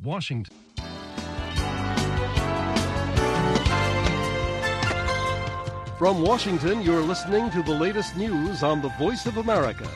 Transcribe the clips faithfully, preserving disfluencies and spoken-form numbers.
Washington. From Washington, you're listening to the latest news on the Voice of America.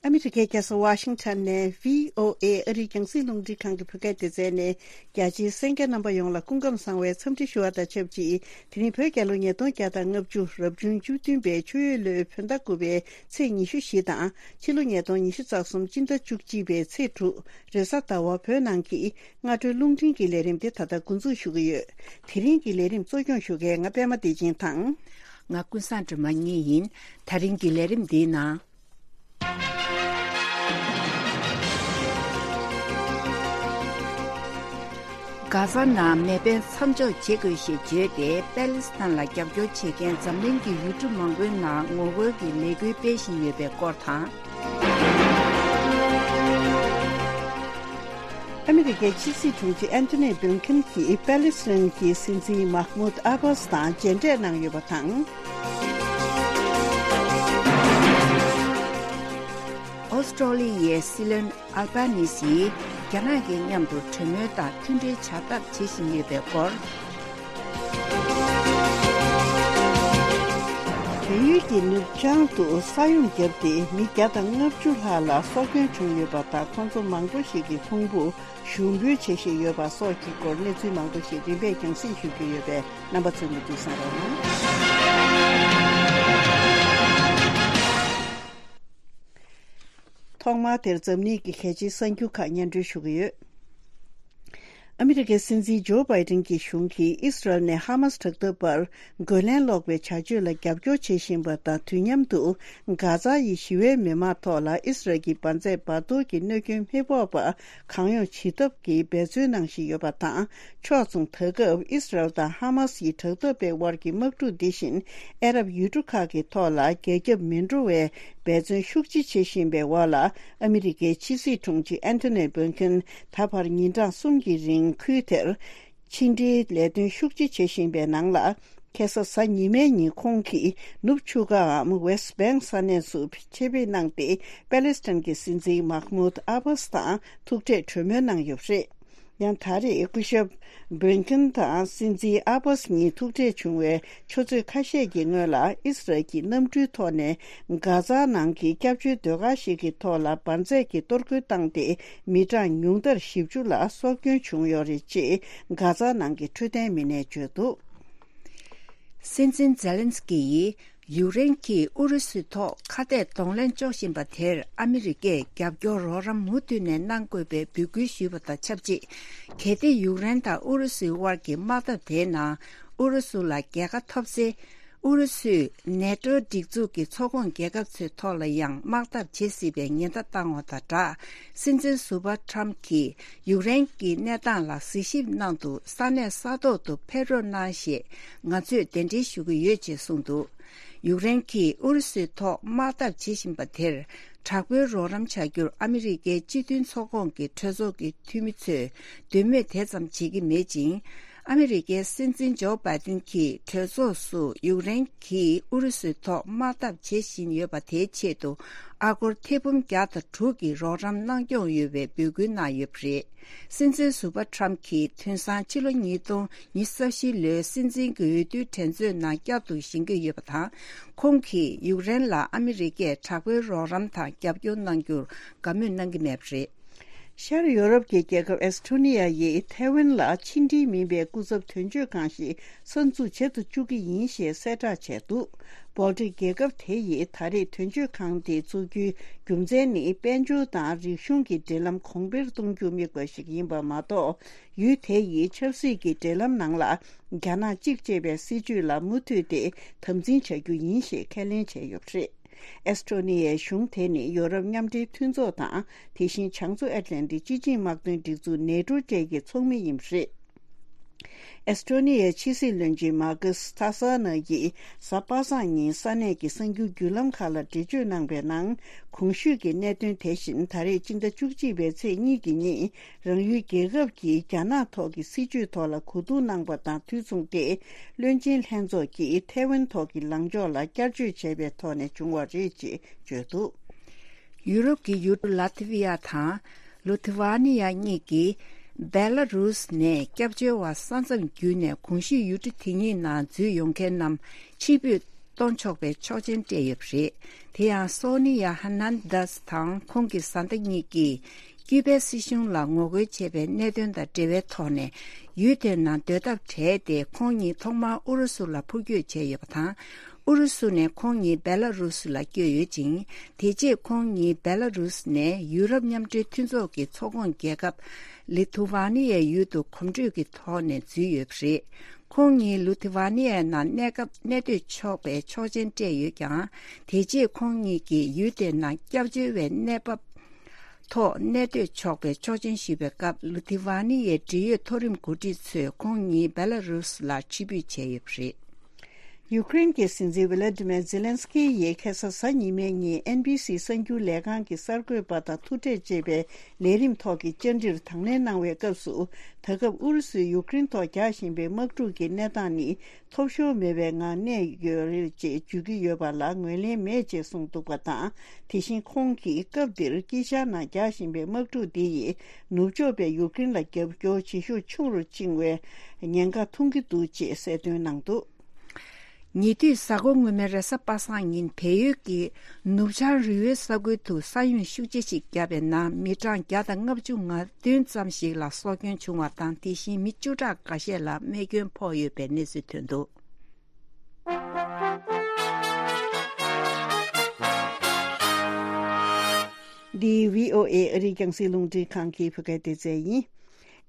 ཨ་མི་རི་ཀའི་རྒྱལ་ས་ཝ་ཤིང་ཊོན་ནས་བྷི་ཨོ་ཨེ་ཨ་རིའི་རྒྱང་སྲིང་རླུང་འཕྲིན་ཁང་གི་བོད་སྐད་སྡེ་ཚན་ནས། རྒྱ་ཆེའི་གསན་མཁན་རྣམ་པ་ཡོངས་ལ་སྐུ་ཁམས་བཟང་བའི་འཚམས་འདྲི་ཞུ་བ་དང་ཆབས་ཅིག་དེ་རིང་བོད་རྒྱལ་ལོ་ཉིས་སྟོང་བརྒྱ་དང་ལྔ་བཅུ་རབ་བྱུང་བཅུ་བདུན་པའི་ཆུ་ཡོས་ལོའི་བོད་ཟླ་དགུ་པའི་ཚེས་ཉི་ཤུ་བཞི་དང་ཕྱི་ལོ་ཉིས་སྟོང་ཉི་ཤུ་རྩ་གསུམ་སྤྱི་ཟླ་བཅུ་གཅིག་པའི་ཚེས་དྲུག་རེས་གཟའ་ཟླ་བ་བོད་ནང་གི་སྔ་དྲོའི་རླུང་འཕྲིན་གྱི་ལས་རིམ་དེ་ད་ལྟ་འགོ་འཛུགས་ཞུ་གི་ཡོད། དེ་རིང་གི་ལས་རིམ་གཙོ་སྐྱོང་ཞུ་མཁན་ང་པད་མ་བདེ་ཆེན་དང་། ང་ཀུན་བཟང་སྒྲོལ་མ་གཉིས་ཡིན། ད་རིང་གི་ལས་རིམ་འདིའི་ནང་། གྷ་ཟ་ནང་མེ་འཕེན་མཚམས་འཇོག་བྱེད་དགོས་ཞེས་བརྗོད་དེ་པེ་ལི་སི་ཐན་ལ་རྒྱབ་སྐྱོར་བྱེད་མཁན་འཛམ་གླིང་གི་ཡུལ་གྲུ་མང་པོའི་ནང་ངོ་རྒོལ་གྱི་ལས་འགུལ་སྤེལ་བཞིན་ཡོད་པའི་སྐོར་དང་། ཨ་མི་རི་ཀའི་ཕྱི་སྲིད་དྲུང་ཆེ་ཨན་ཐོ་ནི་བྷིན་ཁིན་གྱིས་པེ་ལི་སི་ཐན་གྱི་སྲིད་འཛིན་མཱ་ཧ་མུད་ཨ་བྷ་སི་དང་མཇལ་འཕྲད་གནང་ཡོད་པ་དང་། ཨོ་སི་ཀྲོ་ལི་ཡའི་སྲིད་བློན་ཨལ་བྷ་ནི་སིས་རྒྱ་ནག་གི་མཉམ་དུ་གྲོས་མོལ་དང་མཐུན་སྒྲིལ་བྱ་ཐབས་བྱེད་བཞིན་ཡོད་པའི་སྐོར། བལ་ཡུལ་གྱི་ནུབ་བྱང་དུ་ས་ཡོམ་བརྒྱབ་སྟེ་མི་བརྒྱ་དང་ལྔ་བཅུ་ལྷག་ལ་སྲོག་སྐྱོན་བྱུང་ཡོད་པ་དང་། ཁོང་ཚོ་མང་པོ་ཞིག་གི་ཁུང་བུ་ཞུགས་འབུད་བྱེད་བཞིན་ཡོད་པ་སོགས་ཀྱི་སྐོར་གནས་ཚུལ་མང་པོ་ཞིག་རིམ་པས་རྒྱང་སྲིང་ཞུ་རྒྱུ་ཡོད་པས་རྣམ་པ་ཚོས་མུ་མཐུད་གསན་རོགས་གནང་། ཐོག་མར་དེར་འཛམ་གླིང་གི་གལ་ཆེའི་གསར་འགྱུར་ཁག་སྙན་སྒྲོན་ཞུ་གི་ཡོད། ཨ་མི་རི་ཀའི་སྲིད་འཛིན་ཇོ་བྷའི་ཏིན་གྱི་གཞུང་གིས་ཨིས་རལ་ནས་ཧ་མཱ་སི་དྲག་འཐབ་པར་རྒོལ་ལན་སློག་པའི་བྱ་སྤྱོད་ལ་རྒྱབ་སྐྱོར་བྱེད་བཞིན་པ་དང་། དུས་མཉམ་དུ་གྷ་ཛ་ཡི་ཞི་བའི་མི་མང་ཐོག་ལ་ཨིས་རལ་གྱི་འབར་རྫས་འབར་གཏོར་གྱི་གནོད་སྐྱོན་མི་ཕོག་པ་གང་ཡོང་བྱེད་ཐབས་ཀྱི་འབད་བརྩོན་གནང་བཞིན་ཡོད་པ་དང་། ཕྱོགས་མཚུངས། ད་སྐབས་ཨིས་རལ་དང་ཧ་མཱ་སི་ཡི་དྲག་འཐབ་པའི་དབར་གྱི་དམག་འཁྲུག་འདི་བཞིན་ཨ་རབ་ཡུལ་གྲུ་ཁག་གི་ཐོག་ལ་རྒྱ་ཁྱབ་མི་འགྲོ་བའི་འབད་བརྩོན་ཤུགས་ཆེ་བྱེད་བཞིན་པའི་འོག་ལ། ཨ་མི་རི་ཀའི་ཕྱི་སྲིད་དྲུང་ཆེ་ཨན་ཐོ་ནི་བྷིན་ཁིན་ད་བར་ཉིན་གྲངས་གསུམ་གྱི་རིང་ཁུལ་དེར་ཕྱི་འབྲེལ་ལས་དོན་ཤུགས་ཆེ་བྱེད་བཞིན་པའི་ནང་ལ། ཁ་སང་གཟའ་ཉི་མའི་ཉིན་ཁོང་གིས་ནུབ་ཆུ་ཁའམ་ཝེ་སི་བྷེང་ས་གནས་སུ་ཆེད་ཕེབས་གནང་སྟེ། པེ་ལེ་སི་ཐན་གྱི་སྲིད་འཛིན་མཱ་ཧ་མུད་ཨ་བྷ་སི་དང་ཐུག་འཕྲད་གྲོས་མོལ་གནང་ཡོད་པ་རེད། ཡང་ད་རེས་སྐུ་ཞབས་བྷིན་ཁིན་དང་སྲིད་འཛིན་ཨ་བྷ་སི་གཉིས་ཐུག་འཕྲད་བྱུང་བའི་ཆུ་ཚོད་ཁ་ཤས་ཀྱི་སྔོན་ལ། ཨིས་རལ་གྱིས་གནམ་གྲུའི་ཐོག་ནས་གྷ་ཛ་ནང་གི་སྐྱབས་བཅོལ་སྡོད་སྒར་ཞིག་གི་ཐོག་ལ་འབར་རྫས་ཀྱི་གཏོར་རྒོལ་བཏང་སྟེ། མི་གྲངས་ཉུང་མཐར་བཞི་བཅུ་ལ་སྲོག་སྐྱོན་བྱུང་ཡོད་རེད་ཅེས་གྷ་ཛ་ནང་གི་འཕྲོད་བསྟེན་མི་སྣས་བརྗོད་འདུག། སྲིད་འཛིན་ཛེ་ལན་སི་ཀི་ཡིས་ཡུཀ་རེན་གྱིས་ཨུ་རུ་སུའི་ཐོག་ཁ་གཏད་གདོང་ལེན་གཅོག་བཞིན་པ་དེར་ཨ་མི་རི་ཀས་རྒྱབ་སྐྱོར་རོགས་རམ་མུ་མཐུད་ནས་གནང་དགོས་པའི་འབོད་སྐུལ་ཞུས་པ་དང་ཆབས་ཅིག། གལ་ཏེ་ཡུཀ་རེན་དང་ཨུ་རུ་སུའི་དབར་གྱི་དམག་འཐབ་དེའི་ནང་ཨུ་རུ་སུ་ལ་རྒྱལ་ཁ་ཐོབ་ཚེ། ཨུ་རུ་སུས་ནེ་ཏོ་སྒྲིག་འཛུགས་ཀྱི་ཚོགས་ཁོངས་རྒྱལ་ཁབ་ཚོའི་ཐོག་ལ་ཡང་དམག་འཐབ་བྱེད་སྲིད་པའི་ཉེན་བརྡ་བཏང་བ་དང་སྦྲགས། སྲིད་འཛིན་ཟུར་པ་ཁྲམ་གྱིས་ཡུཀ་རེན་གྱི་གནས་སྟངས་ལ་གཟིགས་ཞིབ་གནང་དུ་ས་གནས་ས་ཐོག་ཏུ་ཕེབས་རོགས་གནང་ཞེས་ང་ཚོས་གདན་འདྲེན་ཞུ་གི་ཡོད་ཅེས་གསུངས་འདུག། ཡུཀ་རེན་གྱིས་ཨུ་རུ་སུའི་ཐོག་དམག་འཐབ་བྱེད་བཞིན་པ་དེར། དྲག་པོའི་རོགས་རམ་བྱ་རྒྱུར་ཨ་མི་རི་ཀའི་སྤྱི་མཐུན་ཚོགས་ཁོངས་ཀྱི་གྲོས་ཚོགས་ཀྱི་འཐུས་མི་ཚོས་འདོད་མོས་དེ་ཙམ་བྱེད་ཀྱི་མེད་ཅིང་། ཨ་མི་རི་ཀའི་སྲིད་འཛིན་ཇོ་བྷའི་ཏིན་གྱིས་གྲོས་ཚོགས་སུ་ཡུཀ་རེན་གྱིས་ཨུ་རུ་སུའི་ཐོག་དམག་འཐབ་བྱེད་བཞིན་ཡོད་པ་དེའི་ཆེད་དུ་ཨ་སྒོར་ཐེར་འབུམ་བརྒྱ་དང་དྲུག་གི་རོགས་རམ་གནང་སྐྱོང་ཡོད་པའི་འབོད་སྐུལ་གནང་ཡོད་པ་རེད། སྲིད་འཛིན་ཟུར་པ་ཁྲམ་གྱིས་དེང་སང་ཕྱི་ལོ་ཉིས་སྟོང་ཉི་ཤུ་རྩ་བཞི་ལོའི་སྲིད་འཛིན་གྱི་འོས་བསྡུའི་འགྲན་རྩོད་ནང་བསྐྱར་དུ་བཞེངས་ཀྱི་ཡོད་པ་དང་། ཁོང་གིས་ཡུཀ་རེན་ལ་ཨ་མི་རི་ཀས་དྲག་པོའི་རོགས་རམ་དང་རྒྱབ་སྐྱོར་གནང་རྒྱུར་དགའ་མོས་གནང་གི་མེད་པ་རེད། ཤར་ཡོ་རོབ་ཀྱི་རྒྱལ་ཁབ་ཨེ་སི་ཁྲོ་ནི་ཡ་ཡིས་ཐའེ་ཝན་ལ་ཕྱི་འབྲེལ་མིན་པའི་སྐུ་ཚབ་དོན་གཅོད་ཁང་ཞིག་གསར་འཛུགས་བྱེད་དུ་བཅུག་གི་ཡིན་ཞེས་གསལ་བསྒྲགས་བྱས་འདུག། སྦོལ་ཏིག་རྒྱལ་ཁབ་དེ་ཡིས་ད་རེས་དོན་གཅོད་ཁང་དེ་བཙུགས་རྒྱུའི་རྒྱུ་མཚན་ནི། དཔལ་འབྱོར་དང་རིག་གཞུང་གི་འབྲེལ་ལམ་གོང་འཕེལ་གཏོང་རྒྱུ་དམིགས་པ་ཞིག་ཡིན་པ་མ་གཏོགས། ཡུལ་དེ་ཡི་ཆབ་སྲིད་ཀྱི་འབྲེལ་ལམ་ནང་ལ་རྒྱ་ནག་གཅིག་ཅེས་པའི་སྲིད་བྱུས་ལ་མུ་མཐུད་དེ་དམ་འཛིན་བྱ་རྒྱུ་ཡིན་ཞེས་ཁས་ལེན་བྱས་ཡོད་པ་རེད། ཨེ་སི་ཁྲོ་ནི་ཡའི་གཞུང་དེ་ནི་ཡོ་རོབ་མཉམ་འབྲེལ་མཐུན་ཚོགས་དང་། དེ་བཞིན་བྱང་མཚོ་ཨེཊ་ལན་ཏིག་སྤྱི་ཆིངས་དམག་དོན་སྒྲིག་འཛུགས་ནེ་ཏྲོ་བཅས་ཀྱི་ཚོགས་མི་ཡིན་པ་རེད། ཨེ་སི་ཁྲོ་ནི་ཡའི་ཕྱི་སྲིད་བློན་ཆེན་མཱ་ཀུས་ཐ་ས་ནཱ་ཡིས་གཟའ་པ་སངས་ཉིན་ས་གནས་ཀྱི་གསར་འགྱུར་བརྒྱུད་ལམ་ཁག་ལ་འགྲེལ་བརྗོད་གནང་བའི་ནང་། གོང་ཞུས་ཀྱི་གནད་དོན་དེ་བཞིན་ད་རེས་སྤྱི་ཟླ་བཅུ་གཅིག་པའི་ཚེས་གཉིས་ཀྱི་ཉིན། རང་ཡུལ་རྒྱལ་ཁབ་ཀྱིས་རྒྱ་ནག་ཐོག་གི་སྲིད་བྱུས་ཐོག་ལ་གོ་བསྡུར་གནང་པ་དང་དུས་མཚུངས་ཏེ། བློན་ཆེན་ལྷན་ཚོགས་ཀྱིས་ཐའེ་ཝན་ཐོག་གི་ལངས་ཕྱོགས་ལ་བསྐྱར་བརྗོད་བྱས་པའི་ཐོག་ནས་བྱུང་བ་རེད་ཅེས་བརྗོད་འདུག། ཡུ་རོབ་ཀྱི་ཡུལ་གྲུ་ལ་ཐི་ཝི་ཡ་དང་ལུ་ཐི་ཝ་ནི་ཡ་གཉིས་ཀྱིས་བེ་ལ་རུས་ནས་སྐྱབས་བཅོལ་བ་ས་མཚམས་བརྒྱུད་ནས་གོང་ཞུས་ཡུལ་གྲུ་དེ་གཉིས་ནང་འཛུལ་ཡོང་མཁན་རྣམས་ཕྱིར་འབུད་གཏོང་ཆོག་པའི་ཆོག་མཆན་སྤྲད་ཡོད་པ་རེད། དེ་ཡང་སོ་ནི་ཡ་ཧར་ནན་དཱས་དང་ཁོང་གི་བཟའ་ཟླ་གཉིས་ཀྱིས་ཀྱུ་པའི་སྲིད་གཞུང་ལ་ངོ་རྒོལ་བྱས་པའི་གནད་དོན་དང་འབྲེལ་བའི་ཐོག་ནས་ཡུལ་དེའི་ནང་སྡོད་ཐབས་བྲལ་ཏེ། ཁོང་གཉིས་ཐོག་མར་ཨུ་རུ་སུ་ལ་འཕུར་སྐྱོད་བྱས་ཡོད་པ་དང་། ཨུ་རུ་སུ་ནས་ཁོང་གཉིས་བེ་ལ་རུ་སུ་ལ་བསྐྱོད་ཡོད་ཅིང་། དེ་རྗེས་ཁོང་གཉིས་བེ་ལ་རུ་སུ་ནས་ཡུ་རོབ་མཉམ་འབྲེལ་མཐུན་ཚོགས་ཀྱི་ཚོགས་ཁོངས་རྒྱལ་ཁབ་ལི་ཐུ་ཝ་ནི་ཡའི་ཡུལ་དུ་གོམ་བགྲོད་ཀྱི་ཐོག་ནས་འཛུལ་ཡོད་པ་རེད། ཁོང་གཉིས་ལུ་ཐི་ཝ་ནི་ཡའི་ནང་གནས་སྐབས་གནས་སྡོད་ཆོག་པའི་ཆོག་མཆན་སྤྲད་ཡོད་ཀྱང་། དེ་རྗེས་ཁོང་གཉིས་ཀྱིས་ཡུལ་དེའི་ནང་སྐྱབས་བཅོལ་བའི་གནས་བབ་ཐོག་གནས་སྡོད་ཆོག་པའི་ཆོག་མཆན་ཞུས་པའི་སྐབས། ལུ་ཐི་ཝ་ནི་ཡའི་འབྲེལ་ཡོད་མཐོ་རིམ་འགོ་ཁྲིད་ཚོས་ཁོང་གཉིས་བེ་ལ་རུ་སུ་ལ་ཕྱིར་འབུད་བྱས་ཡོད་པ་རེད། ཡུ་ཀེ་རེན་གྱི་སྲིད་འཛིན་ཝི་ལ་ཏི་མེར་ཛེ་ལན་སི་ཀི་ཡིས་ཁ་སང་གཟའ་ཉི་མའི་ཉིན་ཨེན་བི་སི་གསར་འགྱུར་ལས་ཁང་གི་གསར་འགོད་པ་དང་ཐུག་འཕྲད་ཅེས་པའི་ལས་རིམ་ཐོག་གི་བཅར་འདྲིར་དང་ལེན་གནང་བའི་སྐབས་སུ། ད་སྐབས་ཨུ་རུ་སུས་ཡུ་ཀེ་རེན་ཐོག་རྒྱག་བཞིན་པའི་དམག་འཁྲུག་གི་གནས་སྟངས་ནི་ཐོབ་ཤོར་མེད་པའི་ངང་གནས་ཡོད་རེད་ཅེས་བརྗོད་ཀྱི་ཡོད་པ་ལ་ངོས་ལེན་མེད་ཅེས་གསུངས་འདུག་པ་དང་། དེ་བཞིན་ཁོང་གིས་སྐབས་འདིར་དཀྱིལ་ཤར་ནང་རྒྱག་བཞིན་པའི་དམག་འཁྲུག་འདི་ཡིས་ནུབ་ཕྱོགས་པས་ཡུ་ཀེ་རེན་ལ་རྒྱབ་སྐྱོར་བྱེད་ཤུགས་ཆུང་རུ་ཕྱིན་བའི་ཉེན་ཁ་མཐོང་གི་འདུག་ཅེས་གསལ་སྟོན་གནང་འདུག། ཉེ་དུས་གཟའ་འཁོར་སྔོན་མའི་རེས་གཟའ་པ་སངས་ཉིན་བལ་ཡུལ་གྱི་ནུབ་བྱང་རི་བོའི་ས་ཁུལ་དུ་ས་ཡོམ་ཤུགས་ཆེ་ཞིག་བརྒྱབ་པའི་ནང་མི་གྲངས་བརྒྱ་དང་ལྔ་བཅུ་ང་བདུན་ཙམ་ཞིག་ལ་སྲོག་སྐྱོན་བྱུང་བ་དང་། དེ་བཞིན་མི་བཅུ་ཕྲག་འགའ་ཤས་ལ་རྨས་སྐྱོན་ཕོག་ཡོད་པའི་གནས་ཚུལ་ཐོན་འདུག། འདི་བྷི་ཨོ་ཨེ་ཨ་རིའི་རྒྱང་སྲིང་རླུང་འཕྲིན་ཁང་གི་བོད་སྐད་སྡེ་ཚན་ཡིན།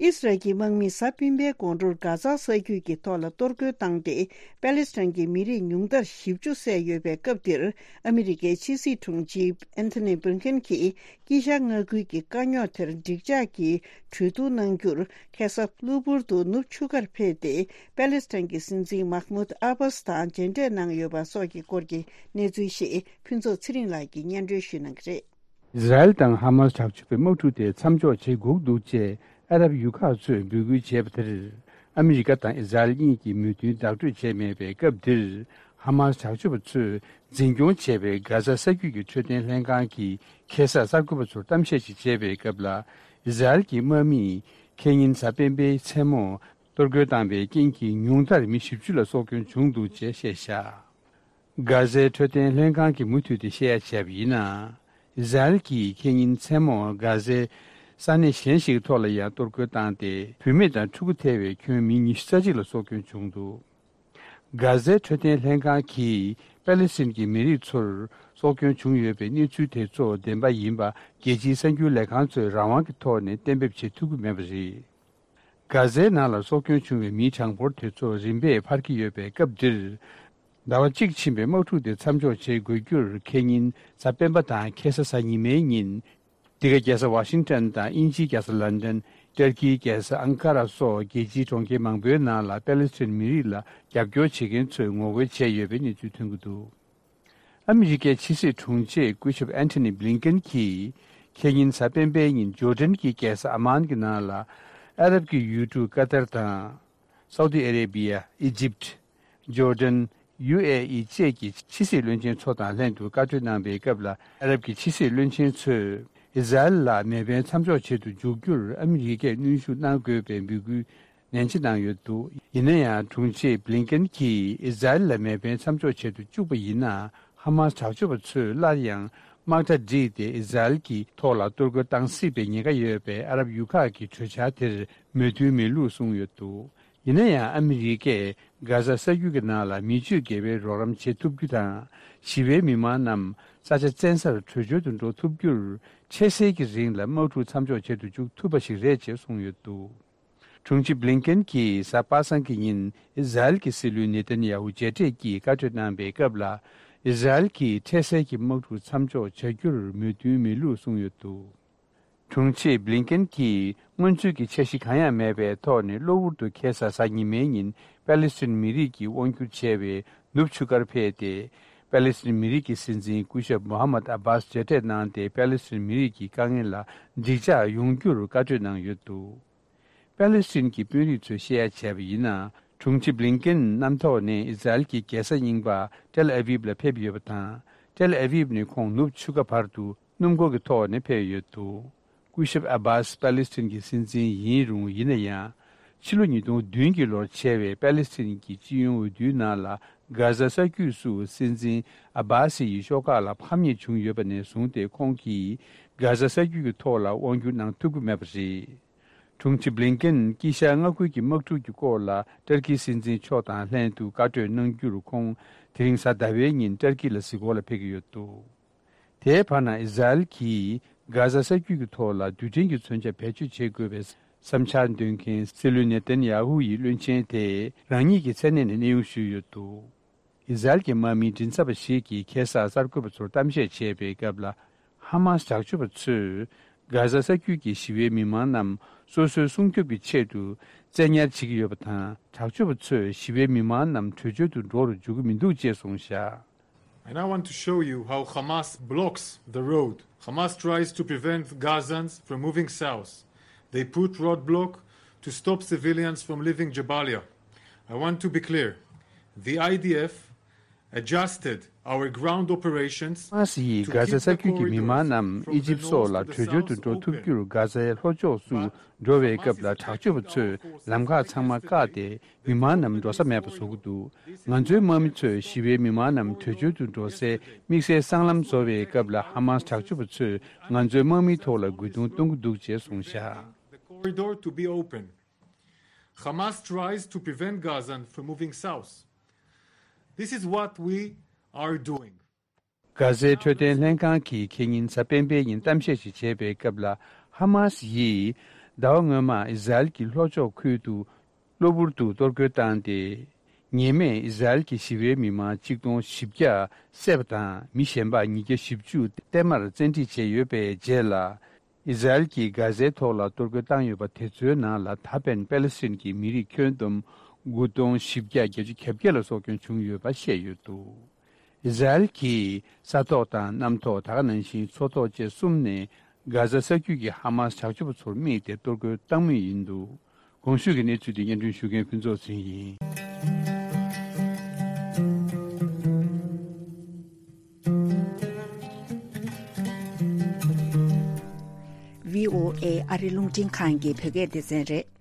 ཨིས་རལ་གྱི་དམག་མིས་གཟའ་སྤེན་པའི་དགོང་དྲོར་གྷ་ཛ་ས་རྒྱུད་ཀྱི་ཐོག་ལ་གཏོར་རྒོལ་བཏང་སྟེ། པེ་ལེ་སི་ཐན་གྱི་མི་རིགས་ཉུང་མཐར་བཞི་བཅུ་བསད་ཡོད་པའི་སྐབས་འདིར། ཨ་མི་རི་ཀའི་ཕྱི་སྲིད་དྲུང་ཆེ་ཨན་ཐོ་ནི་བྷིན་ཀེན་གྱིས་དཀྱིལ་ཤར་མངའ་ཁུལ་གྱི་དཀའ་རྙོག་དེར་འགྲིག་འཇགས་ཀྱི་གྲོས་བསྡུར་གནང་རྒྱུར། ཁ་སང་གློ་བུར་དུ་ནུབ་ཆུ་ཁར་ཕེབས་ཏེ། པེ་ལེ་སི་ཐན་གྱི་སྲིད་འཛིན་མཱ་ཧ་མུད་ཨ་བྷ་སི་དང་མཇལ་འཕྲད་གནང་ཡོད་པ་སོགས་ཀྱི་སྐོར་གྱི་གནས་ཚུལ་ཞིག་ཕུན་ཚོགས་ཚེ་རིང་ལགས་ཀྱིས་སྙན་སྒྲོན་ཞུ་གནང་གི་རེད། ཨི་ཟ་རེལ་དང་ཧ་མ་སི་དྲག་སྤྱོད་པའི་དམག་འཁྲུག་དེ་མཚམས་འཇོག་བྱེད་དགོས་འདུག་ཅེས་ཨ་རབ་ཡུལ་ཁག་ཚོས་འབོད་སྐུལ་བྱས་པ་དེར། ཨ་མི་རི་ཀ་དང་ཨི་ཟ་རེལ་གཉིས་ཀྱིས་མོས་མཐུན་བདག་སྤྲོད་བྱས་མེད་པའི་སྐབས་འདིར། ཧ་མ་སི་དྲག་སྤྱོད་པ་ཚོས་འཛིན་སྐྱོང་བྱས་པའི་གྷ་ཟ་ས་རྒྱུད་ཀྱི་འཕྲོད་བསྟེན་ལྷན་ཁང་གིས་ཁ་སང་གསར་འགོད་པ་ཚོར་གཏམ་བཤད་ཅིག་བྱས་པའི་སྐབས་ལ། ཨི་ཟ་རེལ་གྱི་དམག་མིས་ཁེ་ཉིན་གཟའ་སྤེན་པའི་མཚན་མོར་གཏོར་རྒོལ་བཏང་བའི་རྐྱེན་གྱིས་ཉུང་མཐར་མི་བཞི་བཅུ་ལ་སྲོག་སྐྱོན་བྱུང་འདུག་ཅེས་བཤད་བཞག། གྷ་ཟའི་འཕྲོད་བསྟེན་ལྷན་ཁང་གིས་མུ་མཐུད་དེ་བཤད་ཡ་བྱས་པ་ཡིན་ན། ཨི་ཟ་རེལ་གྱིས་ཁེ་ཉིན་མཚན་མོར་གྷ་ཟའི་ས་གནས་གཞན་ཞིག་ཐོག་ལ་ཡང་གཏོར་རྒོལ་བཏང་སྟེ། བུད་མེད་དང་ཕྲུ་གུ་ཐེ་བའི་ཁྱོན་མི་ཉི་ཤུ་རྩ་གཅིག་ལ་སྲོག་སྐྱོན་བྱུང་འདུག། གྷ་ཟའི་འཕྲོད་བསྟེན་ལྷན་ཁང་གིས་པེ་ལེ་སི་ཐན་གྱི་མི་རིགས་ཚོར་སྲོག་སྐྱོན་བྱུང་ཡོད་པའི་གནས་ཚུལ་དེ་ཚོ་བདེན་པ་ཡིན་པ་རྒྱལ་སྤྱིའི་གསར་འགྱུར་ལས་ཁང་ཚོས་རང་དབང་གི་ཐོག་ནས་གཏན་འབེབས་བྱེད་ཐུབ་ཀྱི་མེད་པ་རེད། གྷ་ཟའི་ནང་ལ་སྲོག་སྐྱོན་བྱུང་བའི་མིའི་གྲངས་འབོར་དེ་ཚོ་རིམ་པས་འཕར་གྱི་ཡོད་པའི་སྐབས་འདིར། ཟླ་བ་གཅིག་ཕྱིན་པའི་དམག་འཁྲུག་དེ་མཚམས་འཇོག་བྱེད་དགོས་རྒྱུར་ཁེ་ཉིན་གཟའ་སྤེན་པ་དང་ཁ་སང་གཟའ་ཉི་མའི་ཉིན། འདི་ག་རྒྱལ་ས་ཝ་ཤིང་ཏན་དང་དབྱིན་ཇིའི་རྒྱལ་ས་ལན་ཏན། ཏུར་ཀིའི་རྒྱལ་ས་ཨང་ཀ་ར་སོགས་རྒྱལ་སྤྱིའི་གྲོང་ཁྱེར་མང་པོའི་ནང་ལ་པེ་ལེ་སི་ཐན་མི་རིགས་ལ་རྒྱབ་སྐྱོར་བྱེད་མཁན་ཚོས་ངོ་རྒོལ་བྱས་ཡོད་པའི་གནས་ཚུལ་ཐོན་གྱི་འདུག། ཨ་མི་རི་ཀའི་ཕྱི་སྲིད་དྲུང་ཆེ་སྐུ་ཞབས་ཨན་ཐོ་ནི་བྷི་ལིན་ཀེན་གྱིས་ཁེ་ཉིན་གཟའ་སྤེན་པའི་ཉིན་ཇོར་ཌན་གྱི་རྒྱལ་ས་ཨ་མཱན་གྱི་ནང་ལ་ཨ་རབ་ཀྱི་ཡུལ་གྲུ་ཀ་ཏར་དང་། སའུ་ཏི་ཨ་རེ་བི་ཡ། ཨི་ཇིབ། ཇོར་ཌན། ཡུ་ཨེ་ཨི་བཅས་ཀྱི་ཕྱི་སྲིད་བློན་ཆེན་ཚོ་དང་ལྷན་དུ་བཀའ་གྲོས་གནང་པའི་སྐབས་ལ། ཨ་རབ་ཀྱི་ཕྱི་སྲིད་བློན་ཆེན་ཚོས་ཨི་ཟ་རེལ་ལ་མེ་འཕེན་མཚམས་འཇོག་བྱེད་དུ་འཇུག་རྒྱུར་ཨ་མི་རི་ཀས་གནོན་ཤུགས་གནང་དགོས་པའི་འབོད་སྐུལ་ནན་ཆེ་གནང་ཡོད་འདུག། ཡིན་ན་ཡང་དྲུང་ཆེ་བྷི་ལིན་ཀེན་གྱིས་ཨི་ཟ་རེལ་ལ་མེ་འཕེན་མཚམས་འཇོག་བྱེད་དུ་བཅུག་པ་ཡིན་ན། ཧ་མ་སི་དྲག་སྤྱོད་པ་ཚོས་སླར་ཡང་དམག་གྲ་བསྒྲིགས་ཏེ་ཨི་ཟ་རེལ་གྱི་ཐོག་ལ་གཏོར་རྒོལ་བཏང་སྲིད་པའི་ཉེན་ཁ་ཡོད་པས། ཨ་རབ་ཡུལ་ཁག་གི་གྲོས་འཆར་དེར་མོས་མཐུན་མེད་ལུགས་གསུངས་ཡོད་འདུག། ཡིན་ན་ཡང་ཨ་མི་རི་ཀས་གྷ་ཟ་ས་རྒྱུད་ཀྱི་ནང་ལ་མི་སྤྱོད་དགེ་བའི་རོགས་རམ་བྱེད་ཐུབ་རྒྱུ་དང་། ཞི་བའི་མི་མང་རྣམས་ས་ཆ་བཙན་སར་བྲོས་བྱོལ་དུ་འགྲོ་ཐུབ་རྒྱུར་ཆེས་སྲིད་ཀྱི་རིང་ལ་དམག་འཁྲུག་མཚམས་འཇོག་བྱེད་དུ་འཇུག་ཐུབ་པ་ཞིག་རེད་ཅེས་གསུངས་ཡོད་འདུག། དྲུང་ཆེ་བྷི་ལིན་ཀེན་གྱིས་གཟའ་པ་སངས་ཀྱི་ཉིན་ཨི་ཟ་རེལ་གྱི་སྲིད་བློན་ནེ་ཐན་ཡ་ཧུ་མཇལ་འཕྲད་ཀྱིས་བཀའ་གྲོས་གནང་པའི་སྐབས་ལ། ཨི་ཟ་རེལ་གྱིས་འཕྲལ་སེལ་གྱི་དམག་འཁྲུག་མཚམས་འཇོག་བྱ་རྒྱུར་མོས་མཐུན་མེད་ལུགས་གསུངས་ཡོད་འདུག། དྲུང་ཆེ་བྷི་ལིན་ཀེན་གྱིས་སྔོན་ཚུད་ཀྱི་འཆར་གཞི་གང་ཡང་མེད་པའི་ཐོག་ནས་གློ་བུར་དུ་ཁ་སང་གཟའ་ཉི་མའི་ཉིན་པེ་ལེ་སི་ཐན་མི་རིགས་ཀྱིས་དབང་སྒྱུར་བྱས་པའི་ནུབ་ཆུ་ཁར་ཕེབས་ཏེ། པེ་ལེ་སི་ཐན་མི་རིགས་ཀྱི་སྲིད་འཛིན་སྐུ་ཞབས་མོ་ཧ་མད་ཨ་བྷཱས་མཇལ་འཕྲད་གནང་སྟེ། པེ་ལེ་སི་ཐན་མི་རིགས་ཀྱི་དཀའ་ངལ་ལ་འགྲིག་འཇགས་ཡོང་རྒྱུར་བཀའ་གྲོས་གནང་ཡོད་འདུག། པེ་ལེ་སི་ཐན་གྱི་དཔོན་རིགས་ཚོས་བཤད་ཡ་བྱས་པ་ཡིན་ན། དྲུང་ཆེ་བྷི་ལིན་ཀེན་གནམ་ཐོག་ནས་ཨི་ཟ་རེལ་གྱི་རྒྱལ་ས་རྙིང་པ་ཏེལ་ཨ་ཝིབ་ལ་ཕེབས་ཡོད་པ་དང་། ཏེལ་ཨ་ཝིབ་ནས་ཁོང་ནུབ་ཆུ་ཁ་བར་དུ་ སྣུམ་འཁོར་གྱི་ཐོག་ནས་ཕེབས་ཡོད་འདུག། སྐུ་ཞབས་ཨ་བྷཱས་པ་ལི་སི་ཐན་གྱི་སྲིད་འཛིན་ཡིན་རུང་། ཡིན་ན་ཡང་། ཕྱི་ལོ་ཉིས་སྟོང་བདུན་གྱི་ལོར་བྱས་པའི་པ་ལི་སི་ཐན་གྱི་སྤྱི་ཡོངས་འོས་བསྡུའི་ནང་ལ་གྷ་ཟ་ས་རྒྱུད་སུ་སྲིད་འཛིན་ཨ་བྷཱ་སི་ཡི་ཤོག་ཁག་ལ་ཕམ་ཉེས་བྱུང་ཡོད་པ་ནས་བཟུང་སྟེ། ཁོང་གིས་གྷ་ཟ་ས་རྒྱུད་ཀྱི་ཐོག་ལ་དབང་བསྒྱུར་གནང་ཐུབ་ཀྱི་མེད་པ་རེད། དྲུང་ཆེ་བྷི་ལིན་ཀེན་དཀྱིལ་ཤར་མངའ་ཁུལ་གྱི་དམག་འཁྲུག་གི་སྐོར་ལ་ཏར་ཀི་སྲིད་འཛིན་མཆོག་དང་ལྷན་དུ་བཀའ་གྲོས་གནང་རྒྱུར། ཁོང་དེ་རིང་གཟའ་ཟླ་བའི་ཉིན་ཏར་ཀི་ལ་གཟིགས་སྐོར་ལ་ཕེབས་ཀྱི་ཡོད་འདུག། དེའི་བར་ན། ཨི་ཟ་རེལ་གྱིས་གྷ་ཟ་ས་རྒྱུད་ཀྱི་ཐོག་ལ་རྡུལ་ཕྲན་གྱི་མཚོན་ཆ་བེད་སྤྱོད་བྱེད་དགོས་པའི་བསམ་འཆར་འདོན་མཁན་སྲིད་བློན་ནེ་ཐན་ཡ་ཧུ་ཡི་བློན་ཆེན་དེས་རང་ཉིད་ཀྱི་མཚན་གནས་ནས་གནས་དབྱུང་ཞུས་ཡོད་འདུག། ཨི་ཟ་རེལ་གྱི་དམག་མི་མགྲིན་ཚབ་པ་ཞིག་གིས་ཁ་སང་གསར་འགོད་པ་ཚོར་གཏམ་བཤད་བྱས་པའི་སྐབས་ལ། ཧ་མཱ་སི་དྲག་སྤྱོད་པ་ཚོས་གྷ་ཟ་ས་རྒྱུད་ཀྱི་ཞི་བའི་མི་མང་རྣམས་སོ་སོའི་སྲུང་སྐྱོབ་ཀྱི་ཆེད་དུ་བཙན་ཉར་བྱེད་ཀྱི་ཡོད་པ་དང་། དྲག་སྤྱོད་པ་ཚོས་ཞི་བའི་མི་མང་རྣམས་བྲོས་བྱོལ་དུ་འགྲོ་རུ་འཇུག་གི་མི་འདུག་ཅེས་གསུངས་བཞག། And I want to show you how Hamas blocks the road. Hamas tries to prevent Gazans from moving south. They put roadblock to stop civilians from leaving Jabalia. I want to be clear. The I D F adjusted our ground operations ཧ་མཱ་སི་ཡིས་གྷ་ཟ་ས་རྒྱུད་ཀྱི་མི་མང་རྣམས་ཨི་ཇིབ་སོགས་ལ་བྲོས་བྱོལ་དུ་འགྲོ་ཐུབ་རྒྱུར། གྷ་ཟའི་ལྷོ་ཕྱོགས་སུ་འགྲོ་བའི་སྐབས་ལ་དྲག་སྤྱོད་པ་ཚོས་ལམ་ཁ་ཚང་མ་བཀག་སྟེ། མི་མང་རྣམས་འགྲོ་ས་མེད་པ་བཟོ་གི་འདུག། ང་ཚོའི་དམག་མི་ཚོས་ཞི་བའི་མི་མང་རྣམས་བྲོས་བྱོལ་དུ་འགྲོ་སའི་དམིགས་བསལ་སྲང་ལམ་བཟོ་བའི་སྐབས་ལ། ཧ་མཱ་སི་དྲག་སྤྱོད་པ་ཚོས་ང་ཚོའི་དམག་མིའི་ཐོག་ལ་རྒོལ་རྡུང་གཏོང་གི་འདུག་ཅེས་གསུངས་བཞག། The corridor to be open. Hamas tries to prevent Gazans from moving south. This is what we are doing. གྷ་ཟའི་འཕྲོད་བསྟེན་ལྷན་ཁང་གིས་ཁེ་ཉིན་གཟའ་སྤེན་པའི་ཉིན་གཏམ་བཤད་ཞིག་བྱས་པའི་སྐབས་ལ། ཧ་མཱ་སི་ཡིས་ཟླ་བ་སྔོན་མ་ཨི་ཟ་རེལ་གྱི་ལྷོ་ཕྱོགས་ཁུལ་དུ་གློ་བུར་དུ་གཏོར་རྒོལ་བཏང་སྟེ། ཉེས་མེད་ཨི་ཟ་རེལ་གྱི་ཞི་བའི་མི་མང་ཆིག་སྟོང་བཞི་བརྒྱ་བསད་པ་དང་། མི་གཞན་པ་ཉིས་བརྒྱ་བཞི་བཅུ་བརྟན་མར་བཙན་ཁྲིད་བྱས་ཡོད་པའི་རྗེས་ལ། ཨི་ཟ་རེལ་གྱིས་གྷ་ཟའི་ཐོག་ལ་གཏོར་རྒོལ་བཏང་ཡོད་པ་དེ་ཚོའི་ནང་ལ་ད་ཕན་པེ་ལེ་སི་ཐན་གྱི་མི་རིགས་ཁྱོན་བསྡོམས་དགུ་སྟོང་བཞི་བརྒྱ་བརྒྱད་ཅུ་གྱ་བརྒྱད་ལ་སྲོག་སྐྱོན་བྱུང་ཡོད་པ་བཤད་ཡོད་འདུག། ཨི་ཟ་རེལ་གྱིས་ས་ཐོག་དང་གནམ་ཐོག། ད་ག་ནང་བཞིན་མཚོ་ཐོག་བཅས་གསུམ་ནས་གྷ་ཟ་ས་རྒྱུད་ཀྱི་ཧ་མཱ་སི་དྲག་སྤྱོད་པ་ཚོར་དམིགས་ཏེ་གཏོར་རྒོལ་བཏང་མུས་ཡིན་འདུག། གོང་ཞུས་ཀྱི་གནས་ཚུལ་དེ་སྙན་སྒྲོན་ཞུ་མཁན་ཕུན་ཚོགས་ཚེ་རིང་ཡིན། བྷི་ཨོ་ཨེ་ཨ་རི་རླུང་འཕྲིན་ཁང་གི་བོད་སྐད་སྡེ་ཚན་རེད།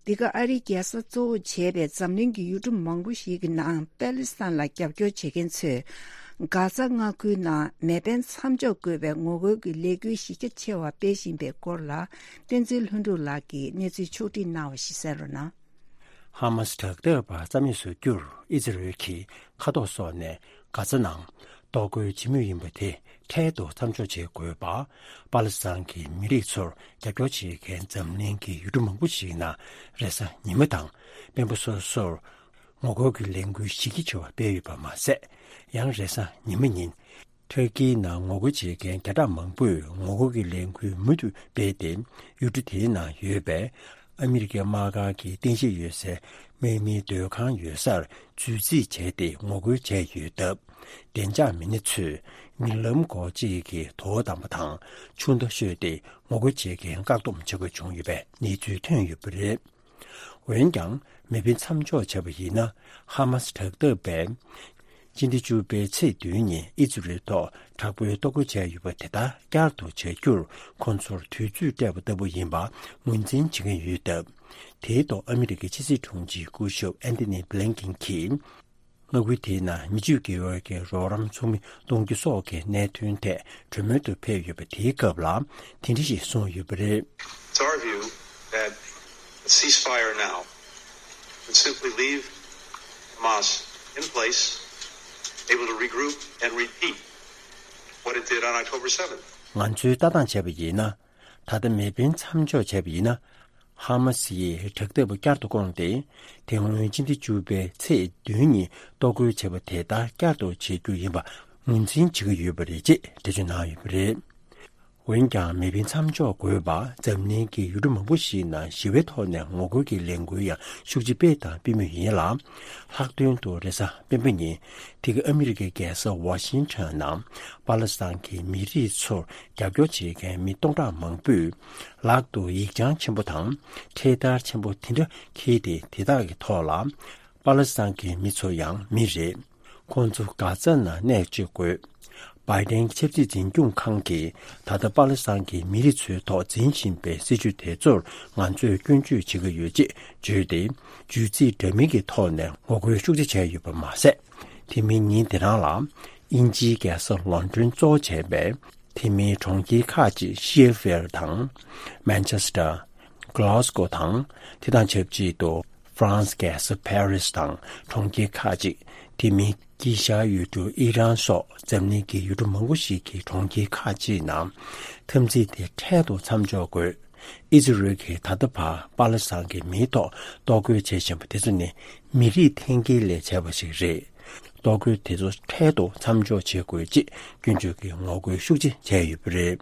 འདི་ག་ཨ་རིའི་རྒྱལ་ས་གཙོ་བོར་བྱས་པའི་འཛམ་གླིང་གི་ཡུལ་གྲུ་མང་པོ་ཞིག་གི་ནང་པ་ལི་སི་ཐན་ལ་རྒྱབ་སྐྱོར་བྱེད་མཁན་ཚོས་གྷ་ཛ་མངའ་ཁུལ་ནང་མེ་འཕེན་མཚམས་འཇོག་དགོས་པའི་ངོ་རྒོལ་གྱི་ལས་འགུལ་གཞི་རྒྱ་ཆེ་བ་སྤེལ་བཞིན་པའི་སྐོར་ལ། བསྟན་འཛིན་ལྷུན་གྲུབ་ལགས་ཀྱིས་གནས་ཚུལ་ཕྱོགས་སྒྲིག་གནང་བ་ཞིག་གསན་རོགས་གནང་། ཧ་མཱ་སི་དྲག་འཐབ་པ་རྩ་མེད་བཟོ་རྒྱུར་ཨི་ཛི་རལ་གྱི་མཁའ་ཐོག་སོགས་ནས་གྷ་ཛ་ནང་གཏོར་རྒོལ་བྱེད་མུས་ཡིན་པ་དེ་འཕྲལ་དུ་མཚམས་འཇོག་བྱེད་དགོས་པ། པ་ལི་སི་ཐན་གྱི་མི་རིགས་ཚོར་རྒྱབ་སྐྱོར་བྱེད་མཁན་འཛམ་གླིང་གི་ཡུལ་གྲུ་མང་པོ་ཞིག་ནང་རེས་གཟའ་ཉི་མ་དང་སྤེན་པ་སོ་སོར་ངོ་རྒོལ་གྱི་ལས་འགུལ་གཞི་རྒྱ་ཆེ་བ་སྤེལ་ཡོད་པ་མ་ཟད། ཡང་རེས་གཟའ་ཉི་མ་ཉིན་ཐུར་ཀིའི་ནང་ངོ་རྒོལ་བྱེད་མཁན་བརྒྱ་ཕྲག་མང་པོས་ངོ་རྒོལ་གྱི་ལས་འགུལ་མུ་མཐུད་སྤེལ་ཏེ། ཡུལ་གྲུ་དེའི་ནང་ཡོད་པའི་ཨ་མི་རི་ཀའི་དམག་སྒར་གྱི་རྟེན་གཞི་ཡོད་སའི་དམག་མིའི་སྡོད་ཁང་ཡོད་སར་འཛུལ་རྩིས་བྱས་ཏེ་ངོ་རྒོལ་བྱས་ཡོད་སྟབས། བདེ་འཇགས་མི་སྣ་ཚོས་མྱུར་ལམ་སྒོ་གཅིག་གི་དོ་དམ་པ་དང་ཆུ་མདའ་གཞུས་ཏེ་ངོ་རྒོལ་བྱེད་མཁན་བཀག་སྡོམ་བྱེད་དགོས་བྱུང་ཡོད་པའི་གནས་ཚུལ་ཐོན་ཡོད་པ་རེད། འོན་ཀྱང་། མེ་འཕེན་མཚམས་འཇོག་བྱས་པ་ཡིན་ན། ཧ་མཱ་སི་དྲག་འཐབ་པས་སྤྱི་ཟླ་བཅུ་པའི་ཚེས་བདུན་ཉིན་ཨི་ཛི་རལ་ཐོག་དྲག་པོའི་གཏོར་རྒོལ་བྱས་ཡོད་པ་དེ་དག་བསྐྱར་དུ་བྱ་རྒྱུར་ཁོང་ཚོར་དུས་ཚོད་སྤྲད་པ་ལྟ་བུ་ཡིན་པ་ངོས་འཛིན་བྱེད་ཀྱི་ཡོད་སྟབས། དེའི་ཐོག་ཨ་མི་རི་ཀའི་ཕྱི་སྲིད་དྲུང་ཆེ་སྐུ་ཞབས་ཨན་ཐོ་ནི་བྷི་ལིན་ཀིན་གྱིས། མངའ་ཁུལ་དེའི་ནང་མི་སྤྱོད་དགེ་བའི་གི་རོགས་རམ་ཚོགས་མི་གཏོང་རྒྱུ་སོགས་ཀྱི་གནད་དོན་ཐད་གྲོས་མོལ་དུ་ཕེབས་ཡོད་པ་དེའི་སྐབས་ལ་དེ་འདྲ་ཞིག་གསུངས་ཡོད་པ་རེད། It's our view that a ceasefire now would simply leave Hamas in place, able to regroup and repeat what it did on October seventh. ང་ཚོའི་ལྟ་སྟངས་བྱས་པ་ཡིན་ན། ད་ལྟ་མེ་འཕེན་མཚམས་འཇོག་བྱས་པ་ཡིན་ན། ཧ་མ་སི་ཡིས་དྲག་འཐབ་པ་བསྐྱར་དུ་བསྐོངས་ཏེ། དེ་སྔོན་སྤྱི་ཟླ་བཅུ་པའི་ཚེས་བདུན་ཉིན་གཏོར་རྒོལ་བྱས་པ་དེ་དག་བསྐྱར་དུ་བྱེད་རྒྱུ་ཡིན་པ་ངོས་འཛིན་བྱེད་ཀྱི་ཡོད་པ་རེད་ཅེས་འགྲེལ་བརྗོད་གནང་ཡོད་པ་རེད། འོན་ཀྱང་མེ་འཕེན་མཚམས་འཇོག་དགོས་པ་འཛམ་གླིང་གི་ཡུལ་གྲུ་མང་པོ་ཞིག་ནང་ཞི་བའི་ཐོག་ནས་ངོ་རྒོལ་གྱི་ལས་འགུལ་ཡང་ཤུགས་ཆེ་སྤེལ་དང་སྤེལ་མུས་ཡིན་ལ། ལྷག་དོན་དུ་རེས་གཟའ་སྤེན་པ་ཉིན་དེ་ག་ཨ་མི་རི་ཀའི་རྒྱལ་ས་ཝ་ཤིང་ཊོན་ནང་པ་ལི་སི་ཐན་གྱི་མི་རིགས་ཚོར་རྒྱབ་སྐྱོར་བྱེད་མཁན་མི་སྟོང་ཕྲག་མང་པོས་ལག་ཏུ་ཡིག་བྱང་ཆེན་པོ་དང་འཕྲེད་དར་ཆེན་པོ་དེ་འདྲ་འཁྱེར་ཏེ་དེ་དག་གི་ཐོག་ལ། པ་ལི་སི་ཐན་གྱི་མི་ཚོ་ཡང་མི་རེད། ཁོང་ཚོ་གྷ་ཛ་ནང་གནས་བཅུག་དགོས། བྷའི་ཌེན་ཆབ་སྲིད་འཛིན་སྐྱོང་ཁང་གིས་ད་ལྟ་པ་ལི་སི་ཐན་གྱི་མི་རིགས་ཚོའི་ཐོག་འཛིན་བཞིན་པའི་སྲིད་བྱུས་དེ་ཚོར་ང་ཚོས་སྐྱོན་བརྗོད་བྱེད་ཀྱི་ཡོད་ཅེས་བརྗོད་དེ། བརྗོད་ཚིག་འདྲ་མིན་གྱི་ཐོག་ནས་ངོ་རྒོལ་ཤུགས་ཆེ་བྱས་ཡོད་པ་མ་ཟད། དེ་མིན་ཉིན་དེ་རང་ལ་དབྱིན་ཇིའི་རྒྱལ་ས་ལོན་ཌོན་གཙོ་བྱས་པའི་དེ་མིན་གྲོང་ཁྱེར་ཁག་ཅིག་ཤེ་ཕེལ་དང་མན་ཆེ་སི་ཊར། གྷ་ལཱ་སི་ཀོ་དང་། དེ་དང་ཆབས་ཅིག་ཏུ་ཧྥ་རན་སི་རྒྱལ་ས་ཕ་རི་སི་དང་གྲོང་ཁྱེར་ཁག་ཅིག་དེ་མིན་དཀྱིལ་ཤར་ཡུལ་གྲུ་ཨི་རན་སོགས་འཛམ་གླིང་གི་ཡུལ་གྲུ་མང་པོ་ཞིག་གི་གྲོང་ཁྱེར་ཁག་ཅིག་ནང་འཐབ་འཛིང་དེ་འཕྲལ་དུ་མཚམས་འཇོག་དགོས། ཨི་ཛི་རལ་གྱིས་ད་ལྟ་བར་པ་ལི་སི་ཐན་གྱི་མིའི་ཐོག་གཏོར་རྒོལ་བྱེད་བཞིན་པ་དེ་ཚོ་ནི་མི་རིགས་འཐེན་འཁྱེར་ལས་བྱས་པ་ཞིག་རེད། གཏོར་རྒོལ་དེ་ཚོ་འཕྲལ་དུ་མཚམས་འཇོག་བྱེད་དགོས་ཅེས་སྐྱོན་བརྗོད་ཀྱིས་ངོ་རྒོལ་ཤུགས་ཆེ་བྱས་ཡོད་པ་རེད།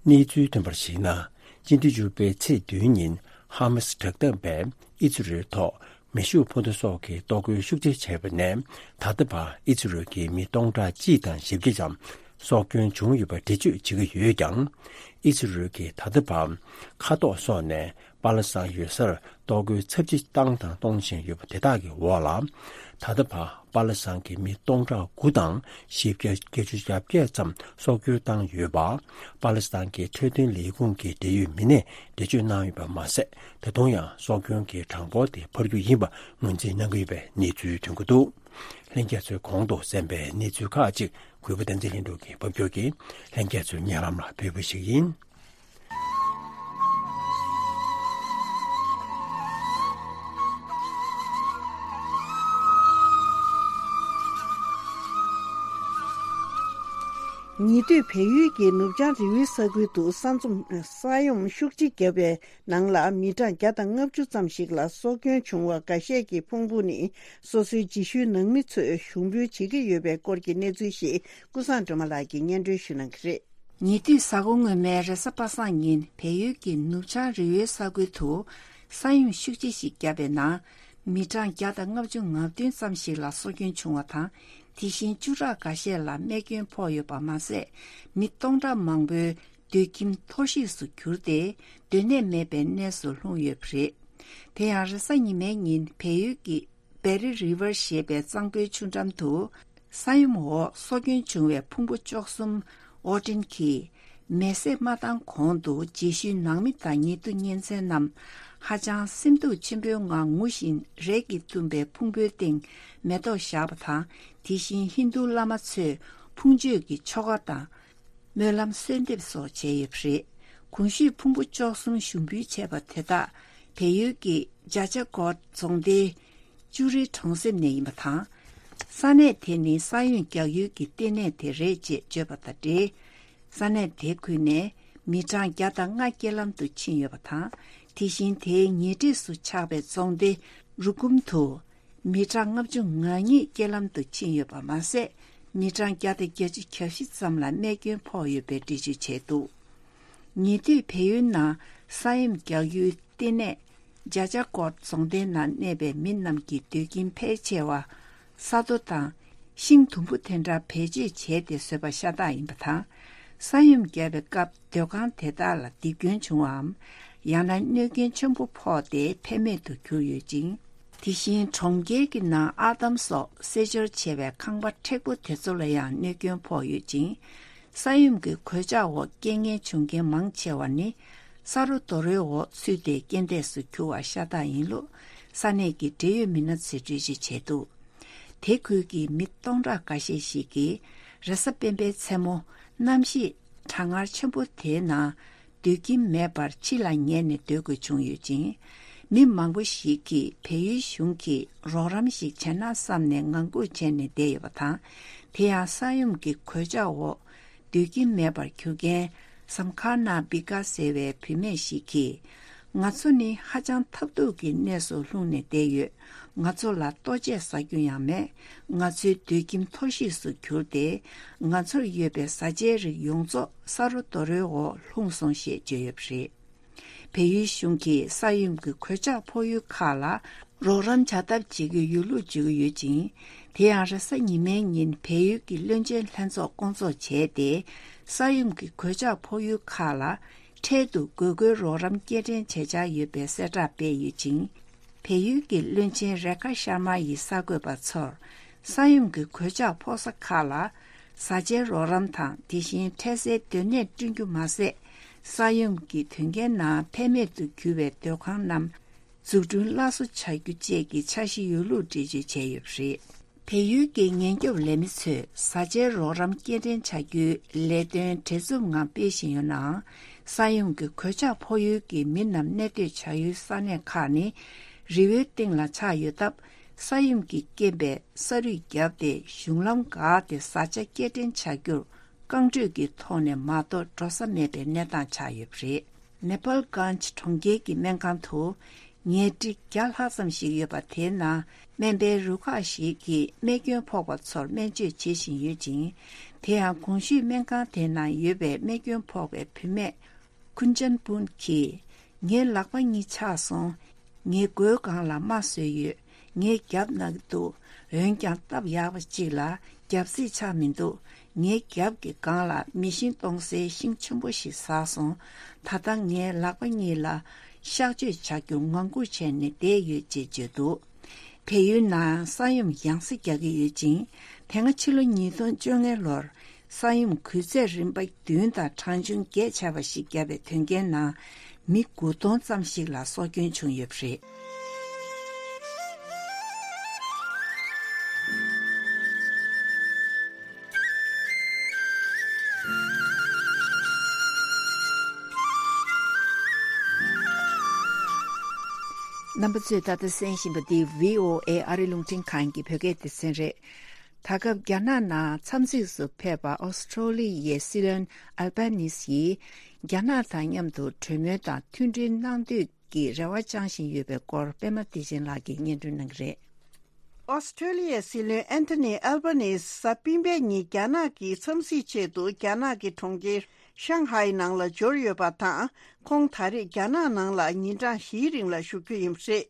གནས་ཚུལ་ཐོན་པར་གཞིགས་ན། སྤྱི་ཟླ་བཅུ་པའི་ཚེས་བདུན་ཉིན་ཧ་མ་སི་དྲག་འཐབ་པས་ཨི་ཛི་རལ་ཐོག་མེ་ཤུགས་འཕུར་མདའ་སོགས་ཀྱི་གཏོར་རྒོལ་ཤུགས་ཆེ་བྱས་པ་ནས་ད་ལྟ་བར་ཨི་ཛི་རལ་གྱི་མི་སྟོང་ཕྲག་གཅིག་དང་བཞི་བརྒྱ་ཙམ་སྲོག་སྐྱོན་བྱུང་ཡོད་པ་འགྲེལ་བརྗོད་བྱེད་ཀྱི་ཡོད་ཀྱང་། ཨི་ཛི་རལ་གྱིས་ད་ལྟ་བར་མཁའ་ཐོག་སོགས་ནས་པ་ལི་སི་ཐན་ཡོད་སར་གཏོར་རྒོལ་ཚབས་ཆེ་བཏང་དང་གཏོང་བཞིན་ཡོད་པ་དེ་དག་གི་འོག་ལ། ད་ལྟ་བར་པ་ལི་སི་ཐན་གྱི་མི་སྟོང་ཕྲག་དགུ་དང་བཞི་བརྒྱ་བརྒྱད་ཅུ་གྱ་བརྒྱད་ཙམ་སྲོག་སྐྱོན་བཏང་ཡོད་པ། པ་ལི་སི་ཐན་གྱི་འཕྲོད་བསྟེན་ལས་ཁུངས་ཀྱི་འབྲེལ་ཡོད་མི་སྣས་འགྲེལ་བརྗོད་གནང་ཡོད་པ་མ་ཟད། ད་དུང་ཡང་སྲོག་སྐྱོན་གྱི་གྲངས་འབོར་དེ་འཕར་རྒྱུ་ཡིན་པ་ངོས་འཛིན་གནང་གི་ཡོད་པའི་གནས་ཚུལ་ཐོན་གྱི་འདུག་ལྷན་རྒྱས་ཚོས་གོང་དུ་གསན་པའི་གནས་ཚུལ་ཁག་ཅིག་གུས་པ་བསྟན་འཛིན་ལྷུན་གྲུབ་ཀྱིས་ཕབ་སྒྱུར་གྱིས་ལྷན་རྒྱས་ཚོའི་སྙན་ལམ་ལ་ཕུལ་བ་ཞིག་ཡིན། ཉེ་དུས་བལ་ཡུལ་གྱི་ནུབ་བྱང་རི་བོའི་ས་ཁུལ་དུ་ས་འཛུམ་ས་ཡོམ་ཤུགས་ཆེ་བརྒྱབ་པའི་ནང་ལ་མི་གྲངས་བརྒྱ་དང་ལྔ་བཅུ་ཙམ་ཞིག་ལ་སྲོག་སྐྱོན་བྱུང་བ་འགའ་ཤས་ཀྱི་ཕུང་པོ་ནི་སོ་སོའི་རྗེས་ཤུལ་ནང་མི་ཚོས་ཞུགས་འབུལ་བྱེད་ཀྱི་ཡོད་པའི་སྐོར་གྱི་གནས་ཚུལ་ཞིག་ཀུན་བཟང་སྒྲོལ་མ་ལགས་ཀྱིས་སྙན་སྒྲོན་ཞུ་གནང་གི་རེད། ཉེ་དུས་གཟའ་འཁོར་སྔོན་མའི་རེས་གཟའ་པ་སངས་ཉིན་བལ་ཡུལ་གྱི་ནུབ་བྱང་རི་བོའི་ས་ཁུལ་དུ་ས་ཡོམ་ཤུགས་ཆེ་ཞིག་བརྒྱབ་པའི་ནང་མི་གྲངས་བརྒྱ་དང་ལྔ་བཅུ་ང་བདུན་ཙམ་ཞིག་ལ་སྲོག་སྐྱོན་བྱུང་བ་དང་། དེ་བཞིན་བཅུ་ཕྲག་འགའ་ཤས་ལ་རྨས་སྐྱོན་ཕོག་ཡོད་པ་མ་ཟད། མི་སྟོང་ཕྲག་མང་པོའི་སྡོད་ཁྱིམ་འཐོར་བཤིག་སུ་གྱུར་ཏེ་སྡོད་གནས་མེད་པའི་གནས་སུ་ལྷུང་ཡོད་པ་རེད། དེ་ཡང་རེས་གཟའ་ཉི་མའི་ཉིན་བལ་ཡུལ་གྱི་བེ་རི་རི་ཝར་ཞེས་པའི་གཙང་པོའི་ཆུ་འགྲམ་དུ་ས་ཡོམ་འོག་སྲོག་སྐྱོན་བྱུང་བའི་ཕུང་པོ་བཅུ་གསུམ་ཨོ་ཏིན་གྱིས་མེ་བསྲེགས་མ་བཏང་གོང་དུ་རྗེས་ཤུལ་ནང་མི་དང་ཉེ་དུ་གཉེན་ཚན་རྣམས་ཧ་ཅང་སེམས་སྡུག་ཆེན་པོའི་ངང་ངུ་བཞིན་རས་ཀྱིས་བཏུམས་པའི་ཕུང་པོའི་སྟེང་མེ་ཏོག་བཞག་པ་དང་། དེ་བཞིན་ཧིན་རྡུ་བླ་མ་ཚོས་ཕུང་མཆོད་ཀྱི་ཆོ་ག་དང་། སྨོན་ལམ་གསོལ་འདེབས་སོགས་བྱས་ཡོད་པ་རེད། གོང་ཞུས་ཕུང་པོ་བཅུ་གསུམ་ཞུགས་འབུལ་བྱས་པ་དེ་དག་བལ་ཡུལ་གྱི་ཇ་ཅ་གོ་རྫོང་སྡེའི་ཅུ་རི་གྲོང་གསེབ་ནས་ཡིན་པ་དང་། ས་གནས་དེ་ནི་ས་ཡོམ་རྒྱག་ཡུལ་གྱི་ལྟེ་གནས་དེ་རེད་ཅེས་བརྗོད་པ་དང་འབྲེལ། ས་གནས་དེ་ཁུལ་ནས་མི་གྲངས་བརྒྱ་དང་ལྔ་རྐྱེན་ལམ་དུ་ཕྱིན་ཡོད་པ་དང་། དེ་བཞིན་དེའི་ཉེ་འཁྲིས་སུ་ཆགས་པའི་རྫོང་སྡེ་རུ་ཀུམ་དུ། མི་གྲངས་ལྔ་བཅུ་ང་གཉིས་རྐྱེན་ལམ་དུ་ཕྱིན་ཡོད་པ་མ་ཟད། མི་གྲངས་བརྒྱ་དང་བརྒྱད་ཅུ་གྱ་བཞི་ཙམ་ལ་རྨས་སྐྱོན་ཕོག་ཡོད་པའི་འགྲེལ་བརྗོད་བྱས་འདུག་ཉེ་དུས་བལ་ཡུལ་ནང་ས་ཡོམ་རྒྱག་ཡུལ་ལྟེ་གནས་ཇ་ཅ་ཀོར་རྫོང་སྡེའི་ནང་གནས་པའི་མི་རྣམས་ཀྱི་སྡོད་ཁྱིམ་ཕལ་ཆེ་བ་ས་རྡོ་དང་ཤིང་དུམ་བུ་དེ་འདྲ་བེད་སྤྱོད་བྱས་ཏེ་བཟོས་པ་ཤ་སྟག་ཡིན་པ་དང་། ས་ཡོམ་བརྒྱབ་པའི་སྐབས་སྡོད་ཁང་དེ་དག་ལ་རྡིབ་སྐྱོན་བྱུང་བའམ། ཡང་ན་གནོད་སྐྱོན་ཆེན་པོ་ཕོག་སྟེ་ཕན་མེད་དུ་གྱུར་ཡོད་ཅིང་། དེ་བཞིན་གྲོང་ཁྱེར་གྱི་ནང་ཨར་འདམ་སོགས་བསྲེ་སྦྱོར་བྱས་པའི་ཁང་པ་མཁྲེགས་པོ་དེ་ཚོ་ལ་ཡང་གནོད་སྐྱོན་ཕོག་ཡོད་ཅིང་། ས་ཡོམ་གྱི་གོད་ཆག་འོག་རྐྱེན་ངན་བྱུང་མཁན་མང་ཆེ་བ་ནི་ས་རོ་རྡོ་རོའི་འོག་ཚུད་དེ་རྐྱེན་འདས་སུ་གྱུར་བ་ཤ་སྟག་ཡིན་ལུགས་ས་གནས་ཀྱི་འབྲེལ་ཡོད་མི་སྣ་ཚོས་འགྲེལ་བརྗོད་བྱས་འདུག་དེ་ཁུལ་གྱི་མི་སྟོང་ཕྲག་འགའ་ཤས་ཤིག་གིས་རེས་གཟའ་སྤེན་པའི་མཚན་མོ་གནམ་གཤིས་གྲང་ངར་ཆེན་པོ་དེའི་ནང་སྡོད་ཁྱིམ་མེད་པར་ཕྱི་ལ་ཉལ་ནས་སྡོད་དགོས་བྱུང་ཡོད་ཅིང་། མི་མང་པོ་ཞིག་གིས་བལ་ཡུལ་གཞུང་གིས་རོགས་རམ་ཞིག་བྱས་ན་བསམ་ནས་ངང་སྒུག་བྱས་ནས་བསྡད་ཡོད་པ་དང་། དེ་ཡང་ས་ཡོམ་གྱི་གོད་ཆག་འོག་སྡོད་ཁྱིམ་མེད་པར་གྱུར་མཁན་སམ་ཁ་ན་བི་ཀ་ཟེར་བའི་བུད་མེད་ཞིག་གིས། ང་ཚོ་ནི་ཧ་ཅང་ཐབས་སྡུག་གི་གནས་སུ་ལྷུང་ནས་བསྡད་ཡོད། ང་ཚོ་ལ་ལྟོ་ཆས་ཟ་རྒྱུ་ཡང་མེད། ང་ཚོའི་སྡོད་ཁྱིམ་འཐོར་བཤིག་སུ་གྱུར་ཏེ། ང་ཚོར་ཡོད་པའི་བཟའ་བཅའི་རིགས་ཡོངས་རྫོགས་ས་རོ་རྡོ་རོའི་འོག་ལྷུང་སོང་ཞེས་བརྗོད་ཡོད་པ་རེད། བལ་ཡུལ་གཞུང་གིས་ས་ཡོམ་གྱི་གོད་ཆག་ཕོག་ཡུལ་ཁག་ལ་རོགས་རམ་བྱ་ཐབས་བྱེད་རྒྱུའི་ཡོད་ལུགས་བརྗོད་ཀྱི་ཡོད་ཅིང་། དེ་ཡང་རེས་གཟའ་ཉི་མའི་ཉིན་བལ་ཡུལ་གྱི་བློན་ཆེན་ལྷན་ཚོགས་བསྐོང་ཚོགས་བྱས་ཏེ། ས་ཡོམ་གྱི་གོད་ཆག་ཕོག་ཡུལ་ཁག་ལ་འཕྲལ་དུ་དགོས་མཁོའི་རོགས་རམ་སྐྱེལ་འདྲེན་བྱེད་འཆར་ཡོད་པའི་གསལ་བསྒྲགས་སྤེལ་ཡོད་ཅིང་། བལ་ཡུལ་གྱི་བློན་ཆེན་རེ་ཁ་ཤར་མ་ཡིས་གསར་འགོད་པ་ཚོར། ས་ཡོམ་གྱི་གོད་ཆག་ཕོག་ས་ཁག་ལ་ བཟའ་བཅའི་རོགས་རམ་དང་། དེ་བཞིན་འཕྲལ་སེལ་སྡོད་གནས་བསྐྲུན་རྒྱུ་མ་ཟད། ས་ཡོམ་གྱི་དོན་རྐྱེན་ནང་ཕན་མེད་དུ་གྱུར་བའི་སྡོད་ཁང་རྣམས་འཛུགས་སྐྲུན་སླར་གསོ་བྱ་རྒྱུ་བཅས་ཀྱི་འཆར་གཞི་ཡོད་ལུགས་འགྲེལ་བརྗོད་བྱས་ཡོད་པ་རེད། བལ་ཡུལ་གྱི་ཉེན་སྐྱོབ་ལས་མི་ཚོས་བཟའ་བཅའི་རོགས་རམ་སྐྱེལ་འདྲེན་བྱ་རྒྱུའི་ལས་དོན་བྲེལ་འཚུབ་ངང་སྤེལ་བཞིན་ཡོད་ནའང་། ས་ཡོམ་གྱི་གོད་ཆག་ཕོག་ཡུལ་གྱི་མི་རྣམས་གནས་སྡོད་བྱ་ཡུལ་ས་གནས་ཁག་ནི་རི་བོའི་སྟེང་ལ་ཆགས་ཡོད་སྟབས། ས་ཡོམ་གྱི་རྐྱེན་པས་ས་རུད་བརྒྱབ་སྟེ་གཞུང་ལམ་འགག་སྟེ་བཟའ་བཅའ་སྐྱེལ་འདྲེན་བྱ་རྒྱུར་རྐང་འགྲུལ་གྱི་ཐོག་ནས་མ་གཏོགས་འགྲོ་ས་མེད་པའི་གནས་སྟངས་ཆགས་ཡོད་པ་རེད། ནེ་པཱལ་གྷན་ཇི་གྲོང་ཁྱེར་གྱི་སྨན་ཁང་དུ་ཉལ་ཁྲི་བརྒྱ་ལྷག་ཙམ་ཞིག་ཡོད་པ། དེའི་ནང་སྨན་པའི་རུ་ཁག་ཞིག་གིས་རྨས་སྐྱོན་ཕོག་པ་ཚོར་སྨན་བཅོས་བྱེད་བཞིན་ཡོད་ཅིང་། དེ་ཡང་གོང་ཞུས་སྨན་ཁང་དེའི་ནང་ཡོད་པའི་རྨས་སྐྱོན་ཕོག་པའི་བུད་མེད་ཁུན་ཅན་པུན་གྱིས། ངའི་ལག་པ་གཉིས་ཆག་སོང་། ངའི་མགོའི་སྒང་ལ་རྨ་བཟོས་ཡོད། ངས་རྒྱབ་ན་གི་འདུག་འོན་ཀྱང་སྟབས་ཡག་པ་གཅིག་ལ་རྒྱབ་རྩིས་ཆག་མི་འདུག་ངའི་རྒྱབ་ཀྱི་སྒང་ལ་མེ་ཤིང་གཏོང་སའི་ཤིང་ཆེན་པོ་ཞིག་ཟགས་སོང་། ད་ལྟ་ངའི་ལག་པ་གཉིས་ལ་གཤག་བཅོས་བྱ་རྒྱུ་ངང་སྒུག་བྱས་ནས་བསྡད་ཡོད་ཅེས་བརྗོད་འདུག་བལ་ཡུལ་ནང་ས་ཡོམ་ཡང་སེ་རྒྱག་གི་ཡོད་ཅིང་། དེ་སྔ་ཕྱི་ལོ་ཉིས་སྟོང་བཅོ་ལྔ་ལོར་ས་ཡོམ་འགུལ་ཚད་རིམ་པ་བདུན་དང་གྲངས་ཆུང་བརྒྱད་བྱས་པ་ཞིག་བརྒྱབ་པའི་དོན་རྐྱེན་ནང་མི་དགུ་སྟོང་ཙམ་ཞིག་ལ་སྲོག་སྐྱོན་བྱུང་ཡོད་པ་རེད། རྣམ་པ་ཚོས་ད་ལྟ་གསན་བཞིན་པ་འདི་བྷི་ཨོ་ཨེ་ཨ་རི་རླུང་འཕྲིན་ཁང་གི་བོད་སྐད་སྡེ་ཚན་རེད། ད་སྐབས་རྒྱ་ནག་ནང་འཚམས་གཟིགས་སུ་ཕེབས་པ་ཨོ་སི་ཁྲོ་ལི་ཡའི་སྲིད་བློན་ཨལ་བྷ་ནིས་ཡིས་རྒྱ་ནག་དང་མཉམ་དུ་གྲོས་མོལ་དང་མཐུན་སྒྲིལ་གནང་འདོད་ཀྱི་རེ་བ་བཅངས་བཞིན་ཡོད་པའི་སྐོར་པད་མ་བདེ་ཆེན་ལགས་ཀྱིས་སྙན་སྒྲོན་གནང་གི་རེད། ཨོ་སི་ཁྲོ་ལི་ཡའི་སྲིད་བློན་ཨན་ཐོ་ནི་ཨལ་བྷ་ནིས་གཟའ་སྤེན་པའི་ཉིན་རྒྱ་ནག་གི་འཚམས་གཟིགས་ཆེད་དུ་རྒྱ་ནག་གི་གྲོང་ཁྱེར་ཤང་ཧའེ་ནང་ལ་འབྱོར་ཡོད་པ་དང་། ཁོང་ད་རེས་རྒྱ་ནག་ནང་ལ་ཉིན་གྲངས་བཞིའི་རིང་ལ་བཞུགས་རྒྱུ་ཡིན་པ་རེད།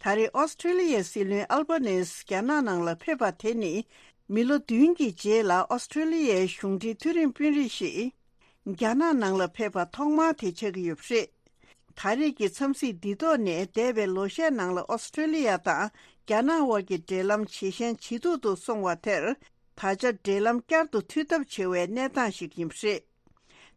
ད་རེས་ཨོ་སི་ཁྲོ་ལི་ཡའི་སྲིད་བློན་ཨལ་བྷ་ནིས་རྒྱ་ནག་ནང་ལ་ཕེབས་པ་དེ་ནི་མི་ལོ་བདུན་གྱི་རྗེས་ལ་ཨོ་སི་ཁྲོ་ལི་ཡའི་གཞུང་འབྲེལ་མཐོ་རིམ་དཔོན་རིགས་ཤིག་རྒྱ་ནག་ནང་ལ་ཕེབས་པ་ཐོག་མ་དེ་ཆགས་ཀྱི་ཡོད་པ་རེད། ད་རེས་ཀྱི་འཚམས་གཟིགས་འདི་ཐོག་ནས་འདས་པའི་ལོ་ཤས་ནང་ལ་ཨོ་སི་ཁྲོ་ལི་ཡ་དང་རྒྱ་ནག་དབར་གྱི་འབྲེལ་ལམ་ཇེ་ཞན་ཇེ་སྡུག་ཏུ་སོང་བ་དེར། ད་ཆ་འབྲེལ་ལམ་བསྐྱར་དུ་མཐུད་ཐབས་བྱེད་པའི་གནས་སྟངས་ཤིག་ཡིན་པ་རེད།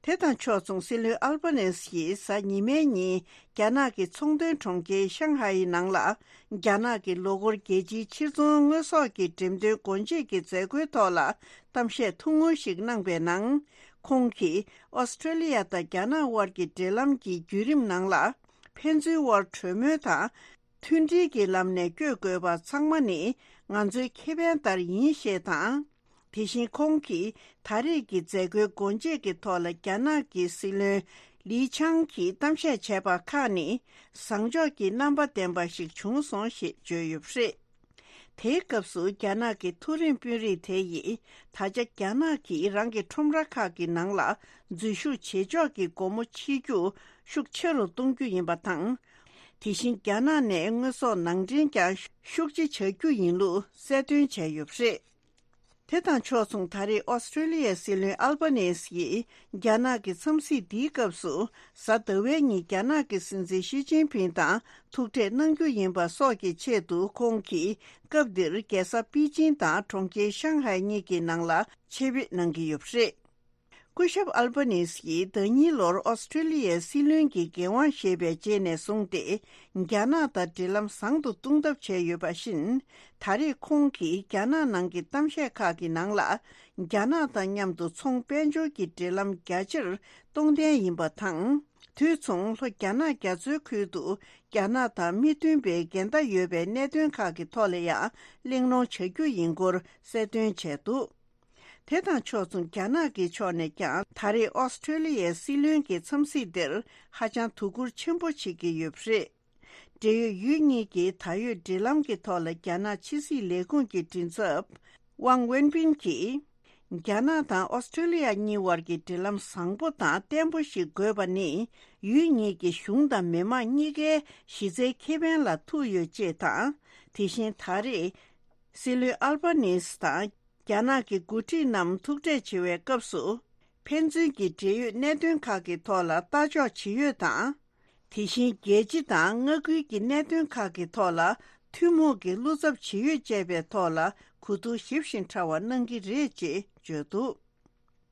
དེ་དང་ཕྱོགས་མཚུངས་སྲིད་བློན་ཨལ་བྷ་ནེས་ཡིས་གཟའ་ཉི་མའི་ཉིན་རྒྱ་ནག་གི་ཚོང་དོན་གྲོང་ཁྱེར་ཤང་ཧའེ་ནང་ལ་རྒྱ་ནག་གི་ལོ་འཁོར་རྒྱལ་སྤྱིའི་ཕྱིར་ཚོང་དངོས་ཟོག་གི་འགྲེམས་སྟོན་སྒོ་འབྱེད་ཀྱི་མཛད་སྒོའི་ཐོག་ལ་གཏམ་བཤད་ཐུང་ངུ་ཞིག་གནང་པའི་ནང་། ཁོང་གིས་ཨོ་སི་ཁྲོ་ལི་ཡ་དང་རྒྱ་ནག་དབར་གྱི་འབྲེལ་ལམ་གྱི་བརྒྱུད་རིམ་ནང་ལ་ཕན་ཚུན་དབར་གྲོས་མོལ་དང་། མཐུན་སྒྲིལ་གྱི་ལམ་ནས་བསྐྱོད་དགོས་པ་ཚང་མ་ནི་ང་ཚོའི་ཁེ་ཕན་ལྟར་ཡིན་ཞེས་དང་། དེ་བཞིན་ཁོང་གིས་ད་རེས་ཀྱི་མཛད་སྒོའི་སྒོ་འབྱེད་ཀྱི་ཐོག་ལ་རྒྱ་ནག་གི་སྲིད་བློན་ལི་ཆང་གིས་གཏམ་བཤད་བྱས་པ་ཁག་ནི་བཟང་ཕྱོགས་ཀྱི་རྣམ་པ་ལྡན་པ་ཞིག་བྱུང་སོང་ཞེས་བརྗོད་ཡོད་པ་རེད། དེའི་སྐབས་སུ་རྒྱ་ནག་གི་མཐོ་རིམ་དཔོན་རིགས་དེ་ཡིས་ད་ཆ་རྒྱ་ནག་གིས་རང་གི་ཁྲོམ་ར་ཁག་གི་ནང་ལ་འཛུལ་ཞུགས་བྱེད་ཕྱོགས་ཀྱི་སྒོ་མོ་ཕྱེ་རྒྱུ་ཤུགས་ཆེ་རུ་གཏོང་རྒྱུ་ཡིན་པ་དང་། དེ་བཞིན་རྒྱ་ནག་ནས་དངོས་ཟོག་ནང་འདྲེན་ཀྱང་ཤུགས་ཆེ་བྱ་རྒྱུ་ཡིན་ལུགས་གསལ་སྟོན་བྱས་ཡོད་པ་རེད། དེ་དང་ཕྱོགས་མཚུངས་ད་རེས་ཨོ་སི་ཁྲོ་ལི་ཡའི་སྲིད་བློན་ཨལ་བྷ་ནེས་ཡིས་རྒྱ་ནག་གི་འཚམས་གཟིགས་འདིའི་སྐབས་སུ་གཟའ་ཟླ་བའི་ཉིན་རྒྱ་ནག་གི་སྲིད་འཛིན་ཞི་ཅིན་ཕིང་དང་ཐུག་འཕྲད་གནང་རྒྱུ་ཡིན་པ་སོགས་ཀྱི་ཆེད་དུ་ཁོང་གིས་སྐབས་འདིར་རྒྱལ་ས་པེ་ཅིང་དང་གྲོང་ཁྱེར་ཤང་ཧའེ་གཉིས་ཀྱི་ནང་ལ་ཆེད་ཕེབས་གནང་གི་ཡོད་པ་རེད། སྐུ་ཞབས་ཨལ་བྷ་ནིས་ཡིས་ཟླ་ཉིན་ལོར་ཨོ་སི་ཁྲོ་ལི་ཡའི་སྲིད་བློན་གྱི་འགན་དབང་བཞེས་པའི་རྗེས་ནས་བཟུང་སྟེ། རྒྱ་ནག་དང་འབྲེལ་ལམ་བཟང་དུ་གཏོང་ཐབས་བྱས་ཡོད་པ་བཞིན། ད་རེས་ཁོང་གིས་རྒྱ་ནག་ནང་གི་གཏམ་བཤད་ཁག་གི་ནང་ལ། རྒྱ་ནག་དང་མཉམ་དུ་ཚོང་དཔལ་འབྱོར་གྱི་འབྲེལ་ལམ་རྒྱ་ཆེར་གཏོང་འདོད་ཡིན་པ་དང་། དུས་མཚུངས་ལྷོ་རྒྱ་ནག་རྒྱ་མཚོའི་ཁུལ་དུ་རྒྱ་ནག་དང་མི་མཐུན་པའི་འགལ་ཟླ་ཡོད་པའི་གནད་དོན་ཁག་གི་ཐོག་ལ་ཡང་གླེང་སློང་བྱ་རྒྱུ་ཡིན་སྐོར་གསལ་སྟོན་བྱས་འདུག་དེ་དང་ཕྱོགས་མཚུངས་རྒྱ་ནག་གི་ཕྱོགས་ནས་ཀྱང་ད་རེས་ཨོ་སི་ཁྲོ་ལི་ཡའི་སྲིད་བློན་གྱི་འཚམས་གཟིགས་འདིར་ཧ་ཅང་དོ་ཁུར་ཆེན་པོ་བྱེད་ཀྱི་ཡོད་པ་རེད། འབྲེལ་ཡོད་ཡུལ་གཉིས་ཀྱི་ད་ཡོད་འབྲེལ་ལམ་གྱི་ཐོག་ལ་རྒྱ་ནག་ཕྱི་སྲིད་ལས་ཁུངས་ཀྱི་མགྲིན་ཚབ་ཝང་ཝེན་པིན་གྱིས། རྒྱ་ནག་དང་ཨོ་སི་ཁྲོ་ལི་ཡ་གཉིས་དབར་གྱི་འབྲེལ་ལམ་བཟང་པོ་དང་བརྟན་པོ་ཞིག་དགོས་པ་ནི་ཡུལ་གཉིས་ཀྱི་གཞུང་དང་མི་དམངས་གཉིས་ཀའི་གཞི་རྩའི་ཁེ་ཕན་ལ་ཐུག་ཡོད་ཅེས་དང་། དེ་བཞིན་ད་རེས། སྲིད་བློན་ཨལ་བྷ་ནིས་དང་རྒྱ་ནག་གི་འགོ་ཁྲིད་རྣམས་ཐུག་འཕྲད་བྱེད་པའི་སྐབས་སུ། ཕན་ཚུན་གྱི་འབྲེལ་ཡོད་གནད་དོན་ཁག་གི་ཐོག་ལ་ལྟ་ཕྱོགས་ཇི་ཡོད་དང་། དེ་བཞིན་རྒྱལ་སྤྱི་དང་མངའ་ཁུལ་གྱི་གནད་དོན་ཁག་གི་ཐོག་ལ་ ཐུན་མོང་གི་བློ་འཚབ་ཇི་ཡོད་བཅས་པའི་ཐོག་ལ་གོ་བསྡུར་ཞིབ་ཞིང་ཕྲ་བ་གནང་གི་རེད་ཅེས་བརྗོད་འདུག་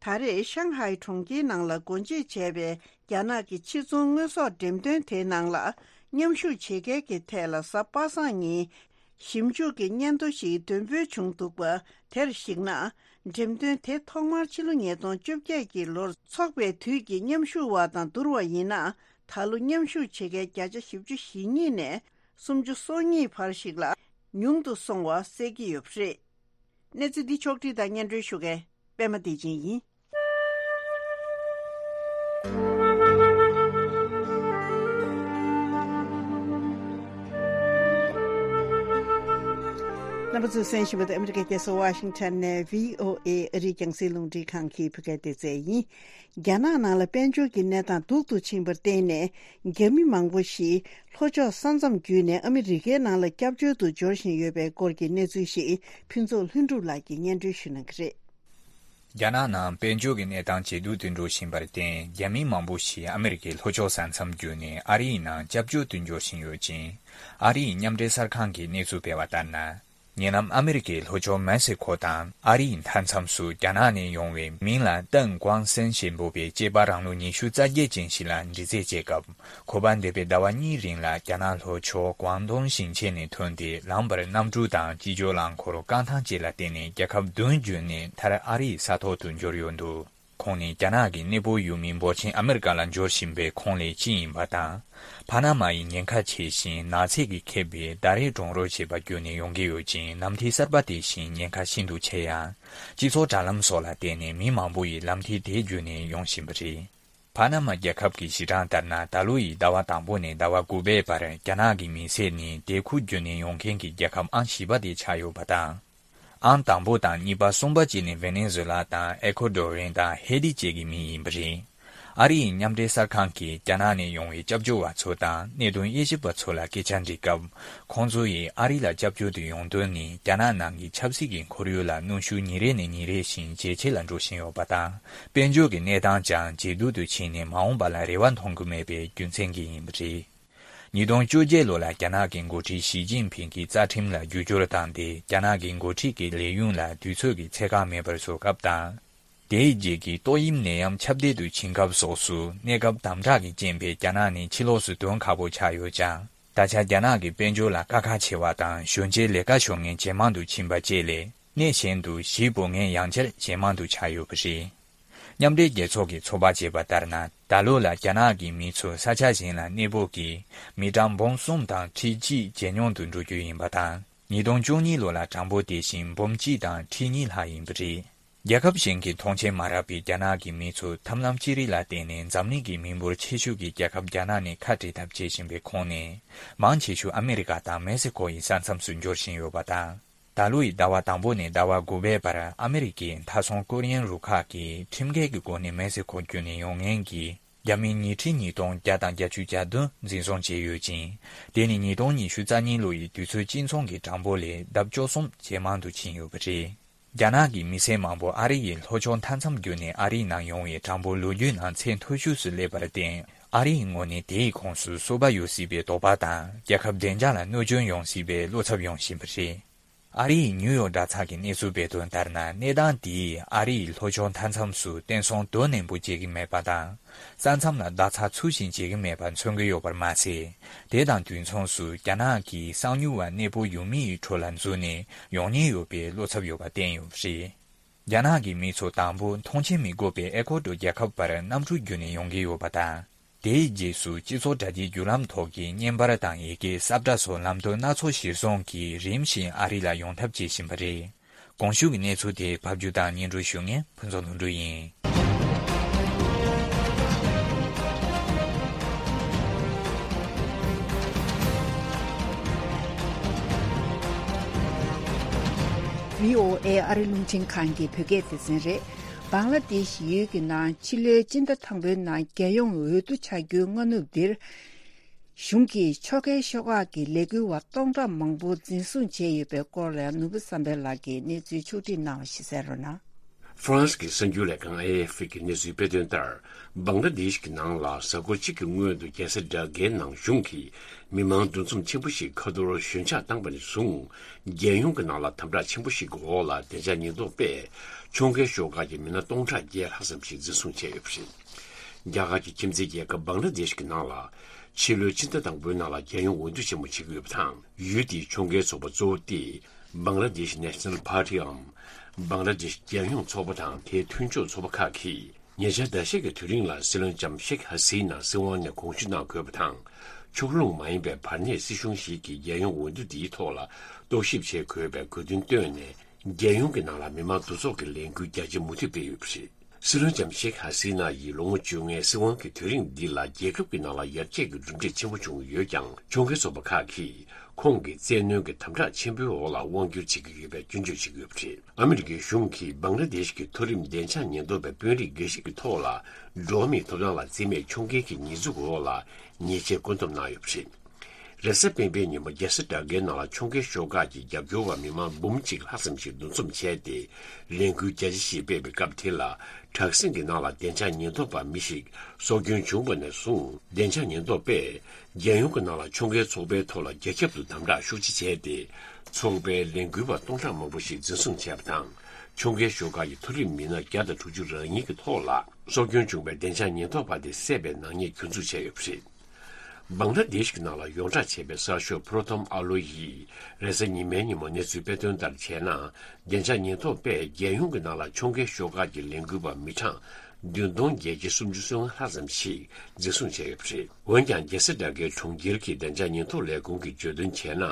ད་རེས་ཤང་ཧའེ་གྲོང་ཁྱེར་ནང་ལ་སྒོ་འབྱེད་བྱས་པའི་རྒྱ་ནག་གི་ཕྱིར་ཚོང་དངོས་ཟོག་འགྲེམས་སྟོན་དེའི་ནང་ལ་མཉམ་ཞུགས་བྱེད་མཁན་གྱི་ཐད་ལ་གཟའ་པ་སངས་ཉིན་ཞིབ་འཇུག་གི་སྙན་ཐོ་ཞིག་འདོན་སྤེལ་བྱུང་འདུག་པ། དེར་གཞིགས་ན། འགྲེམས་སྟོན་དེ་ཐོག་མར་ཕྱི་ལོ་ཉིས་སྟོང་བཅོ་བརྒྱད་ཀྱི་ལོར་འཚོགས་པའི་དུས་ཀྱི་མཉམ་ཞུགས་པ་དང་བསྡུར་བ་ཡིན་ན། ད་ལོ་མཉམ་ཞུགས་བྱེད་མཁན་བརྒྱ་ཆ་བཞི་བཅུ་ཞེ་གཉིས་ནས་སུམ་ཅུ་སོ་གཉིས་བར་ཞིག་ལ་ཉུང་དུ་སོང་བ་གསལ་གྱི་ཡོད་པ་རེད། གནས་ཚུལ་འདི་ཕྱོགས་བསྒྲིགས་དང་སྙན་སྒྲོན་ཞུ་མཁན་པད་མ་བདེ་ཆེན་ཡིན། རྣམ་པ་ཚོས་གསན་བཞིན་པ་དེ་ཨ་མི་རི་ཀའི་རྒྱལ་ས་ཝ་ཤིང་ཊོན་ནས་བྷི་ཨོ་ཨེ་ཨ་རིའི་རྒྱང་སྲིང་རླུང་འཕྲིན་ཁང་གི་བོད་སྐད་སྡེ་ཚན་ཡིན། རྒྱ་ནག་ནང་ལ་དཔལ་འབྱོར་གྱི་གནས་སྟངས་སྡུག་ཏུ་ཕྱིན་པར་བརྟེན་ནས། རྒྱ་མི་མང་པོ་ཞིག་ལྷོ་ཕྱོགས་ས་མཚམས་བརྒྱུད་ནས་ཨ་མི་རི་ཀའི་ནང་ལ་སྐྱབས་བཅོལ་དུ་འབྱོར་བཞིན་ཡོད་པའི་སྐོར་གྱི་གནས་ཚུལ་ཞིག་ཕུན་ཚོགས་ལྷུན་གྲུབ་ལགས་ཀྱིས་སྙན་སྒྲོན་ཞུ་གནང་གི་རེད། རྒྱ་ནག་ནང་དཔལ་འབྱོར་གྱི་གནས་སྟངས་ཇེ་སྡུག་ཏུ་འགྲོ་བཞིན་པར་བརྟེན། རྒྱ་མི་མང་པོ་ཞིག་ཨ་མི་རི་ཀའི་ལྷོ་ཕྱོགས་ས་མཚམས་བརྒྱུད་ནས་ཨ་རིའི་ནང་སྐྱབས་བཅོལ་དུ་འབྱོར་བཞིན་ཡོད་ཅིང་། ཨ་རིའི་མཉམ་འབྲེལ་གསར་ཁང་གིས་གནས་ཚུལ་སྤེལ་བ་ལྟར་ན། ཉེ་ལམ་ཨ་མི་རི་ཀའི་ལྷོ་ཕྱོགས་མེག་སི་ཁོ་དང་ཨ་རིའི་མཐའ་མཚམས་སུ་རྒྱ་ནག་ནས་ཡོང་བའི་མིང་ལ་ཏེང་ཀོང་སན་ཞེས་འབོད་པའི་སྐྱེས་པ་རང་ལོ་ཉི་ཤུ་རྩ་བརྒྱད་ཅན་ཞིག་ལ་འདྲི་རྩད་བྱས་སྐབས། ཁོ་པ་འདས་པའི་ཟླ་བ་གཉིས་རིང་ལ་རྒྱ་ནག་ལྷོ་ཕྱོགས་ཀོང་ཏུང་ཞིང་ཆེན་ནས་ཐོན་ཏེ། ལམ་བར་གནམ་གྲུ་དང་སྤྱི་སྤྱོད་རླངས་འཁོར་རྐང་ཐང་བཅས་ལ་བརྟེན་ནས་རྒྱལ་ཁབ་བདུན་བརྒྱུད་ནས་མཐར་ཨ་རིའི་ས་ཐོག་ཏུ་འབྱོར་ཡོད་འདུག་ཁོང་ནི་རྒྱ་ནག་གི་གནས་སྤོ་ཡུལ་མིའི་འབོར་ཆེན་ཨ་མེ་རི་ཀ་ལ་འབྱོར་བཞིན་པའི་ཁོངས་ལས་གཅིག་ཡིན་པ་དང་། ཕ་ན་མ་ཡི་ཉེན་ཁ་ཆེ་ཞིང་ནགས་ཚལ་གྱིས་ཁེབས་པའི་ཟླ་རེའི་གྲོང་རོལ་ཞེས་པ་བརྒྱུད་ནས་ཡོང་གི་ཡོད་ཅིང་། ལམ་ཐིག་གསར་པ་དེ་བཞིན་ཉེན་ཁ་ཤིན་ཏུ་ཆེ་ཡང་། སྤྱི་ཚོགས་དྲ་ལམ་སོགས་ལ་བརྟེན་ནས་མི་མང་པོ་ཡིས་ལམ་ཐིག་དེ་བརྒྱུད་ནས་ཡོང་བཞིན་པ་རེད། ཕ་ན་མ་རྒྱལ་ཁབ་ཀྱི་གཞི་གྲངས་ལྟར་ན། ད་ལོ་ཡི་ཟླ་བ་དང་པོ་ནས་ཟླ་བ་དགུ་པའི་བར་རྒྱ་ནག་གི་མི་སེར་ནི་དེ་ཁུལ་བརྒྱུད་ནས་ཡོང་མཁན་གྱི་རྒྱལ་ཁབ་ཨང་བཞི་པ་དེ་ཆགས་ཡོད་པ་དང་། ཨང་དང་པོ་དང་གཉིས་པ་གསུམ་པ་བཅས་ནི་ཝེ་ནེ་ཛུ་ལ་དང་ཨེ་ཁོ་ཌོ་རན་དང་ཧེ་ཏི་བཅས་ཀྱི་མི་ཡིན་པ་རེད། ཨ་རིའི་མཉམ་འབྲེལ་གསར་ཁང་གིས་རྒྱ་ནག་ནས་ཡོང་བའི་སྐྱབས་བཅོལ་བ་ཚོ་དང་གནད་དོན་དབྱེ་ཞིབ་པ་ཚོ་ལ་སྐད་ཆ་འདྲི་སྐབས། ཁོང་ཚོ་ཡིས་ཨ་རི་ལ་སྐྱབས་བཅོལ་དུ་ཡོང་དོན་ནི་རྒྱ་ནག་ནང་གི་ཆབ་སྲིད་ཀྱི་ཁོར་ཡུག་ལ་གནོན་ཤུགས་ཉིན་རེ་ནས་ཉིན་རེ་བཞིན་ཇེ་ཆེ་ལ་འགྲོ་བཞིན་ཡོད་པ་དང་། དཔལ་འབྱོར་གྱི་གནས་སྟངས་ཀྱང་ཇེ་སྡུག་ཏུ་ཕྱིན་ནས་མ་འོངས་པ་ལ་རེ་བ་མཐོང་གི་མེད་པའི་རྒྱུ་མཚན་གྱིས་ཡིན་པ་རེད། ཉིས་སྟོང་བཅོ་བརྒྱད་ལོ་ལ་རྒྱ་ནག་གི་འགོ་ཁྲིད་ཞི་ཅིན་ཕིང་གིས་རྩ་ཁྲིམས་ལ་བསྒྱུར་བཅོས་བཏང་སྟེ། རྒྱ་ནག་གི་འགོ་ཁྲིད་ཀྱི་ལས་ཡུན་ལ་དུས་ཚོད་ཀྱི་ཚད་བཀག་མེད་པར་བཟོ་སྐབས་དང་། དེའི་རྗེས་ཀྱི་ཏོག་དབྱིབས་ནད་ཡམས་ཁྱབ་གདལ་དུ་ཕྱིན་སྐབས་སོགས་སུ་གནས་སྐབས་དམ་དྲག་གི་རྐྱེན་པས་རྒྱ་ནག་ནི་ཕྱི་ལོགས་སུ་ཐོན་ཁག་པོ་ཆགས་ཡོད་ཀྱང་། ད་ཆ་རྒྱ་ནག་གི་དཔལ་འབྱོར་ལ་དཀའ་ཁག་ཆེ་བ་དང་། གཞོན་སྐྱེས་ལས་ཀ་ཤོར་མཁན་ཇེ་མང་དུ་ཕྱིན་པ་བཅས་ལས། གནས་གཞན་དུ་གཞིས་སྤོ་མཁན་ཡང་བསྐྱར་ཇེ་མང་དུ་ཆགས་ཡོད་པ་རེད། མཉམ་འབྲེལ་རྒྱལ་ཚོགས་ཀྱི་ཚོད་དཔག་བྱས་པ་ལྟར་ན། ད་ལོ་ལ་རྒྱ་ནག་གི་མི་ཚོ་ས་ཆ་གཞན་ལ་གནས་སྤོ་གིས་མི་གྲངས་འབུམ་གསུམ་དང་ཁྲི་གཅིག་ཇེ་ཉུང་དུ་འགྲོ་རྒྱུ་ཡིན་པ་དང་། ཉིས་སྟོང་བཅུ་གཉིས་ལོ་ལ་གྲངས་འབོར་དེ་བཞིན་འབུམ་གཅིག་དང་ཁྲི་གཉིས་ལྷག་ཡིན་པ་རེད། རྒྱལ་ཁབ་གཞན་གྱིས་མཐོང་ཆེན་མ་རག་པའི་རྒྱ་ནག་གི་མི་ཚོ་ཐབས་ལམ་ཅི་རིགས་ལ་བརྟེན་ནས་འཛམ་གླིང་གི་མི་འབོར་ཆེ་ཤོས་ཀྱི་རྒྱལ་ཁབ་རྒྱ་ནག་ནས་ཁ་བྲལ་ཐབས་བྱེད་བཞིན་པའི་ཁོངས་ནས། མང་ཆེ་ཤོས་ཨ་མེ་རི་ཀ་དང་མེག་སི་ཁོ་ཡི་ས་མཚམས་སུ་འབྱོར་བཞིན་ཡོད་པ་དང་། ད་ལོ་ཡི་ཟླ་བ་དང་པོ་ནས་ཟླ་བ་དགུ་པའི་བར་ཨ་མེ་རི་ཀའི་མཐའ་སྲུང་སྐོར་གཡེང་རུ་ཁག་གིས་ཁྲིམས་འགལ་གྱི་སྒོ་ནས་མེག་སི་ཁོ་བརྒྱུད་ནས་ཡོང་མཁན་གྱི་རྒྱ་མི་ཉིས་ཁྲི་ཉིས་སྟོང་བརྒྱ་དང་བརྒྱད་ཅུ་གྱ་བདུན་འཛིན་བཟུང་བྱས་ཡོད་ཅིང་། དེ་ནི་ཉིས་སྟོང་ཉི་ཤུ་རྩ་གཉིས་ལོ་ཡི་དུས་ཚོད་གཅིག་མཚུངས་ཀྱི་གྲངས་འབོར་ལས་ལྡབ་བཅུ་གསུམ་ཇེ་མང་དུ་ཕྱིན་ཡོད་པ་རེད། རྒྱ་ནག་གི་མི་སེར་མང་པོ་ཨ་རི་ཡི་ལྷོ་ཕྱོགས་མཐའ་མཚམས་བརྒྱུད་ནས་ཨ་རིའི་ནང་ཡོང་བའི་གྲངས་འབོར་ལོ་རྒྱུས་ནང་ཚད་མཐོ་ཤོས་སུ་སླེབས་པར་བརྟེན། ཨ་རིའི་ངོས་ནས་དེའི་ཁོངས་སུ་སོ་པ་ཡོད་སྲིད་པའི་དོགས་པ་དང་། རྒྱལ་ཁབ་བདེ་འཇགས་ལ་གནོད་སྐྱོན་ཡོང་སྲིད་པའི་བློ་འཚབ་ཡོང་བཞིན་པ་རེད། ཨ་རིའི་ནིའུ་ཡོག་དྲ་ཚགས་ཀྱིས་གནས་ཚུལ་སྤེལ་དོན་ལྟར་ན། གནས་སྟངས་དེས་ཨ་རིའི་ལྷོ་ཕྱོགས་མཐའ་མཚམས་སུ་བརྟན་སྲུང་དོ་ནན་པོ་བྱེད་ཀྱི་མེད་པ་དང་། ས་མཚམས་ལ་རྡ་ཚ་ཚུགས་ཤིང་བྱེད་ཀྱི་མེད་པ་མཚོན་གྱི་ཡོད་པར་མ་ཟད། དེ་དང་དུས་མཚུངས་སུ་རྒྱ་ནག་གིས་གསང་མྱུལ་བ་གནས་སྤོ་ཡུལ་མི་ཡི་ཁྲོད་ལ་འཛུལ་ནས་ཡོང་ཉེན་ཡོད་པའི་བློ་འཚབ་ཡོད་པ་བསྟན་ཡོད་པ་རེད། རྒྱ་ནག་གི་མི་ཚོ་དང་པོ་མཐོང་མཆན་མི་དགོས་པའི་ཨེ་ཀོ་ཏོ་རྒྱལ་ཁབ་བར་གནམ་གྲུ་བརྒྱུད་ནས་ཡོང་གི་ཡོད་པ་དང་། དེའི་རྗེས་སུ་སྤྱི་ཚོགས་དྲ་རྒྱའི་བརྒྱུད་ལམ་ཐོག་གི་བརྙན་པར་དང་ཡི་གེ་གསལ་བསྒྲགས་སོགས་ལམ་སྟོན་སྣ་ཚོགས་གཞིར་བཟུང་གིས་རིམ་བཞིན་ཨ་རི་ལ་ཡོང་ཐབས་བྱེད་བཞིན་པ་རེད། གོང་ཞུས་ཀྱི་གནས་ཚུལ་དེ་ཕབ་སྒྱུར་དང་སྙན་སྒྲོན་ཞུ་མཁན་ཕུན་ཚོགས་ལྷུན་གྲུབ་ཡིན། བྷི་ཨོ་ཨེ་ཨ་རི་རླུང་འཕྲིན་ཁང་གི་བོད་སྐད་སྡེ་ཚན་རེད། བང་ལ་དེཤ་ཡུལ་གྱི་ནང་ཕྱི་ལོའི་སྤྱི་ཟླ་དང་པོའི་ནང་རྒྱལ་ཡོངས་འོས་བསྡུ་བྱ་རྒྱུའི་སྔ་ནུབ་འདིར། གཞུང་གིས་ཕྱོགས་འགལ་ཤོག་ཁག་གི་ལས་འགུལ་བ་སྟོང་ཕྲག་མང་པོ་འཛིན་བཟུང་བྱས་ཡོད་པའི་སྐོར་ལ་ནོར་བུ་བསམ་འཕེལ་ལགས་ཀྱིས་གནས་ཚུལ་ཕྱོགས་སྒྲིག་གནང་བ་ཞིག་གསན་རོགས་གནང་། ཧྥ་རན་སི་གི་གསར་འགྱུར་ལས་ཁང་ཨེ་ཨེ་ཧྥི་གི་གནས་ཚུལ་སྤེལ་དོན་ལྟར། བང་ལ་དེཤ་གི་ནང་ལ་གཟའ་འཁོར་གཅིག་གི་སྔོན་དུ་རྒྱལ་ས་ཌ་ཀའི་ནང་གཞུང་གིས་མི་མང་འདུ་འཛོམས་ཆེན་པོ་ཞིག་ཁ་ཐོར་ཞོད་འཇགས་བཏང་པ་ནས་བཟུང་། རྒྱལ་ཡོངས་ཀྱི་ནང་ལ་དམ་དྲག་ཆེན་པོ་ཞིག་གི་འོག་ལ་བདེ་འཇགས་ཉེན་རྟོག་པས་ཁྱོང་རྒན་ཤོག་ཁག་གི་མི་སྣ་སྟོང་ཕྲག་བརྒྱད་ལྷག་ཙམ་ཞིག་འཛིན་བཟུང་བྱས་ཡོད་པ་རེད། རྒྱ་གར་གྱི་ཁྱིམ་མཚེས་རྒྱལ་ཁབ་བང་ལ་དེཤ་གི་ནང་ལ། ཕྱི་ལོའི་ཕྱི་ཟླ་དང་པོའི་ནང་ལ་རྒྱལ་ཡོངས་འོས་བསྡུ་ཆེན་མོ་བྱེད་ཀྱི་ཡོད་པ་དང་། ཡུལ་དེའི་ཁྱོང་རྒན་ཚོགས་པ་གཙོ་བོ་སྟེ། Bangladesh National Party འམ། བང་ལ་དེཤ་རྒྱལ་ཡོངས་ཚོགས་པ་དང་དེའི་མཐུན་ཕྱོགས་ཚོགས་པ་ཁག་གིས། ཉེ་ཆར་ཟླ་ཤས་ཀྱི་དུས་རིང་ལ་སྲིད་བློན་ལྕམ་ཤེག་ཧ་སི་ན་སྲིད་དབང་ནས་དགོངས་ཞུ་གནང་དགོས་པ་དང་། ཕྱོགས་ལྷུང་མ་ཡིན་པའི་བར་གནས་སྲིད་གཞུང་ཞིག་གིས་རྒྱལ་ཡོངས་འོས་བསྡུ་འདིའི་ཐོག་ལ་རྟོག་ཞིབ་བྱེད་དགོས་པའི་དགོས་འདུན་བཏོན་ནས། རྒྱལ་ཡོངས་ཀྱི་ནང་ལ་མི་མང་འདུ་ཚོགས་ཀྱི་ལས་འགུལ་རྒྱ་ཆེ་མུ་མཐུད་སྤེལ་ཡོད་པ་རེད། སྲིད་བློན་ལྕམ་ཤེག་ཧ་སི་ན་ཡིས་ལོ་ངོ་བཅོ་ལྔའི་སྲིད་དབང་གི་དུས་རིང་འདི་ལ་རྒྱལ་ཁབ་ཀྱི་ནང་ལ་ཡར་རྒྱས་ཀྱི་གྲུབ་འབྲས་ཆེན་པོ་བྱུང་ཡོད་ཀྱང་། ཁྱོང་རྒན་ཚོགས་པ་ཁག་གིས་ཁོང་གི་བཙན་གནོན་གྱི་དམ་དྲག་ཆེན་པོའི་འོག་ལ་དབང་བསྒྱུར་བྱེད་ཀྱི་ཡོད་པའི་སྐྱོན་བརྗོད་བྱེད་ཀྱི་ཡོད་པ་རེད། ཨ་མི་རི་ཀའི་གཞུང་གིས་བང་ལ་དེཤ་གི་མཐོ་རིམ་བདེ་འཇགས་ཉེན་རྟོག་པའི་དཔོན་རིགས་འགའ་ཞིག་གི་ཐོག་ལ་འགྲོ་བ་མིའི་ཐོབ་ཐང་ལ་བརྩི་མེད་ཁྱོང་རྒན་གྱི་ཉེས་འཛུགས་འོག་ལ་ཉེས་ཆད་བཀོད་འདོམས་གནང་ཡོད་པ་རེད། རེས་གཟའ་སྤེན་པའི་ཉིན་མོ་རྒྱལ་ས་ཌ་ཀའི་ནང་ལ་ཁྱོང་རྒན་ཤོག་ཁག་གི་རྒྱབ་སྐྱོར་བ་མི་མང་འབུམ་གཅིག་ལྷག་ཙམ་ཞིག་འདུ་འཛོམས་བྱས་ཏེ། ལས་འགུལ་རྒྱ་ཆེ་ཞིག་སྤེལ་བའི་སྐབས་དེ་ལ། དྲག་ཟིང་གི་ནང་ལ་བདེ་འཇགས་ཉེན་རྟོག་པ་མི་ཞིག་སྲོག་སྐྱོན་བྱུང་བ་ནས་བཟུང་། བདེ་འཇགས་ཉེན་རྟོག་པས་རྒྱལ་ཡོངས་ཀྱི་ནང་ལ་ཁྱོང་རྒན་ཚོགས་པའི་ཐོག་ལ་རྒྱ་ཁྱབ་ཏུ་དམ་དྲག་ཤུགས་ཆེ་བྱས་ཏེ། ཚོགས་པའི་ལས་འགུལ་བ་སྟོང་ཕྲག་མང་པོ་ཞིག་འཛིན་བཟུང་བྱས་པ་དང་། ཁྱོང་རྒན་ཤོག་ཁག་གི་མཐོ་རིམ་མི་སྣ་བརྒྱ་དང་དྲུག་ཅུ་རེ་གཉིས་ཀྱི་ཐོག་ལ་སྲོག་སྐྱོན་བྱུང་བའི་བདེ་འཇགས་ཉེན་རྟོག་པ་དེ་བསད་པའི་ནག་ཉེས་གྱོང་འཛུགས་བྱས་ཡོད་པ་རེད། བང་ལ་དེཤ་གི་ནང་ལ་ཡོངས་གྲགས་ཆེ་བའི་གསར་ཤོག་པྲོ་ཐོམ་ཨ་ལོ་ཡིས་རེས་གཟའ་ཉི་མའི་ཉིན་མོ་གནས་ཚུལ་སྤེལ་དོན་ལྟར་བྱས་ན། བདེ་འཇགས་ཉེན་རྟོག་པས་རྒྱལ་ཡོངས་ཀྱི་ནང་ལ་ཁྱོང་རྒན་ཤོག་ཁག་གི་ལས་འགུལ་བ་མི་གྲངས་བདུན་སྟོང་བརྒྱད་བརྒྱ་སུམ་ཅུ་སོ་ལྔ་ལྷག་ཙམ་ཞིག་འཛིན་བཟུང་བྱས་ཡོད་པ་རེད། འོན་ཀྱང་། རྒྱལ་ས་ཌ་ཀའི་གྲོང་ཁྱེར་གྱི་བདེ་འཇགས་ཉེན་རྟོག་ལས་ཁུངས་ཀྱིས་བརྗོད་དོན་བྱས་ན།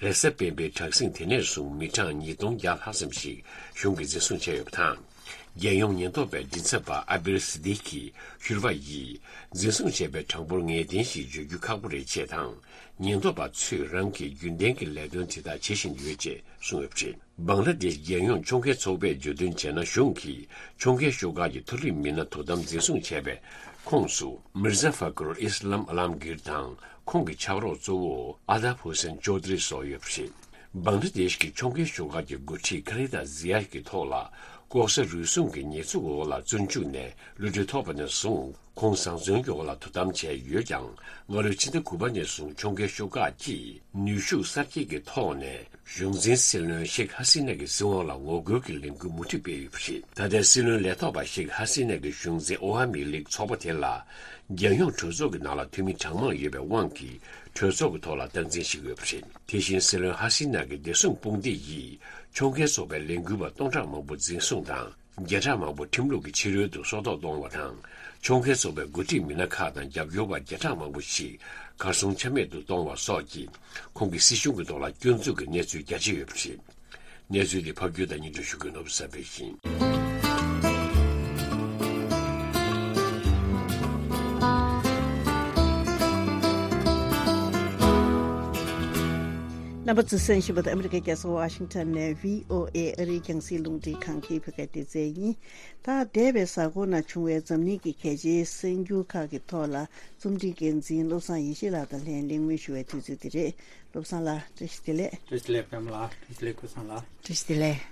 རེས་གཟའ་སྤེན་པའི་དྲག་ཟིང་དེ་ནས་བཟུང་མི་གྲངས་ཉིས་སྟོང་བརྒྱ་ལྷག་ཙམ་ཞིག་གཞུང་གིས་འཛིན་བཟུང་བྱས་ཡོད་པ་དང་། རྒྱལ་ཡོངས་ཉེན་རྟོག་པའི་མགྲིན་ཚབ་པ་ཨ་བིར་སི་ཏི་ཁི་ཤུར་བ་ཡིས། འཛིན་བཟུང་བྱས་པའི་གྲངས་འབོར་ངེས་གཏན་ཞིག་བརྗོད་རྒྱུ་ཁག་པོ་རེད་ཅེས་དང་། ཉེན་རྟོག་པ་ཚོས་རང་གི་རྒྱུན་ལྡན་གྱི་ལས་དོན་དེ་དག་བྱེད་བཞིན་ཡོད་ཅེས་གསུངས་ཡོད་པ་རེད། བང་ལ་དེཤ་རྒྱལ་ཡོངས་ཁྱོང་རྒན་ཚོགས་པས་བརྗོད་དོན་བྱས་ན། གཞུང་གིས་ཁྱོང་རྒན་ཤོག་ཁག་གི་མཐོ་རིམ་མི་སྣ་དོ་དམ་འཛིན་བཟུང་བྱས་པའི་ཁོངས་སུ། མིར་ཛ་ཧྥ་ཀུར་ཨི་སི་ལམ་ཨ་ལམ་གིར་དང་། ཁོང་གི་ཕྱག་རོགས་གཙོ་བོ་ཨ་དབ་ཧུ་སན་ཅོ་དྷི་རི་སོགས་ཡོད་པ་རེད། བང་ལ་དེཤ་གི་ཁྱོང་རྒན་ཤོག་ཁག་གི་འགོ་ཁྲིད་ཁ་ལི་ད་ཛི་ཡ་གི་ཐོག་ལ་ལྐོག་ཟ་རུལ་སུངས་ཀྱི་ཉེས་འཛུགས་འོག་ལ་བཙོན་འཇུག་ནས་གློད་གྲོལ་ཐོབ་པ་ནས་བཟུང་། ཁོང་བཟང་བཙོན་གྱི་འོག་ལ་དོ་དམ་བྱས་ཡོད་ཀྱང་། སྔ་ལོའི་ཕྱི་ཟླ་དགུ་པ་ནས་བཟུང་ཁྱོང་རྒན་ཤོག་ཁག་གིས་ནུས་ཤུགས་གསར་བསྐྱེད་ཀྱི་ཐོག་ནས། གཞུང་འཛིན་སྲིད་བློན་ཤེག་ཧ་སི་ན་གི་སྲིད་དབང་ལ་ངོ་རྒོལ་གྱི་ལས་འགུལ་མུ་མཐུད་སྤེལ་ཡོད་པ་རེད། ད་ལྟའི་སྲིད་བློན་ལས་ཐོག་པ་ཤེག་ཧ་སི་ན་གི་གཞུང་འཛིན་ཨོ་ཧ་མི་ལིག་ཚོགས་པ་དེ་ལ། རྒྱལ་ཡོངས་གྲོས་ཚོགས་ཀྱི་ནང་ལ་འཐུས་མི་གྲངས་མང་ཡོད་པའི་དབང་གིས། གྲོས་ཚོགས་ཀྱི་ཐོག་ལ་སྟངས་འཛིན་བྱེད་ཀྱི་ཡོད་པ་རེད། དེ་བཞིན་སྲིད་བློན་ཧ་སི་ན་གི་བདེ་སྲུང་དཔུང་སྡེ་ཡིས། ཁྱོང་རྒན་ཚོགས་པའི་ལས་འགུལ་བ་སྟོང་ཕྲག་མང་པོ་འཛིན་བཟུང་དང་། བརྒྱ་ཕྲག་མང་པོ་ཁྲིམས་ལུགས་ཀྱི་ཕྱི་རོལ་དུ་སྲོག་ཐོག་གཏོང་བ་དང་། ཁྱོང་རྒན་ཚོགས་པའི་འགོ་ཁྲིད་མི་སྣ་ཁག་དང་རྒྱབ་སྐྱོར་བ་བརྒྱ་ཕྲག་མང་པོ་ཞིག་གར་སོང་ཆ་མེད་དུ་གཏོང་བ་སོགས་ཀྱིས། ཁོང་གི་སྲིད་གཞུང་གི་ཐོག་ལ་སྐྱོན་འཛུགས་ཀྱི་གནས་ཚུལ་རྒྱ་ཆེ་ཡོད་པ་རེད། གནས་ཚུལ་འདི་ཕབ་སྒྱུར་དང་སྙན་སྒྲོན་ཞུ་མཁན་ནོར་བུ་གསར་པས་ཡིན། རྣམ་པ་ཚོས་གསན་བཞིན་པ་དེ་ཨ་མི་རི་ཀའི་རྒྱལ་ས་ཝ་ཤིང་ཊོན་ནས་བྷི་ཨོ་ཨེ་ཨ་རིའི་རྒྱང་སྲིང་རླུང་འཕྲིན་ཁང་གི་བོད་སྐད་སྡེ་ཚན་ཡིན། ད་འདས་པའི་གཟའ་འཁོར་ནང་བྱུང་བའི་འཛམ་གླིང་གི་གལ་ཆེའི་གསར་འགྱུར་ཁག་གི་ཐོག་ལ་རྩོམ་སྒྲིག་འགན་འཛིན་བློ་བཟང་ཡེ་ཤེས་ལགས་དང་ལྷན་གླེང་མོལ་ཞུ་བའི་དུས་ཚོད་འདི་རེད། བློ་བཟང་ལགས། བཀྲ་ཤིས་བདེ་ལེགས། བཀྲ་ཤིས་བདེ་ལེགས་པད་མ་ལགས། བཀྲ་ཤིས་བདེ་ལེགས་ཀུན་བཟང་ལགས། བཀྲ་ཤིས་བདེ་ལེགས།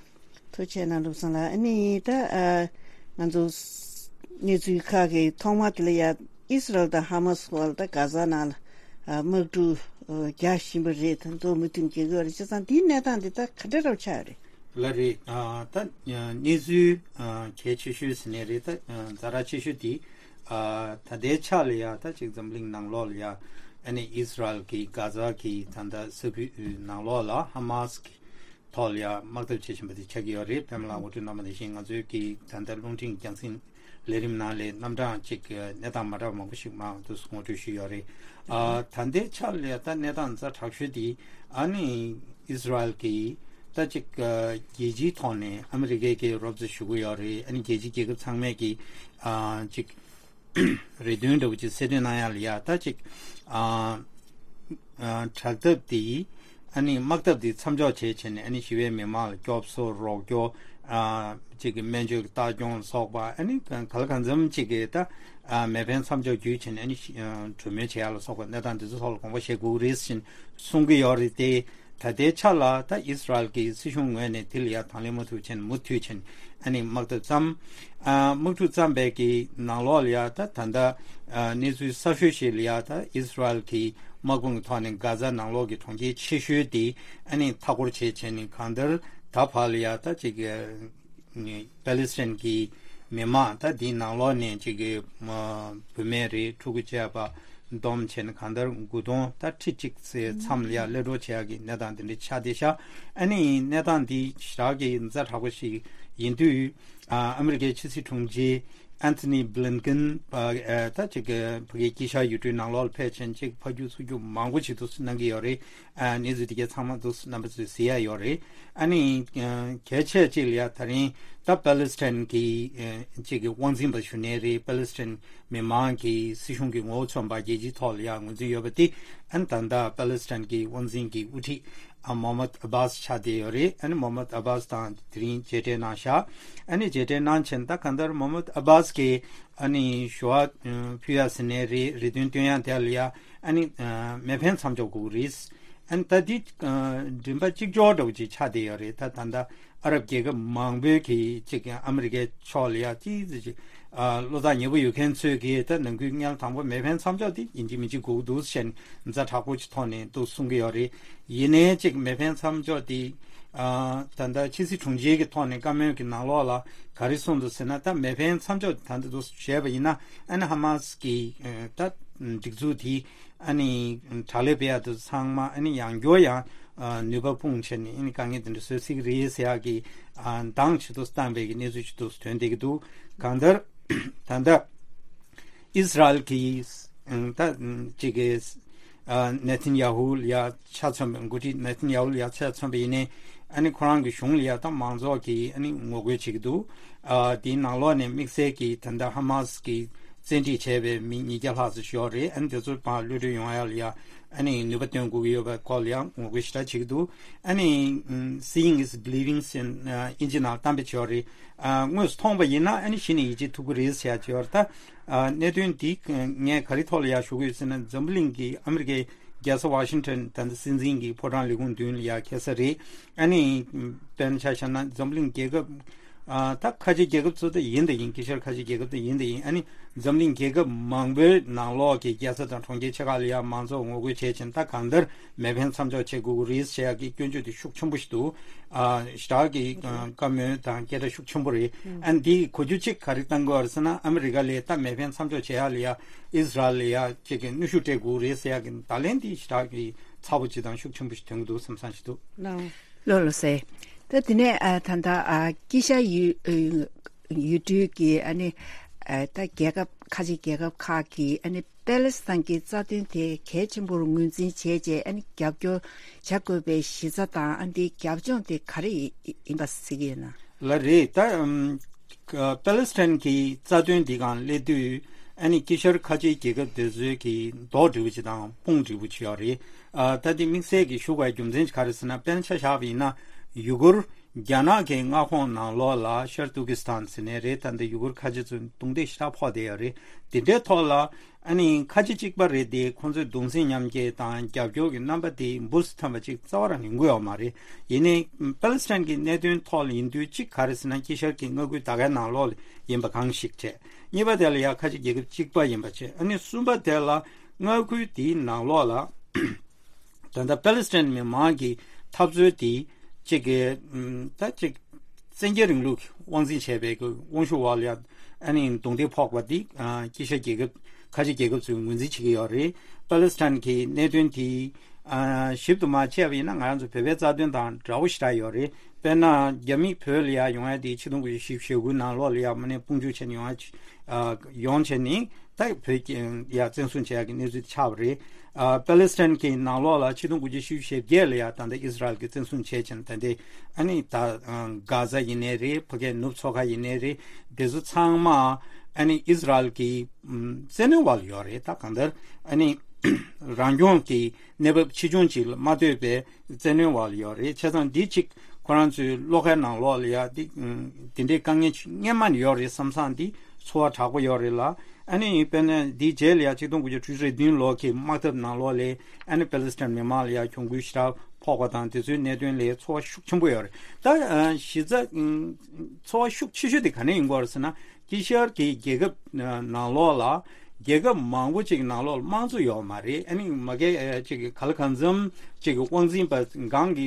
ཐུགས་རྗེ་གནང་བློ་བཟང་ལགས། ཨ་ནི་ད་ཨ་ང་ཚོ་གནས་ཚུལ་ཁག་གི་ཐོག་མ་དེ་ལ་ཡ་ཨི་སི་རལ་དང་ཧ་མ་སི་བར་ད་གྷ་ཛ་ནང་ལ་ཨ་དམག་འཁྲུག་ཨ་རྒྱག་བཞིན་པ་རེད། ད་གཙོ་བོ་མུ་མཐུད་འགྱེད་ཀྱི་ཡོད་རེད། བྱས་ཙང་འདིའི་གནས་སྟངས་འདི་ད་ག་འདྲ་རབ་ཆགས་ཡོད་རེད། ལགས་རེད། ཨ་ད་གནས་ཚུལ་ཨ་གལ་ཆེ་ཤོས་ཟེར་ནའི་རེད། ད་ཛ་དྲག་ཆེ་ཤོས་དེ་ཨ་ད་ལྟའི་ཆ་ལ་ཡ་ད་ཅིག་འཛམ་གླིང་ནང་ལོགས་ལ་ཡ་ཨ་ནི་ཨི་སི་རལ་གྱི་གྷ་ཛ་གི་ད་ལྟ་ས་ཁུལ་ནང་ལོགས་ལ་ཧ་མ་སི་གི་ཐོག་ལ་ཡང་དམག་འཐབ་བྱེད་བཞིན་པ་དེ་ཆགས་ཀྱི་ཡོད་རེད། པད་མ་ལགས་ངོ་སྤྲོད་གནང་བ་ནང་བཞིན་ང་ཚོའི་གི་ད་ལྟ་རླུང་འཕྲིན་རྒྱང་སྲིང་ལས་རིམ་ནང་ལས་རྣམ་གྲངས་གཅིག་གི་གནས་སྟངས་མ་འདྲ་བ་མང་པོ་ཞིག་མར་དུ་ངོ་སྤྲོད་ཞུས་ཡོད་རེད། ཨ་ད་ལྟའི་ཆ་ལ་ད་གནས་སྟངས་ཛ་དྲག་ཤོས་དེ་ཨ་ནི་ཨིས་ར་ཨེལ་གི་ད་ཅིག་རྒྱལ་སྤྱིའི་ཐོག་ནས་ཨ་མི་རི་ཀའི་གི་རོབ་ཙམ་ཞུ་གི་ཡོད་རེད། ཨ་ནི་རྒྱལ་སྤྱིའི་རྒྱལ་ཁབ་ཚང་མས་གི་ཨ་ཅིག་རེ་འདུན་འདྲ་བོ་ཅིག་གསལ་སྟོན་གནང་ཡག་ལ་ཡ་ད་ཅིག་ཨ་ཨ་དྲག་འཐབ་དེ་ཨ་ནི་དམག་འཐབ་དེ་མཚམས་འཇོག་བྱས་བྱས་ནས་ཨ་ནི་ཞི་བའི་མི་མང་ལ་སྐྱོབ་གསོ་རོགས་སྐྱོར་ཨ་ཅིག་གི་སྨན་བཅོས་ཀྱི་ལྟ་སྐྱོང་ལ་སོགས་པ་ཨ་ནི་ག་ལ་གང་འཚམ་ཅིག་གི་ད་ཨ་མེ་འཕེན་མཚམས་འཇོག་བརྒྱུད་བྱས་ནས་ཨ་ནི་ཞི་ཨ་གྲོས་མོལ་བྱེད་ཡག་ལ་སོགས་པ་གནས་སྟངས་དེ་ཚོ་ཐོག་ལ་དགོངས་པ་བཞེས་དགོས་ཀྱི་རེད་ཟེར་གསུང་གི་ཡོད་རེད་དེ། ད་ལྟའི་ཆ་ལ་ད་ཨིས་ར་ཨེལ་གྱི་སྲིད་གཞུང་ངོས་ནས་དེ་ལ་ཡ་དང་ལེན་མ་ཐུབ་ཕྱིན་མུ་མཐུད་ཕྱིན་ཨ་ནི་དམག་འཐབ་བརྩམས། ཨ་དམག་འཁྲུག་བརྩམས་པའི་གི་ནང་ལོགས་ལ་ཡ་ད་ད་ལྟ་ཨ་གནས་ཚུལ་གསར་ཤོས་ཤིག་ལ་ཡ་ད་ཨིས་ར་ཨེལ་གྱི་དམག་དཔུང་གི་ཐོག་ནས་གྷ་ཛ་ནང་ལོགས་ཀྱི་གྲོང་ཁྱེར་ཆེ་ཤོས་དེ་ཨ་ནི་མཐའ་སྐོར་བྱས་བྱས་ནས་གང་ལྟར་ད་བར་ལ་ཡ་ད་ཅིག་པེ་ལི་སི་ཐན་གྱི་མི་མང་ད་འདིའི་ནང་ལོགས་ནས་ཅིག་གི་བུད་མེད་རེད། ཕྲུ་གུ་བཅས་པ་བསྡོམས་བྱས་ནས་གང་ལྟར་དགུ་སྟོང་ད་ཁྲི་གཅིག་ཙམ་ལ་ཡ་གློད་གྲོལ་བྱེད་ཡག་གི་གནས་སྟངས་དེ་འདྲ་ཆགས་བསྡད་ཤག་ཨ་ནི་གནས་སྟངས་འདི་ཞེ་དྲག་གི་ཛ་དྲག་པོ་ཞིག་ཡིན་དུས་ཨ་ཨ་མི་རི་ཀའི་ཕྱི་སྲིད་དྲུང་ཆེ་ཨན་ཐོ་ནི་བྷི་ལིན་ཀིན་ད་ཅིག་གི་ཕ་གིའི་དཀྱིལ་ཤར་ཡུལ་གྲུའི་ནང་ལོགས་ལ་ཕེབས་ཕྱིན་ཅིག་ཕར་རྒྱུག་ཚུར་རྒྱུག་མང་པོ་ཞིག་ཏུ་གནང་གི་ཡོད་རེད། ཨ་གནས་ཚུལ་དེ་གའི་ཚང་མ་འདུག་རྣམ་པ་ཚོས་གཟིགས་ཡ་ཡོད་རེད། ཨ་ནི་ཨ་གལ་ཆེ་གཅིག་ལ་ཡ་ད་རིང་ད་པེ་ལི་སི་ཐན་གྱི་ཨ་གཅིག་གི་དབང་འཛིན་པ་ཞུ་ནའི་རེད། པེ་ལི་སི་ཐན་མི་མང་གི་སྲིད་གཞུང་གི་ངོ་བོ་མཚོན་པ་རྒྱལ་སྤྱིའི་ཐོག་ལ་ཡ་ངོས་འཛིན་ཡོད་པ་དེ་ཨ་ནི་ད་ལྟ་པེ་ལི་སི་ཐན་གྱི་དབང་འཛིན་གྱི་དབུ་ཁྲིད་ཨ་མོ་མད་ཨ་བྷ་སི་ཆགས་བསྡད་ཡོད་རེད། ཨ་ནི་མོ་མད་ཨ་བྷ་སི་དང་དེ་རིང་མཇལ་འཕྲད་གནང་ཤག་ཨ་ནི་མཇལ་འཕྲད་གནང་ཕྱིན་ད་གང་ལྟར་མོ་མད་ཨ་བྷ་སི་གིས་ཨ་ནི་ཞུ་བ་ཕུལ་ཡ་ཟེར་ནའི་རེད། རེ་འདུན་བཏོན་ཡ་དེ་ལ་ཡ་ཨ་ནི་མེ་འཕེན་མཚམས་འཇོག་དགོས་ཀྱི་རེད། ཨ་ནི་ད་འདི་མགྲིན་པ་གཅིག་ལྕོགས་འདྲ་བོ་ཅིག་ཆགས་བསྡད་ཡོད་རེད། ད་ད་ལྟ་ཨ་རབ་རྒྱལ་ཁབ་མང་པོའི་གི་ཅིག་ཨ་མི་རི་ཀའི་ཕྱོགས་ལ་ཡ་ཅིག་ཅིག་བློ་ཐག་ཉེ་པོ་ཡོད་མཁན་ཚོས་གི་ད་ནང་ཁུལ་སྔོན་ལ་དང་པོ་མེ་འཕེན་མཚམས་འཇོག་དེ་ཡིན་གཅིག་མིན་གཅིག་དགོས་ཀྱི་འདུག་ཟེར་ཛ་དྲག་པོ་ཅིག་ཐོག་ནས་འདུག་གསུང་གི་ཡོད་རེད། ཡིན་ནའི་ཅིག་མེ་འཕེན་མཚམས་འཇོག་དེ་ད་ལྟ་ཕྱི་སྲིད་དྲུང་ཆེ་གི་ཐོག་ནས་བཀའ་མོལ་གྱི་ནང་ལོགས་ལ་ག་རེ་གསུངས་འདུག་ཟེར་ན། ད་མེ་འཕེན་མཚམས་འཇོག་ད་ལྟ་འདུག་བྱས་པ་ཡིན་ན་ཨ་ནི་ཧ་མ་སི་གི་ད་སྒྲིག་འཛུགས་དེ་ཨ་ནི་དྲག་ལས་སྤེལ་ཡ་དེ་ཚང་མ་ཨ་ནི་ཡང་བསྐྱར་ཡང་ནུས་པ་སྤུངས་བྱས་ནས་ཨ་ནི་དཀའ་ངལ་དེ་འདྲ་བཟོ་སྲིད་ཀྱི་རེད་ཟེར་ཡག་གི་འདང་ཆེ་ཏུ་བཏང་བའི་གི་གནས་ཚུལ་ཞིག་ཏུ་ཐོན་བསྡད་ཀྱི་འདུག་གང་ལྟར་ད་ལྟ་ཨིས་ར་ཨེལ་གྱི་ད་ཅིག་གི་ནེ་ཐན་ཡ་ཧུ་ལ་ཡ་ཆ་མཚོན་པའི་འགོ་ཁྲིད་ནེ་ཐན་ཡ་ཧུ་ལ་ཡ་ཆ་མཚོན་པ་ཡིན་ནའི་ཨ་ནི་ཁོ་རང་གི་གཞུང་ལ་ཡ་ད་མང་ཚོགས་ཀྱིས་ཨ་ནི་ངོ་རྒོལ་བྱེད་ཀྱི་འདུག་ཨ་དེའི་ནང་ལོགས་ནས་དམིགས་བསལ་གྱིས་ད་ལྟ་ཧ་མ་སི་གི་བཙན་ཁྲིད་བྱས་པའི་མི་ཉིས་བརྒྱ་ལྷག་ཙམ་ཞིག་ཡོད་རེད། ཨ་ནི་དེ་ཚོ་ཕར་གློད་གྲོལ་ཡོང་ཡ་ལ་ཡ་ཨ་ནི་ནུས་པ་བཏོན་དགོས་ཀྱི་ཡོད་པའི་སྐོར་ལ་ཡ་ངོ་རྒོལ་ཞེ་དྲག་བྱེད་ཀྱི་འདུག་ཨ་ནི་Seeing is Believing ཟེར་ཨིན་ཇི་ནང་གཏམ་དཔེ་བྱས་ཡོད་རེད། ཨ་དངོས་སུ་མཐོང་བ་ཡིན་ན་ཨ་ནི་གཞི་ནས་ཡིད་ཆེས་ཐུབ་ཀྱི་རེད་ཟེར་ཡ་བྱས་ཡོད་རེད། ད་ཨ་གནད་དོན་འདི་ངས་ག་རེ་ཐོག་ལ་ཡ་ཞུ་གི་ཡོད་ཟེར་ན། འཛམ་བུ་གླིང་གི་ཨ་མི་རི་ཀའི་རྒྱལ་ས་ཝ་ཤིང་ཊོན་ད་ལྟ་སྲིད་འཛིན་གྱི་ཕོ་བྲང་ལས་ཁུངས་མདུན་ལ་ཡ་འཁེལ་ས་རེད། ཨ་ནི་དཔེར་ན་ཆ་བཞག་ན་འཛམ་བུ་གླིང་རྒྱལ་ཁབ་ཨ་ད་ཁ་ཆེ་རྒྱལ་ཁབ་ཚོ་ད་ཡིན་ད་ཡིན། དཀྱིལ་ཤར་ཁ་ཆེ་རྒྱལ་ཁབ་ད་ཡིན་ད་ཡིན། ཨ་ནི་འཛམ་གླིང་རྒྱལ་ཁབ་མང་པོའི་ནང་ལོགས་ཀྱི་རྒྱལ་ས་དང་གྲོང་ཁྱེར་ཆེ་ཁག་ལ་ཡ་མང་ཚོགས་ངོ་རྒོལ་བྱས་ཕྱིན་ད་གང་ལྟར་མེ་འཕེན་མཚམས་འཇོག་བྱེད་དགོས་ཀྱི་རེད་ཟེར་ཡག་གི་སྐྱོན་བརྗོད་དེ་ཤུགས་ཆེན་པོ་ཞིག་འདུག་ཨ་ཞེ་དྲག་གི་ཨ་བཀའ་མོལ་དང་སྐད་སྒྲ་ཤུགས་ཆེན་པོ་རེད། ཨ་འདི་གོ་རྒྱུ་གཅིག་ག་རེ་བཏང་དགོས་རེད་ཟེར་ན། ཨ་མི་རི་ཀ་ལས་ད་མེ་འཕེན་མཚམས་འཇོག་བྱེད་ཡག་ལ་ཡ་ཨིས་ར་ཨེལ་ལ་ཡ་གཅིག་གི་གནོན་ཤུགས་སྤྲད་དགོས་རེད་ཟེར་ཡག་གི་བརྡ་ལན་འདི་ཞེ་དྲག་གི་ཚ་པོ་ཅིག་དང་ཤུགས་ཆེན་པོ་ཞིག་ཐོན་གྱི་འདུག་བསམ་བསམ་ཞིག་འདུག་ལགས་ལགས་སོ། ད་དེ་ནས་ཨ་ད་ལྟ་ཨ་དཀྱིལ་ཤར་ཡུལ་ཨ་ཡུལ་གྲུའི་གི་ཨ་ནི་ཨ་ད་རྒྱལ་ཁབ་ཁ་ཆེ་རྒྱལ་ཁབ་ཁག་གི་ཨ་ནི་པེ་ལེ་སི་ཐན་གྱི་རྩ་དོན་དེ་གལ་ཆེན་པོར་ངོས་འཛིན་བྱས་རྗེས་ཨ་ནི་རྒྱབ་སྐྱོར་བྱ་དགོས་པའི་གཞི་རྩ་དང་། ཨ་འདིའི་རྒྱབ་ལྗོངས་དེ་ག་རེ་ཡིན་པ་གཟིགས་ཀྱི་ཡོད་ན། ལགས་རེད། ད་ཨམ་ཀ་པེ་ལེ་སི་ཐན་གྱི་རྩ་དོན་འདི་སྒང་སླེབས་དུས་ཨ་ནི་དཀྱིལ་ཤར་ཁ་ཆེའི་རྒྱལ་ཁབ་དེ་ཚོའི་གི་རྡོག་འདྲ་བོ་ཅིག་དང་དཔུང་འདྲ་བོ་ཅིག་ཡོད་རེད། ཨ་ད་དེ་དམིགས་བསལ་གྱི་ཞུ་དགོས་པའི་རྒྱུ་མཚན་ག་རེ་ཟེར་ན། དཔེར་ན་ཆ་བཞག་པ་ཡིན་ན་ཡུ་གུར་རྒྱ་ནག་གི་མངའ་ཁོངས་ནང་ལོགས་ལ་ཤར་ཏུར་ཀི་སི་ཐན་ཟེར་ནས་རེད། ད་འདི་ཡུ་གུར་ཁ་ཆེ་ཚོ་རྡུང་རྡེག་ཞེ་དྲག་ཕོག་བསྡད་ཡོད་རེད། དེ་འདྲའི་ཐོག་ལ་ཨ་ནི་ཁ་ཆེ་གཅིག་པ་རེད་དེ། ཁོང་ཚོས་གདུང་སེམས་མཉམ་སྐྱེད་དང་རྒྱབ་སྐྱོར་གྱི་རྣམ་པ་དེ་འབུར་དུ་ཐོན་པ་ཅིག་རྩ་བ་རང་ཡོང་གི་ཡོད་མ་རེད། ཡིན་ནའི་པེ་ལེ་སི་ཐན་གྱི་གནད་དོན་ཐོག་ལ་ཡིན་དུས་གཅིག་ག་རེ་ཟེར་ན། དཀྱིལ་ཤར་གྱི་མངའ་ཁུལ་ད་གའི་ནང་ལོགས་ལ་ཡིན་པ་གང་ཞིག་བྱས། གཉིས་པ་དེ་ལ་ཡ་ཁ་ཆེ་རྒྱལ་ཁབ་གཅིག་པ་ཡིན་པ་བྱས། ཨ་ནི་གསུམ་པ་དེ་ལ་མངའ་ཁུལ་དེའི་ནང་ལོགས་ལ་ད་ལྟ་པེ་ལེ་སི་ཐན་མི་མང་གི་འཐབ་རྩོད་དེ་གཅིག་གི་ཨམ་ད་གཅིག་བཙན་རྒྱལ་རིང་ལུགས་དབང་འཛིན་བྱས་པའི་གི་དབང་ཤུགས་འོག་ལ་ཡ་ཨ་ནི་རྡུང་རྡེག་ཕོག་པ་འདི་ཨ་དཀྱིལ་ཤར་རྒྱལ་ཁབ་ཁ་ཆེ་རྒྱལ་ཁབ་ཚོས་ངོས་འཛིན་བྱེད་ཀྱི་ཡོད་རེད། པ་ལེ་སི་ཐན་གྱི་གནད་དོན་དེ་ཨ་ཞིབ་ཏུ་མ་དཔྱད་པ་ཡིན་ན་ང་རང་ཚོ་བོད་པའི་རྩ་དོན་དང་འདྲ་བོ་ཞེ་དྲག་ཡོད་རེད། དཔེར་ན་རྒྱ་མི་བོད་ལ་ཡ་ཡོང་ཡ་དེ་ཆིག་སྟོང་དགུ་བརྒྱ་བཞི་བཅུ་ཞེ་དགུ་ནང་ལོགས་ལ་ཡ་མ་ནས་དཔུང་འཇུག་བྱས་ནས་ཡོང་ཡ་ཨ་ཡོང་བྱས་ནས། ད་བོད་ཀྱི་ཡ་བཙན་བཟུང་བྱེད་ཡག་གི་གནས་ཚུལ་ཆགས་པ་རེད། ཨ་པ་ལེ་སི་ཐན་གྱི་ནང་ལོགས་ལ་ཆིག་སྟོང་དགུ་བརྒྱ་བཞི་བཅུ་ཞེ་བརྒྱད་ལ་ཡ་ད་ལྟ་ཨིས་ར་ཨེལ་གྱིས་བཙན་བཟུང་བྱས་ཕྱིན། ད་ལྟའི་ཨ་ནི་ད་ཨ་གྷ་ཛ་ཡིན་ནའི་རེད། ཕ་གིའི་ནུབ་མཚོ་ཁ་ཡིན་ནའི་རེད། དེ་ཚོ་ཚང་མ་ཨ་ནི་ཨིས་ར་ཨེལ་གྱི་ཨམ་བཙན་གནོན་འོག་ལ་ཡོད་རེད། ད་གང་ལྟར་ཨ་ནི་རང་སྐྱོང་གི་གནས་བབ་ཆེ་ཆུང་ཅིག་ལ་མ་ལྟོས་པའི་བཙན་གནོན་འོག་ལ་ཡོད་རེད། བྱས་ཙང་འདི་གཅིག་ཁོ་རང་ཚོའི་བློ་ཁའི་ནང་ལོགས་ལ་ཡ་འདི་ཨམ་དེ་འདྲའི་དཀའ་ངལ་སྔན་མ་ནས་ཡོད་རེད་བསམ་བསམ་འདི་ཚོར་བ་དྲག་པོ་ཡོད་རེད་ལ། ཨ་ནི་དཔེར་ན་འདིའི་རྗེས་ལ་ཡང་ཆིག་སྟོང་དགུ་བརྒྱ་དྲུག་ཅུ་རེ་བདུན་ལོ་གི་དམག་འཐབ་ནང་ལོགས་ལ་ཨ་ནི་པེ་ལི་སི་ཐན་མི་མང་ལ་ཡང་གྱོང་གུན་ཞེ་དྲག་ཕོག་པ་དང་དེ་ཚོའི་གནད་དོན་ལ་ཚོར་བ་ཤུགས་ཆེན་པོ་ཡོད་རེད། ད་ཨ་གཞི་རྩ་ཨ་ཚོར་བ་ཤུགས་ཆེ་ཤོས་དེ་ག་ནས་ཡིན་གྱི་ཡོད་རེད་ཟེར་ན། དཀྱིལ་ཤར་གྱི་རྒྱལ་ཁབ་ནང་ལོགས་ལ་རྒྱལ་ཁབ་མང་པོ་ཅིག་ནང་ལོགས་ལ་དམངས་གཙོ་ཡོད་མ་རེད། ཨ་ནི་མ་གི་ཅིག་གི་ག་ལ་གང་འཚམ་ཅིག་གི་དབང་འཛིན་པ་སྒང་གི་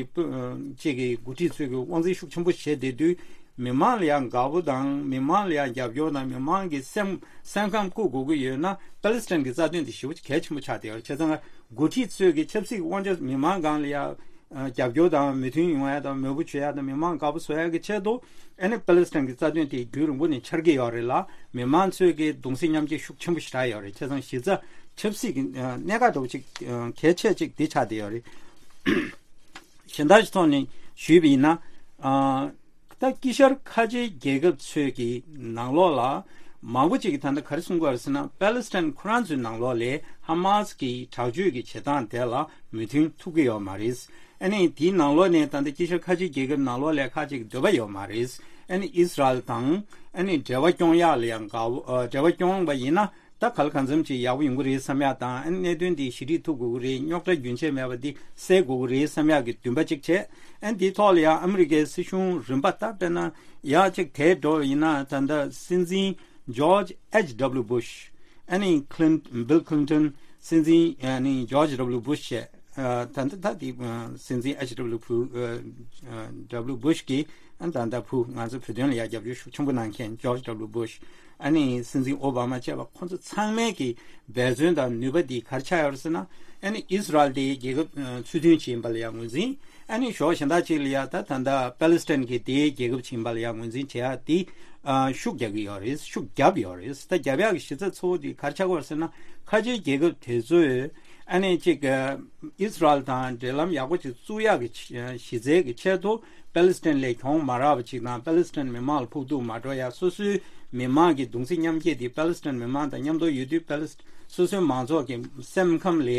ཅིག་གི་འགོ་ཁྲིད་ཚོས་གི་དབང་འཛིན་ཤུགས་ཆེན་པོ་བྱེད་བསྡད་དུས། མི་མང་ལ་ཡང་དགའ་པོ་དང་མི་མང་ལ་ཡང་རྒྱབ་སྐྱོར་དང་མི་མང་གི་སེམས་སེམས་ཁམས་བཀུག་དགོས་ཀྱི་ཡོད་ན། པེ་ལི་སི་ཐན་གྱི་རྩ་དོན་དེ་ཞེ་པོ་གལ་ཆེན་པོ་ཆགས་བསྡད་ཡོད་རེད། བྱས་ཙང་འགོ་ཁྲིད་ཚོས་ཀྱི་ཆབ་སྲིད་དབང་ཆ་མི་མང་སྒང་ལ་ཡང་རྒྱབ་སྐྱོར་དང་མོས་མཐུན་ཡོང་ཡ་དང་མོས་པོ་བྱེད་ཡ་དང་མི་མང་དགའ་པོ་བཟོ་ཡ་གི་ཆེད་དུ། ཨ་ནི་པེ་ལི་སི་ཐན་གྱི་རྩ་དོན་དེ་རྒྱུན་རིང་པོ་ནས་འཆར་གྱི་ཡོད་རེད་ལ། མི་མང་ཚོས་ཀྱི་གདུང་སེམས་མཉམ་སྐྱེད་ཤུགས་ཆེན་པོ་ཞེ་དྲག་ཡོད་རེད། བྱས་ཙང་གཞི་རྩ་ཆབ་སྲིད་ཀྱི་གནད་འགག་འདྲ་བོ་ཅིག་གལ་ཆེ་ཅིག་འདི་ཆགས་བསྡད་ཡོད་རེད། གཞན་དག་ཅིག་ཐོག་ནས་ཞུས་པ་ཡིན་ན། ཨ། ད་དཀྱིལ་ཤར་ཁ་ཆེའི་རྒྱལ་ཁབ་ཚོས་ཀྱི་ནང་ལོགས་ལ་མང་པོ་ཅིག་གིས་ད་ལྟ་ག་རེ་གསུང་གི་ཡོད་རེད་ཟེར་ན། པེ་ལི་སི་ཐན་ཁོ་རང་ཚོའི་ནང་ལོགས་ལ་ཧ་མ་སི་གི་དྲག་སྤྱོད་ཀྱི་བྱེད་སྟངས་དེ་ལ་མོས་མཐུན་ཐུབ་ཀྱི་ཡོད་མ་རེད། ཨ་ནི་དེའི་ནང་ལོགས་ནས་ད་ལྟ་དཀྱིལ་ཤར་ཁ་ཆེའི་རྒྱལ་ཁབ་ནང་ལོགས་ལ་ཁ་ཅིག་འདོད་པ་ཡོད་མ་རེད། ཨ་ནི་ཨིས་ར་ཨེལ་དང་ཨ་ནི་འབྲེལ་བ་སྐྱོང་ཡག་ལ་ཡང་དགའ་བོ། ཨ། འབྲེལ་བ་སྐྱོང་བ་ཡིན་ན། ད་ག་ལ་གང་འཚམ་ཅིག་ཡག་པོ་ཡོང་གི་རེད་བསམ་ཡག་དང་། ཨ་ནི་གནད་དོན་འདི་ཞི་འགྲིག་ཐུབ་དགོས་ཀྱི་རེད། རྙོག་དྲ་རྒྱུན་ཆད་མེད་པ་འདི་སེལ་དགོས་ཀྱི་རེད་བསམ་ཡག་གི་འདུན་པ་གཅིག་བྱས། ཨ་ནི་འདིའི་ཐོག་ལ་ཡང་ཨ་མི་རི་ཀའི་སྲིད་གཞུང་རིམ་པ་ད་དཔེར་ན་ཡག་ཅིག་དེ་འགྲོ་བ་ཡིན་ན། ད་ལྟ་སྲིད་འཛིན་ཇོརྗ་ཨེཆ་ཌབ་ལུ་བུ་ཤ། ཨ་ནི་ཁི་ལིན་བིལ་ཁི་ལིན་ཊོན། སྲིད་འཛིན་ཨ་ནི་ཇོརྗ་ཌབ་ལུ་བུ་ཤ་བྱས། ཨ། ད་ལྟ་ད་དེ་ཨ་སྲིད་འཛིན་ཨེཆ་ཌབ་ལུ་བུ་ཨ་ཨ་ཌབ་ལུ་བུ་ཤ་གིས་ཨ་ད་ལྟ་བུ་ང་ཚོ་བོད་དོན་ལ་ཡང་རྒྱབ་སྐྱོར་ཤུགས་ཆེན་པོ་གནང་མཁན་ཇོརྗ་ཌབ་ལུ་བུ་ཤ། ཨ་ནི་སྲིད་འཛིན་ཨོ་བྷ་མ་བཅས་པ་ཁོང་ཚོ་ཚང་མའི་གི་འབད་བརྩོན་དང་ནུས་པ་འདི་ག་རེ་ཆགས་ཡོད་རེད་ཟེར་ན། ཨ་ནི་ཨིས་ར་ཨེལ་དེ་རྒྱལ་ཁབ་ཨ་ཚུལ་མཐུན་ཅིག་ཡིན་པ་ལ་ཡང་ངོས་འཛིན། ཨ་ནི་ཕྱོགས་གཞན་དག་ཅིག་ལ་ཡང་ད་ད་ལྟ་པེ་ལི་སི་ཐན་གྱི་དེའི་རྒྱལ་ཁབ་ཅིག་ཡིན་པ་ལ་ཡང་ངོས་འཛིན་བྱེད་ཡག་དེ་ཨ་ཤུགས་རྒྱག་གི་ཡོད་རེད། ཤུགས་བརྒྱབ་ཡོད་རེད། ད་རྒྱབ་ཡག་གི་གཞི་རྩ་གཙོ་བོ་དེ་ག་རེ་ཆགས་ཀྱི་ཡོད་རེད་ཟེར་ན། ཁ་ཆེའི་རྒྱལ་ཁབ་དེ་ཚོས་ཨ་ནི་ཅིག་ཨ་ཨིས་ར་ཨེལ་དང་འབྲེལ་ལམ་ཡག་པོ་ཅིག་བཙུགས་ཡག་གི་ཆ་གཞི་རྩའི་གི་ཆེད་དུ། པེ་ལི་སི་ཐན་ལ་གྱོང་མ་རག་པ་ཅིག་དང་། པེ་ལི་སི་ཐན་མི་མང་ལ་ཕོག་ཐུག་མ་འགྲོ་ཡ། སོ་སོའི་མི་མང་གི་གདུང་སེམས་མཉམ་སྐྱེད་དེ་པེ་ལི་སི་ཐན་མི་མང་དང་མཉམ་དུ་ཡོད་དུས། པེ་ལི་སི་སོ་སོའི་མང་ཚོགས་ཀྱི་སེམས་ཁམས་ལ་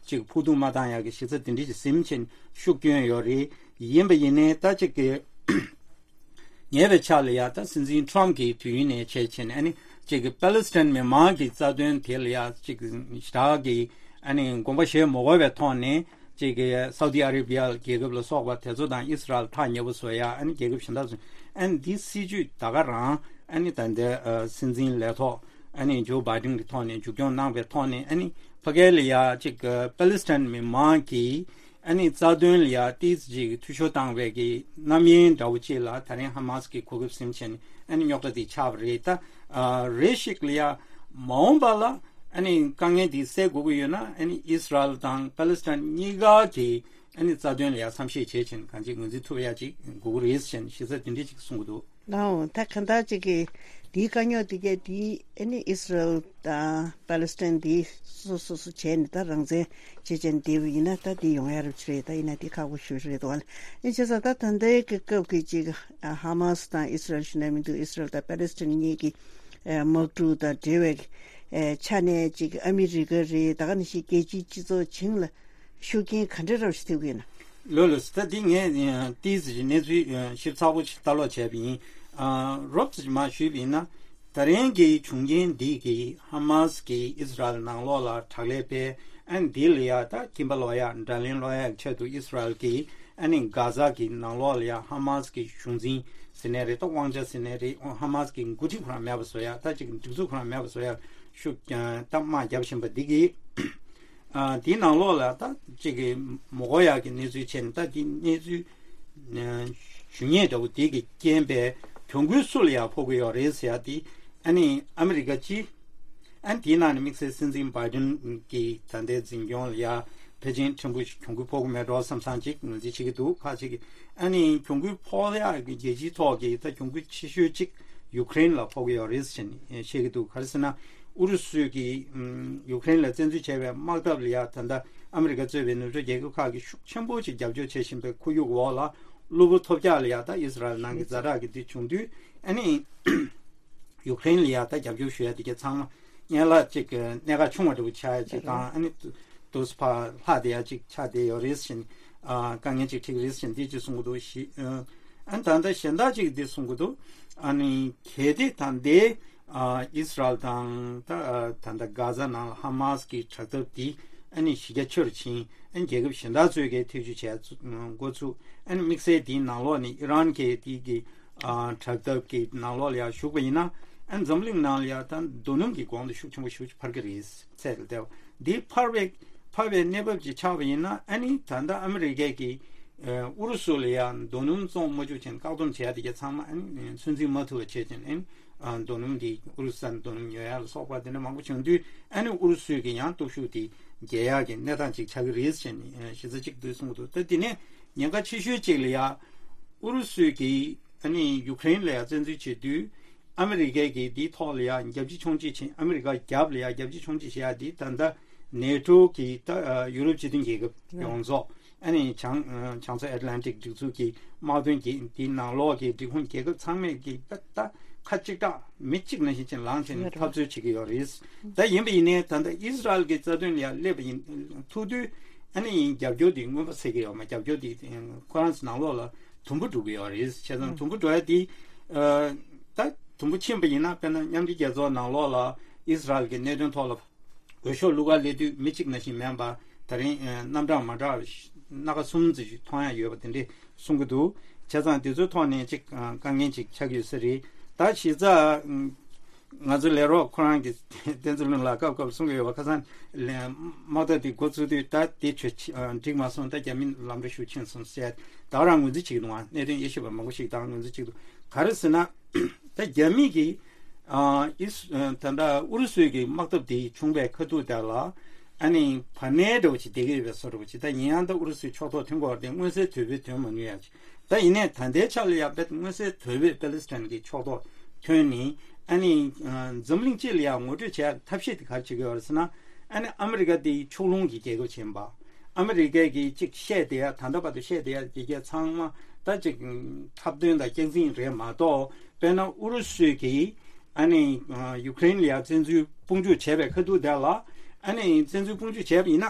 ཅིག་ཕོག་ཐུག་མ་བཏང་ཡ་གི་གཞི་རྩ་དེ་འདྲ་ཅིག་ཟིན་བྱས་ཤུགས་སྐྱོན་ཡོད་རེད། ཡིན་པ་ཡིན་ནའི་ད་ཅིག་གི་ཉེ་བའི་ཆར་ལ་ཡ་ད་སྲིད་འཛིན་ཊམ་གྱི་དུས་ཡུན་ནས་བྱས་བྱས་ནས། ཨ་ནི་ཅིག་གི་པེ་ལི་སི་ཐན་མི་མང་གི་རྩ་དོན་དེ་ལ་ཡ་ཅིག་ཞེ་དྲག་གི་ཨ་ནི་དགོངས་པ་བཞེས་མ་དགོས་པའི་ཐོག་ནས། ཅིག་གི་སའུ་ཏི་ཨ་རེ་བི་ཡ་རྒྱལ་ཁབ་ལ་སོགས་པ་དེ་ཚོ་དང་ཨིས་ར་ཨེལ་ཐག་ཉེ་པོ་བཟོ་ཡ། ཨ་ནི་རྒྱལ་ཁབ་གཞན་དག་ཚོ། ཨ་ནི་འདི་སྲིད་ཇུས་ད་ག་རང་ཨ་ནི་ད་ལྟའི་ཨ་སྲིད་འཛིན་ལས་ཐོག་ཨ་ནི་ཇོ་བྷའི་ཌེན་གྱི་ཐོག་ནས་མཇུག་སྐྱོང་གནང་བའི་ཐོག་ནས། ཨ་ནི་ཕ་གི་ལ་ཡ་ཅིག་གི་པེ་ལི་སི་ཐན་མི་མང་གི་ཨ་ནི་རྩ་དོན་ལ་ཡ་ཏོག་ཙམ་ཅིག་འཐུས་ཤོར་བཏང་བའི་གི་རྣམ་གཡེང་འདྲ་བོ་ཅིག་ལ་ད་རིང་ཧ་མ་སི་གི་གོ་སྐབས་ཟིན་བྱས་ནས་ཨ་ནི་རྙོག་དྲ་དེ་ཆགས་པ་རེད། ད་ཨ་རེ་ཞིག་ལ་ཡ་མ་འོངས་པ་ལ་ཨ་ནི་དཀའ་ངལ་དེ་སེལ་དགོས་ཀྱི་ཡོད་ན། ཨ་ནི་ཨིས་ར་ཨེལ་དང་པེ་ལི་སི་ཐན་གཉིས་ཀ་གི་ཨ་ནི་རྩ་དོན་ལ་ཡ་བསམ་ཤེས་བྱེད་བྱས་ནས་གང་ཅི་ངོས་འཛིན་ཐུབ་ཡ་ཅིག་དགོས་ཀྱི་རེད་ཟེར་ནས་ཞེ་ས་དེ་འདྲ་ཅིག་གསུང་གི་འདུག། ལའོ། ད་གང་ལྟར་ཅིག་གིས་དེའི་དཀའ་རྙོག་དེ་གས་དེ་ཨ་ནི་ཨིས་ར་ཨེལ་དང་པ་ལི་སི་ཐན་དེ་སོ་སོ་སོ་བྱས་ནས་ད་རང་བཙན་བྱེད་བྱས་ནས་བསྡད་པ་ཡིན་ན། ད་དེ་ཡོང་ཡ་རབས་ཅིག་རེད། ད་ཡིན་ན་དེ་ཁག་པོ་ཞེ་པོ་རེད་འདུག་བ། ཨ་ནི་བྱས་ཙང་ད་ད་ལྟའི་གི་སྐབས་ཀྱི་ཅིག་ཧ་མ་སི་དང་ཨིས་ར་ཨེལ་ཞུ་ན་མི་འདུག། ཨིས་ར་ཨེལ་དང་པ་ལི་སི་ཐན་གཉིས་ཀྱི་དམག་འཁྲུག་དང་འབྲེལ་བའི་ཆ་ནས་ཅིག་ཨ་མི་རི་ཀ་རེད། ད་ག་ནང་བཞིན་རྒྱལ་སྤྱིའི་སྤྱི་ཚོགས་བྱིངས་ལ་ཤུགས་རྐྱེན་ག་འདྲ་རབས་ཞིག་ཐེབས་ཀྱི་ཡོད་ན། ལོས་ལོས། ད་འདི་ངས་ཏོག་ཙམ་གནས་ཚུལ་ཞིབ་ཚགས་པོ་ཞིག་ལྟ་ཀློག་བྱས་པ་ཡིན། ཨ་རོབ་ཙམ་མར་ཞུས་པ་ཡིན་ན། ད་རིང་གི་བྱུང་རྐྱེན་འདི་གིས་ཧ་མ་སི་གིས་ཨིས་ར་ཨེལ་ནང་ལོགས་ལ་དྲག་ལས་སྤེལ། ཨ་ནི་འདི་ལ་ཡ་ད་ཁྱིམ་པ་སློག་ཡ། དགྲ་ལན་སློག་ཡ་གི་ཆེད་དུ་ཨིས་ར་ཨེལ་གྱིས་ཨ་ནི་གྷ་ཟ་གི་ནང་ལོགས་ལ་ཡ་ཧ་མ་སི་གི་གཞུང་འཛིན་ཟེར་ནའི་རེད། ད་དབང་ཆ་ཟེར་ནའི་རེད། ཧ་མ་སི་གི་འགོ་ཁྲིད་ཁོ་རང་མེད་པ་བཟོ་ཡ། ད་ཅིག་སྒྲིག་འཛུགས་ཁོ་རང་མེད་པ་བཟོ་ཡ་ཤུགས་ཀྱང་ད་དམག་རྒྱབ་བཞིན་པ་འདི་གིས། ཨ་དེའི་ནང་ལོགས་ལ་ད་ཅིག་གི་མ་གོ་ཡག་གི་གནས་ཚུལ་བྱས་ནས། ད་དེ་གནས་ཚུལ་ཨ་ཞུ་མཁན་འདྲ་བོ་དེ་གི་རྐྱེན་པས་གྱོང་གུན་སུ་ལ་ཡང་ཕོག་གི་ཡོད་རེད་ཟེར་ཡ་དེ། ཨ་ནི་ཨ་མི་རི་ཀ་སྤྱི། ཨ་ནི་དེའི་ནང་ནས་དམིགས་བསལ་སྲིད་འཛིན་བྷའི་ཌེན་གྱི་ད་ལྟའི་འཛིན་སྐྱོང་ལ་ཡ་ཕལ་ཆེར་ཕྲན་བུ་ཞིག་གྱོང་གུན་ཕོག་གི་མེད་འགྲོ་བསམ་བསམ་ཅིག་ངོས་འཛིན་བྱེད་ཀྱི་འདུག། ཁག་ཅིག་གིས། ཨ་ནི་གྱོང་གུན་ཕོག་ཡག་གི་རྒྱལ་སྤྱིའི་ཐོག་གི་ད་གྱོང་གུན་ཆེ་ཤོས་གཅིག་ཡུཀ་རེན་ལ་ཕོག་གི་ཡོད་རེད་ཟེར་ནས་བཤད་ཀྱི་འདུག། ག་རེ་ཟེར་ན། ཨུ་རུ་སུས་ཀྱིས་ཨམ་ཡུཀ་རེན་ལ་བཙན་འཛུལ་བྱས་པའི་དམག་འཐབ་ལ་ཡ་ད་ལྟ་ཨ་མི་རི་ཀ་གཙོས་པའི་ནུབ་ཕྱོགས་རྒྱལ་ཁབ་ཁག་གིས་ཤུགས་ཆེན་པོ་ཞིག་རྒྱབ་སྐྱོར་བྱེད་བཞིན་པའི་ཁོར་ཡུག་འོག་ལ། གློ་བུར་ཐོལ་རྒྱག་ལ་ཡ་ད་ཨིས་ར་ཨེལ་ནང་གི་ཛ་དྲག་གི་དེ་བྱུང་དུས། ཨ་ནི་ཡུཀ་རེན་ལ་ཡ་ད་རྒྱབ་སྐྱོར་ཞུ་ཡ་དེ་ག་ཚང་མ་ཡན་ལག་ཅིག་གི་གནད་འགག་ཆུང་བ་འདྲ་བོ་ཆགས་ཡ་ཅིག་དང་། ཨ་ནི་དུ་དུས་ཕར་ལྷག་བསྡད་ཡ་ཅིག་ཆགས་བསྡད་ཡོད་རེད་ཟེར་ནས། ཨ་དཀའ་ངལ་ཅིག་འཕྲད་ཀྱི་རེད་ཟེར་ནས་འདི་ཅིག་གསུང་གི་འདུག་ཞེས། ཨ་ནི་ད་ལྟ་གཞན་དག་ཅིག་འདི་གསུང་གི་འདུག། ཨ་ནི་གལ་ཏེ་ད་ལྟའི་ ཨ་ཨི་སི་རལ་དང་ད་ཨ་ད་ལྟ་གྷ་ཛ་ནང་ལ་ཧ་མ་སི་གི་དྲག་འཐབ་འདི་ཨ་ནི་གཞི་རྒྱ་ཆེ་རུ་ཕྱིན། ཨ་ནི་རྒྱལ་ཁབ་གཞན་དག་ཚོས་ཀྱིས་ཐེ་བྱུས་བྱས་ཚུ་འགོ་ཚུགས། ཨ་ནི་དམིགས་བསལ་དེའི་ནང་ལོགས་ནས་ཨི་རན་གྱི་དེ་གི་ཨ་དྲག་འཐབ་ཀྱི་ནང་ལོགས་ལ་ཡང་ཞུགས་པ་ཡིན་ན། ཨ་ནི་འཛམ་གླིང་ནང་ལ་ཡང་ད་རྡོ་སྣུམ་གྱི་གོང་དུ་ཤུགས་ཆེན་པོ་ཞེ་པོ་ཅིག་འཕར་གྱི་རེད། ཚད་ལ་བལྟས་པ་འདི་འཕར་བའི་འཕར་བའི་གནས་བབ་ཅིག་ཆགས་པ་ཡིན་ན། ཨ་ནི་ད་ལྟ་ཨ་མི་རི་ཀས་ཀྱི་ཨུ་རུ་སུ་ལ་ཡང་རྡོ་སྣུམ་བཙོང་མ་བཅུག་ཅིང་བཀག་སྡོམ་བྱས་དེ་ག་ཚང་མ་ཨ་ནི་ཚོད་འཛིན་མ་ཐུབ་པ་བྱས་ཅིང་། ཨ་ནི་རྡོ་སྣུམ་འདི་ཨུ་རུ་སུ་ནས་རྡོ་སྣུམ་ཉོ་ཡག་ལ་སོགས་པ་དེ་འདྲ་མང་པོ་བྱུང་དུས། ཨ་ནི་ཨུ་རུ་སུས་ཀྱི་ཡང་སྟོབས་ཤུགས་དེ་རྒྱས་ཡག་གི་གནས་སྟངས་ཅིག་ཆགས་ཀྱི་རེད་ཟེར་ནས་གཞི་རྩ་གཅིག་འདུག་གསུང་གི་འདུག་ད་དེ་ནས་ཉེན་ཁ་ཆེ་ཤོས་གཅིག་ལ་ཡང་ཨུ་རུ་སུས་ཀྱི་ཨ་ནི་ཡུ་ཀེ་རེན་ལ་ཡང་བཙན་འཛུལ་བྱེད་དུས། ཨ་མི་རི་ཀས་ཀྱིས་འདིའི་ཐོག་ལ་ཡང་རྒྱབ་ཕྱི་མཆོང་བྱེད་བྱེད། ཨ་མི་རི་ཀ་རྒྱབ་ལ་ཡང་རྒྱབ་ཕྱི་མཆོང་བྱེད་བྱེད་ཡག་འདི་ད་ལྟ་ནེ་ཊོ་གི་ད་ཡུ་རོབ་སྤྱི་མཐུན་རྒྱལ་ཁབ་ཡོངས་རྫོགས། ཨ་ནི་བྱང་བྱང་མཚོ་ཨེཊ་ལན་ཊིག་སྒྲིག་འཛུགས་ཀྱི་དམག་དོན་གྱི་དེའི་ནང་ལོགས་ཀྱི་སྒྲིག་ཁོངས་རྒྱལ་ཁབ་ཚང་མས་ཀྱི་ད་ད་ཁ་གཅིག་གྲགས་མི་གཅིག་ནང་བཞིན་ཅིག་ལངས་བྱས་ནས་འཐབ་རྩོད་བྱེད་ཀྱི་ཡོད་རེད། ད་ཡིན་པ་ཡིན་ནའི་ད་ལྟ་ཨི་སི་རལ་གྱི་རྩ་དོན་ལ་ཡང་སླེབས་པ་ཡིན་ཐུག་དུས། ཨ་ནི་ཡིན་རྒྱབ་སྐྱོར་དེ་མངོན་པ་གསལ་གྱི་ཡོད་མ། རྒྱབ་སྐྱོར་དེ་ཁོ་རང་ཚོ་ནང་ལོགས་ལ་དུམ་བུ་འགྲོ་གི་ཡོད་རེད། བྱས་ཙང་དུམ་བུ་འགྲོ་ཡ་དེ་ད་དུམ་བུ་ཕྱིན་པ་ཡིན་ན། དཔེར་ན་མཉམ་འབྲེལ་རྒྱལ་ཚོགས་ནང་ལོགས་ལ་ཨི་སི་རལ་གྱི་གནད་དོན་ཐོག་ལ་འོས་ཤོག་བླུག་ག་སླེབས་དུས་མི་གཅིག་ནང་བཞིན་མིན་པ། ད་རིང་རྣམ་གྲངས་མ་འདྲ་བ་སྣ་ཁ་གསུམ་ཙམ་ཞིག་མཐོང་ཡ་ཡོད་པ་དེ་འདྲས་གསུང་གི་འདུག་བྱས་ཙང་དེ་ཚོའི་ཐོག་ནས་ཅིག་དཀའ་ངལ་ཅིག་ཆགས་ཀྱི་ཡོད་ས་རེད། ད་གཞི་རྩ་ང་ཚོ་ལས་རོགས་ཁོ་རང་གིས་བསྟན་འཛིན་ལུང་ལ་སྐབས་སྐབས་གསུང་གི་ཡོད་པ། ཁ་སང་ལས་དམག་འཐབ་དེ་འགོ་བཙུགས་དུས་ད་དེ་ཆོས་འགྲིག་མ་སོང་། ད་རྒྱ་མི་ལམ་འགྲོ་ཤུགས་ཆེན་སོང་ཟེར། ད་ག་རང་ངོས་འཛིན་བྱེད་ཀྱི་འདུག་ཨ། གནད་དོན་དབྱེ་ཞིབ་པ་མང་པོ་ཞིག་ད་ག་རང་ངོས་འཛིན་བྱེད་ཀྱི་འདུག་ག་རེ་ཟེར་ན། ད་རྒྱ་མི་གིས་ཨ་ཨི་སི་ད་ལྟ་ཨུ་རུ་སུའི་གི་དམག་འཐབ་དེ་བྱུང་བའི་ཁ་ཐུག་དེ་ལ། ཨ་ནི་བར་ནས་འདྲ་བོ་ཅིག་བསྡད་ཀྱི་ཡོད་པའི་བཟོ་འདྲ་བོ་ཅིག་ད་ཡིན་ཡང་ད་ཨུ་རུ་སུའི་ཕྱོགས་གཏོགས་ཐོན་དགོས་པ་དེ་མངོན་གསལ་དོད་པོས་ཐོན་མ་མྱོང་ཡ་ཅིག་ད་ཡིན་ནའི་ད་ལྟའི་ཆ་ལ་ཡང་དཔེ་མངོན་གསལ་དོད་པོས་པེ་ལི་སི་ཐན་གྱི་ཕྱོགས་གཏོགས་ཐོན་ནས། ཨ་ནི་ཨ་འཛམ་གླིང་སྤྱི་ལ་ཡང་ངོ་སྤྲོད་བྱེད་ཡ་ཐབས་ཤེས་དེ་ག་རེ་བྱེད་ཀྱི་ཡོད་རེད་ཟེར་ན། ཨ་ནི་ཨ་མི་རི་ཀ་དེ་ཕྱོགས་ལྷུང་གི་རྒྱལ་ཁབ་ཆེན་པ། ཨ་མི་རི་ཀས་ཀྱིས་གཅིག་བཤད་བསྡད་ཡ། ད་ལྟ་བར་དུ་བཤད་བསྡད་ཡ་དེ་གས་ཚང་མ་ད་ཅིག་འཁྲབ་སྟོན་དང་སྐྱག་རྫུན་རེད་མ་གཏོགས། དཔེར་ན་ཨུ་རུ་སུས་ཀྱིས་ཨ་ནི་ཡུ་ཀེ་རེན་ལ་ཡང་བཙན་འཛུལ་དཔུང་འཇུག་བྱས་པའི་ཁ་ཐུག་དེ་ལ། ཨ་ནི་བཙན་འཛུལ་དཔུང་འཇུག་བྱས་པ་ཡིན་ན།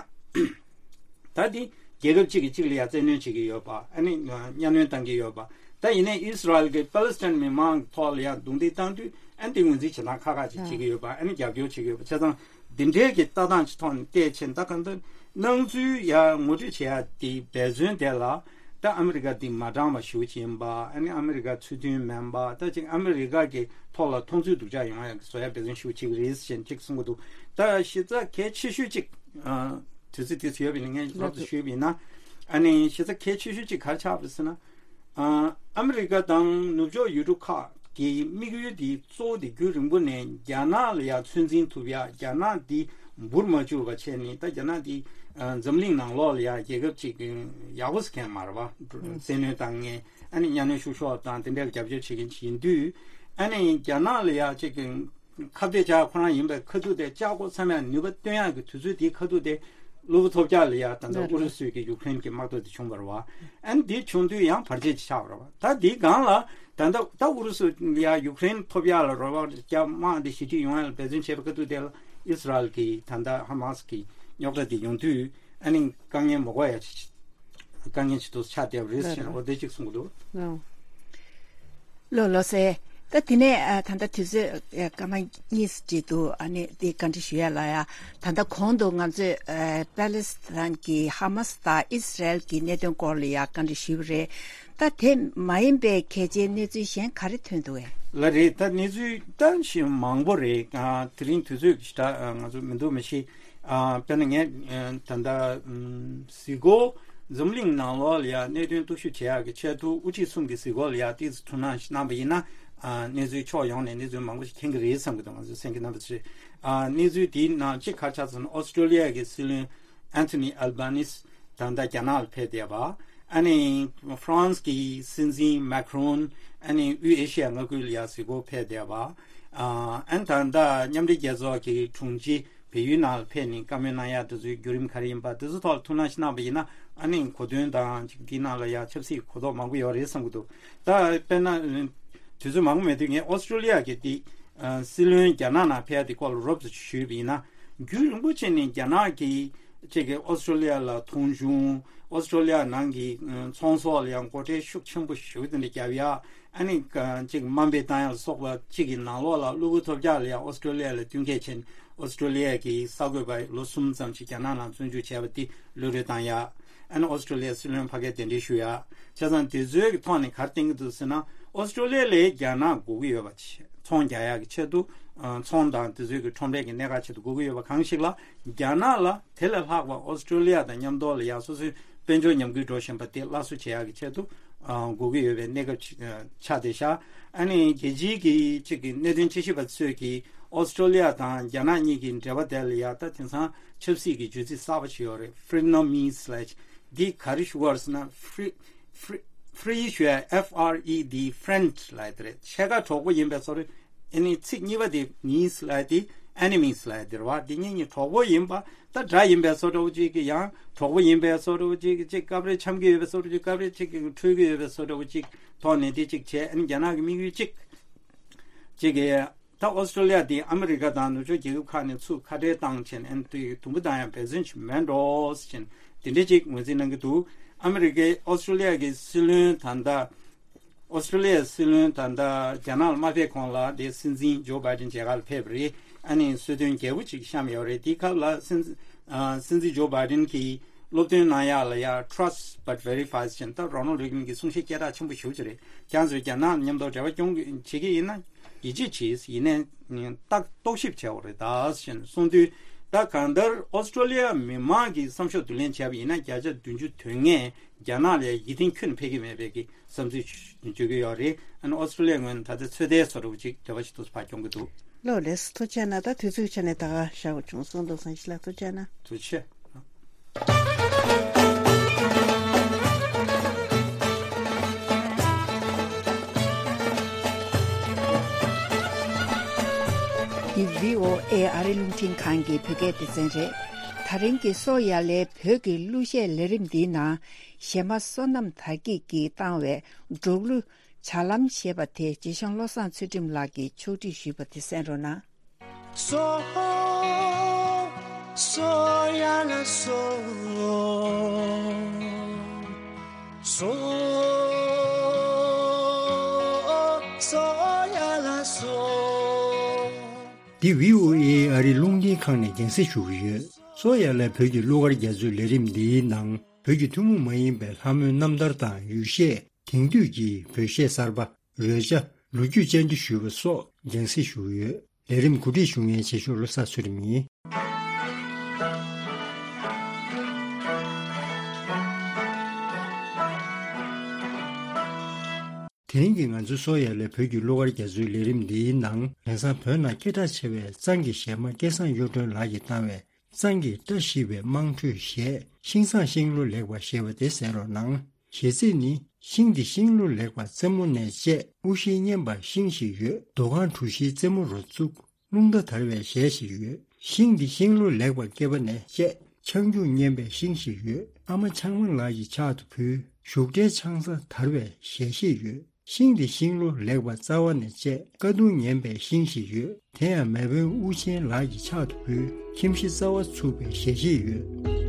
ད་འདི་རྒྱལ་ཁབ་གཅིག་གིས་གཅིག་ལ་ཡང་བཙན་གནོན་བྱེད་ཀྱི་ཡོད་པ། ཨ་ནི་གཉའ་གནོན་བཏང་གི་ཡོད་པ། ད་ཡིན་ནའི་ཨི་སི་རལ་གྱིས་པ་ལི་སི་ཐན་མི་མང་ཐོག་ལ་ཡང་རྡུང་རྡེག་བཏང་དུས། ཨ་ནི་འདི་ངོས་འཛིན་བྱེད་སྟངས་ཁག་ཁག་ཅིག་བྱེད་ཀྱི་ཡོད་པ། ཨ་ནི་རྒྱབ་སྐྱོར་བྱེད་ཀྱི་ཡོད་པ། བྱས་ཙང་འདི་འདྲའི་གི་ལྟ་སྟངས་ཀྱི་ཐོག་ནས་བལྟས་ཕྱིན། ད་གང་ལྟར་སྣང་ཚུལ་ཡང་ངོ་སྤྲོད་བྱེད་ཡ་དེ་འབད་བརྩོན་དེ་ལ། ད་ཨ་མི་རི་ཀ་འདི་མ་དྲང་བ་ཞེ་པོ་ཅིག་ཡིན་པ། ཨ་ནི་ཨ་མི་རི་ཀ་ཚུལ་མཐུན་མིན་པ། ད་ཅིག་ཨ་མི་རི་ཀ་གི་ཐོག་ལ་མཐོང་ཚུལ་སྡུག་ཅག་ཡོང་ཡ་གི་བཟོ་ཡ་འབད་བརྩོན་ཤུགས་ཆེ་གི་རེད་ཟེར་ཅིག་གསུང་གི་འདུག་ད་གཞི་རྩ་གལ་ཆེ་ཤོས་ཅིག་ཨ་དུས་ཚོད་དེ་ཚོ་ཡོད་པ་ཡིན་ན་ངས་རོབ་ཙམ་ཞུས་པ་ཡིན་ན། ཨ་ནི་གཞི་རྩ་གལ་ཆེ་ཤོས་ཅིག་ག་རེ་ཆགས་པ་རེད་ཟེར་ན། ཨ་ཨ་མི་རི་ཀ་དང་ནུབ་ཕྱོགས་ཡུལ་གྲུ་ཁག་གི་དམིགས་ཡུལ་དེ་གཙོ་བོ་དེ་རྒྱུན་རིང་པོ་ནས་རྒྱ་ནག་ལ་ཡང་ཚོད་འཛིན་ཐུབ་ཡ། རྒྱ་ནག་འདི་འབུར་མ་བཅུག་པ་བྱས་ནས། ད་རྒྱ་ནག་འདི་ཨ་འཛམ་གླིང་ནང་ལོགས་ལ་ཡང་རྒྱལ་ཁབ་ཅིག་ཡག་པོ་ཟེར་མཁན་མ་རེད་པ། བཙན་གནོན་བཏང་མཁན། ཨ་ནི་གཉའ་གནོན་བཤུ་གཞོག་དང་དེ་འདྲའི་རྒྱབ་སྐྱོར་བྱེད་མཁན་ཅིག་ཡིན་དུས། ཨ་ནི་རྒྱ་ནག་ལ་ཡང་ཅིག་ཁ་གཏད་བཅག་ཁོ་རང་ཡིན་པའི་ཁ་ཐུག་དེ། བཅག་འགོ་ཚར་ནས་ནུས་པ་བཏོན་ཡག་གི་དུས་ཚོད་དེའི་ཁ་ཐུག་དེ་གློ་བུར་ཐོལ་རྒྱག་ལ་ཡ་ད་ལྟ་ཨུ་རུ་སུས་ཀྱི་ཡུ་ཀེ་རེན་གྱི་དམག་འཐབ་དེ་བྱུང་བ་རེད་པ། ཨ་ནི་འདི་བྱུང་དུས་ཡང་བར་ཆད་ཅིག་ཆགས་པ་རེད་པ། ད་འདིའི་སྒང་ལ་ད་ལྟ་ད་ཨུ་རུ་སུ་ལ་ཡ་ཡུ་ཀེ་རེན་ཐོབ་ཡག་ལ་རོགས་པ་རྒྱབ། དམག་འདི་ཞི་འགྲིག་ཡོང་ཡག་ལ་འབད་བརྩོན་བྱས་པའི་ཁ་ཐུག་དེ་ལ་ཨི་སི་རལ་གྱི་ད་ལྟ་ཧ་མ་སི་གི་རྙོག་དྲ་དེ་ཡོང་དུས། ཨ་ནི་དཀའ་ངལ་མ་གོ་ཡ་ཅིག་དཀའ་ངལ་ཅིག་ཏུ་ཆགས་བསྡད་པ་རེད་ཟེར་ནས། འོ་དེ་གཅིག་གསུང་གི་འདུག་ལོ་ལོ་སེ། ད་དེ་ནས་ཨ་ད་ལྟ་དུས་ཚོད་ཨ་སྐར་མ་གཉིས་ཙམ་འདུག་ཨ་ནི་དེ་བཀའ་འདྲི་ཞུ་ཡ་ལ་ཡ། ད་ལྟ་གོང་དུ་ང་ཚོས་ཨ་པ་ལི་སི་ཐན་གྱི་ཧ་མ་སི་དང་ཨི་སི་རལ་གྱི་གནད་དོན་སྐོར་ལ་ཡ་བཀའ་འདྲི་ཞུས་པ་རེད། ད་དེ་མ་ཡིན་པའི་གལ་ཆེའི་གནས་ཚུལ་གཞན་ག་རེ་ཐོན་འདུག་གས། ལགས་རེད། ད་གནས་ཚུལ་ད་ཞེ་མང་པོ་རེད། ཨ་དེ་རིང་དུས་ཚོད་ཀྱི་ཞེ་དྲག་ཨ་ང་ཚོ་མི་འདུག་མ་གཞི། ཨ་དཔེར་ན་ངས་ཨ་ད་ལྟ་ཨམ་གཟིགས་སྐོར་འཛམ་གླིང་ནང་ལོགས་ལ་ཡ་གནད་དོན་རྟོག་ཞིབ་བྱེད་ཡག་གི་ཆེས་མཐོའི་དབུ་ཁྲིད་གསུམ་གྱི་གཟིགས་སྐོར་ལ་ཡ་ཏོག་ཙམ་ཐུགས་སྣང་ཞིག་གནང་བ་ཡིན་ན། ཨ་གནས་ཚུལ་ཕྱོགས་ཡོངས་ནས་གནས་ཚུལ་མང་པོ་ཞིག་མཁྱེན་གྱི་རེད་བསམ་གྱི་འདུག་ང་ཚོས་གསན་མཁན་རྣམ་པ་ཚོས། ཨ་གནས་ཚུལ་དེའི་ནང་གཅིག་ག་རེ་ཆགས་ཟེར་ན། ཨོ་སི་ཀྲོ་ལི་ཡ་གི་སྲིད་བློན་ཨན་ཐོ་ནི་ཨལ་བྷ་ནིས་ད་ལྟ་རྒྱ་ནག་ལ་ཕེབས་བསྡད་པ། ཨ་ནི་ཧྥ་རན་སི་གི་སྲིད་འཛིན་མེ་ཁི་རོན། ཨ་ནི་དབུས་ཨེ་ཤི་ཡ་མངའ་ཁུལ་ལ་ཡ་གཟིགས་སྐོར་ཕེབས་བསྡད་པ། ཨ་ཨ་ནི་ད་ལྟ་མཉམ་འབྲེལ་རྒྱལ་ཚོགས་ཀྱི་དྲུང་ཆེ་བལ་ཡུལ་ནང་ལ་ཕེབས་ནས་བཀའ་མོལ་གནང་ཡག་དེ་ཚོའི་བརྒྱུད་རིམ་ག་རེ་ཡིན་པ་དེ་ཚོ་ཐོག་ལ་ཐུགས་སྣང་ཞིག་གནང་བ་ཡིན་ན། ཨ་ནི་གོ་དོན་དང་ཅིག་འདི་ནང་ལ་ཡ་ཆབ་སྲིད་གོ་རྟོགས་མང་པོ་ཡོད་རེད་བསམ་གྱི་འདུག་ད་དཔེར་ན་དུས་ཚོད་མང་པོ་མེད་དུས་ངས་ཨོ་སི་ཀྲོ་ལི་ཡ་གི་དེ་ཨ་སྲིད་བློན་རྒྱ་ནག་ནང་ཕེབས་ཡ་དེ་སྐོར་ལ་རོབ་ཙམ་ཞུས་པ་ཡིན་ན། རྒྱུན་རིང་པོ་ཕྱིན་ནས་རྒྱ་ནག་གི་ གཅིག་གིས་ཨོ་སི་ཀྲོ་ལི་ཡ་ལ་མཐོང་ཆུང་། ཨོ་སི་ཀྲོ་ལི་ཡ་ནང་གི་ཚོང་ཟོག་ལ་ཡང་སྒོ་ཁྲལ་ཤུགས་ཆེན་པོ་ཞེ་པོ་དེ་འདྲ་བརྒྱབ་ཡ། ཨ་ནི་གཅིག་དམའ་འབེབས་བཏང་ཡ་ལ་སོགས་པ་གཅིག་གི་ནང་ལོགས་ལ་གློ་བུར་ཐོལ་རྒྱག་ལ་ཡ་ཨོ་སི་ཀྲོ་ལི་ཡ་ལ་བསྟུན་མཁས་བྱས་ནས་ཨོ་སི་ཀྲོ་ལི་ཡ་གི་གསར་འགོད་པ་ལོ་གསུམ་ཙམ་ཞིག་རྒྱ་ནག་ནང་བཙོན་འཇུག་བྱས་པ་དེ་གློད་གྲོལ་བཏང་ཡ། ཨ་ནི་ཨོ་སི་ཀྲོ་ལི་ཡ་སྲིད་བློན་ཕ་གིར་གདན་འདྲེན་ཞུ་ཡ། བྱས་ཙང་དེ་ཚོའི་གི་ཐོག་ནས་ག་རེ་བསྟན་གྱི་འདུག་ཟེར་ན། ཨོ་སི་ཀྲོ་ལི་ཡ་ལ་རྒྱ་ནག་དགོས་ཀྱི་ཡོད་པ་ཆེ། ཚོང་རྒྱག་ཡག་གི་ཆེད་དུ། ཨ། ཚོང་དང་དེ་ཚོའི་གི་ཁྲོམ་རའི་གི་གནད་འགག་ཆེད་དུ་དགོས་ཀྱི་ཡོད་པ་གང་ཞིག་ལ། རྒྱ་ནག་ལ་དེ་ལས་ལྷག་པ་ཨོ་སི་ཀྲོ་ལི་ཡ་དང་མཉམ་དུ་ལ་ཡ་སོ་སོའི་དཔལ་འབྱོར་ཉམས་རྒུད་འགྲོ་བཞིན་པ་དེ་སླར་གསོ་བྱེད་ཡག་གི་ཆེད་དུ། ཨ། དགོས་ཀྱི་ཡོད་པའི་གནས་སྐབས་ཅིག་ཨ། ཆགས་བསྡད་ཤག་ཨ་ནི་རྒྱལ་སྤྱིའི་གི་ཅིག་གི་གནད་དོན་དཔྱད་ཞིབ་པ་ཚོས་ཀྱིས་ཨོ་སི་ཀྲོ་ལི་ཡ་དང་རྒྱ་ནག་གཉིས་ཀྱི་འབྲེལ་བ་དེ་ལ་ཡ་ད་དེང་སང་ཆབ་སྲིད་ཀྱི་བརྗོད་ཚིག་གསར་པ་ཞིག་ཡོད་རེད། Frenemies ལབ་ཅིག་འདི་ག་རེ་ཞུ་དགོས་རེད་ཟེར་ན། Fre- Fre- Fre- ཞུ་ཡ། F R E D, friend ལབ་ཡ་དེ་རེད། ཕྱེད་ཀ་གྲོགས་པོ་ཡིན་པའི་བཟོ་འདྲ། ཨ་ནི་ཚིག་གཉིས་པ་དེ་mies ལབ་ཡ་དེ། enemies ལབ་ཡ་དེ་རེད་བ། འདི་གཉིས་གཉིས་གྲོགས་པོ་ཡིན་པ། ད་དགྲ་ཡིན་པའི་བཟོ་འདྲ་བོ་གཅིག་གི་ཡང་གྲོགས་པོ་ཡིན་པའི་བཟོ་འདྲ་བོ་གཅིག་གི་གཅིག་སྐབས་རེ་འཆམ་གྱི་ཡོད་པའི་བཟོ་འདྲ་བོ་གཅིག་སྐབས་རེ་གཅིག་གི་འཁྲུལ་གྱི་ཡོད་པའི་བཟོ་འདྲ་བོ་གཅིག་ཐོག་ནས་དེ་གཅིག་བྱས། ཨ་ནི་རྒྱ་ནག་གི་དམིགས་ཡུལ་གཅིག་གཅིག་གི། ད་ཨོ་སི་ཀྲོ་ལི་ཡ་དེ་ཨ་མི་རི་ཀ་དང་ནུབ་ཕྱོགས་རྒྱལ་ཁབ་ཁག་ནས་ཚུར་ཁ་བྲལ་བཏང་བྱས་ནས། ཨ་ནི་དུས་དུམ་བུ་བཏང་ཡང་འབད་བརྩོན་ཅིག་མེད་འགྲོ་ཟེར་བྱས་ནས་དེ་འདྲ་ཅིག་ངོས་འཛིན་གནང་གི་འདུག་ཨ་མི་རི་ཀའི་ཨོ་སི་ཀྲོ་ལི་ཡ་གི་སྲིད་བློན་ད་ལྟ། ཨོ་སི་ཀྲོ་ལི་ཡ་སྲིད་བློན་ད་ལྟ་རྒྱ་ནག་ལ་མ་ཕེབས་གོང་ལ་དེ་སྲིད་འཛིན་ཇོ་བྷའི་ཌེན་མཇལ་ཁ་ལ་ཕེབས་པ་རེད། ཨ་ནི་གསོལ་སྟོན་རྒྱས་པོ་ཅིག་བཤམས་ཡོད་རེད། དེའི་སྐབས་ལ་སྲིད་འཛིན། ཨ། སྲིད་འཛིན་ཇོ་བྷའི་ཌེན་གྱིས་སློབ་སྟོན་གནང་ཡག་ལ་ཡ། Trust but verifies ཟེར་བྱས་ནས། ད་རོ་ནལ་རེ་གན་གྱི་གསུང་བཤད་སྐད་གྲགས་ཆེན་པོ་ཞེ་པོ་ཅིག་རེད། ཁྱེད་ཚོས་རྒྱ་ནག་མཉམ་དུ་འབྲེལ་བ་སྐྱོང་གི་བྱེད་ཀྱི་ཡིན་ན། ཡིད་ཆེས་བྱེད། ཡིན་ནའི་ཏག་རྟོག་ཞིབ་བྱེད་དགོས་རེད་ད་ཟེར་གསུངས་དུས། ད་གང་ལྟར་ཨོ་སི་ཀྲོ་ལི་ཡ་མི་མང་གི་བསམ་ཤོག་བསྡུ་ལེན་བྱས་པ་ཡིན་ན། བརྒྱ་ཆ་བདུན་ཅུ་དོན་ལྔས་རྒྱ་ནག་ལ་ཡིད་བརྟན་ཁྱོན་ནས་འཕེར་གྱི་མེད་པའི་གི་བསམ་ཚུལ་བརྗོད་ཀྱི་ཡོད་རེད། ཨ་ནི་ཨོ་སི་ཀྲོ་ལི་ཡ་ངོས་ནས་ད་ལྟ་ཚོད་ལྟའི་བཟོ་འདྲ་བོ་ཅིག་འདོད་པ་ཞིག་འདུག་སེ་ཕར་སྐྱོང་གི་འདུག་ལགས་ལགས་སོ། ཐུགས་རྗེ་གནང་། ད་དུས་ཚོད་ཆ་ནས་ད་ག་བཞག་པ་བྱུང་སོང་། མདོ་བཟང་ཞིག་ལ་ཐུགས་རྗེ་གནང་། ཐུགས་རྗེ་ཆེ། འདི་བྷི་ཨོ་ཨེ་ཨ་རི་རླུང་འཕྲིན་ཁང་གི་བོད་སྐད་སྡེ་ཚན་རེད། ད་རིང་གི་སོ་ཡ་ལའི་བོད་ཀྱི་གླུ་གཞས་ལས་རིམ་འདིའི་ནང་། གཞས་མ་བསོད་ནམས་དར་རྒྱས་ཀྱིས་བཏང་བའི་འབྲོག་གླུ། བྱ་ལམ་ཞེས་པ་དེ་རྗེ་ཤང་བློ་བཟང་ཚུལ་ཁྲིམས་ལགས་ཀྱིས་ཕྱོགས་སྒྲིག་ཞུས་པ་དེ་གསན་རོགས་གནང་། སོ། སོ་ཡ་ལ་སོ། སོ། སོ་ཡ་ལ་སོ། འདི་བྷི་ཨོ་ཨེ་ཨ་རིའི་རླུང་འཕྲིན་ཁང་ནས་རྒྱང་སྲིང་ཞུ་གི་ཡོད། སོ་ཡ་ལ་བོད་ཀྱི་གླུ་གར་རྒྱ་མཚོའི་ལས་རིམ་འདིའི་ནང་། བོད་ཀྱི་ཐུན་མོང་མ་ཡིན་པའི་ལྷ་མོའི་རྣམ་ཐར་དང་ཡུལ་གཞས། དེང་དུས་ཀྱི་བོད་གཞས་གསར་པ། རོལ་ཆ། ལོ་རྒྱུས་བཅར་འདྲི་ཞུས་པ་སོགས་རྒྱང་སྲིང་ཞུ་གི་ཡོད། ལས་རིམ་གོ་སྒྲིག་ཞུ་མཁན་རྗེ་ཤོར་བློ་བཟང་ཚུལ་ཁྲིམས་ཡིན། དེ་རིང་གི་ང་ཚོའི་སོ་ཡ་ལའི་བོད་ཀྱི་གླུ་གར་རྒྱ་མཚོའི་ལས་རིམ་འདིའི་ནང་། དེང་སང་བོད་ནང་སྐད་གྲགས་ཆེ་བའི་གཙང་གི་གཞས་མ་སྐལ་བཟང་གཡུ་སྒྲོན་ལགས་ཀྱིས་བཏང་བའི། གཙང་གི་བཀྲ་ཤིས་པའི་དམངས་ཁྲོད་གཞས། ཤིང་བཟང་ཤིང་ལོ་ལེགས་པ་ཞེས་པ་དེ་གསན་རོགས་གནང་། གཞས་ཚིག་ནི། ཤིང་འདི་ཤིང་ལོ་ལེགས་པ་རྩེ་མོ་ནས་བཅད། དབུ་བཞི་སྙན་པ་ཤིང་ཞིག་ཡོད། རྡོ་ཁང་གྲུ་བཞིའི་རྩེ་མོ་རུ་བཙུགས། རླུང་རྟ་དར་བའི་གཞས་ཤིག་ཡོད། ཤིང་འདི་ཤིང་ལོ་ལེགས་པ་སྐྱེས་པ་ནས་བཅད། ཆང་རྒྱུག་སྙན་པའི་ཤིང་ཞིག་ཡོད། ཨ་མ་ཆང་མ་ལགས་ཀྱི་ཕྱག་ཏུ་ཕུལ། བཞུགས་གྲལ་ཆང་ས་དར་བའི་གཞས་ཤིག་ཡོད། ཤིང་འདི་ཤིང་ལོ་ལེགས་པ་རྩ་བ་ནས་བཅད། ཀ་གདུང་ངན་པའི་ཤིང་ཞིག་ཡོད། དེ་ཡང་མེས་དབོན་དབུ་ཆེན་ལགས་ཀྱི་ཕྱག་ཏུ་ཕུལ། ཁྱིམ་གཞི་རྩ་བ་ཚུགས་པའི་གཞས་ཤིག་ཡོད།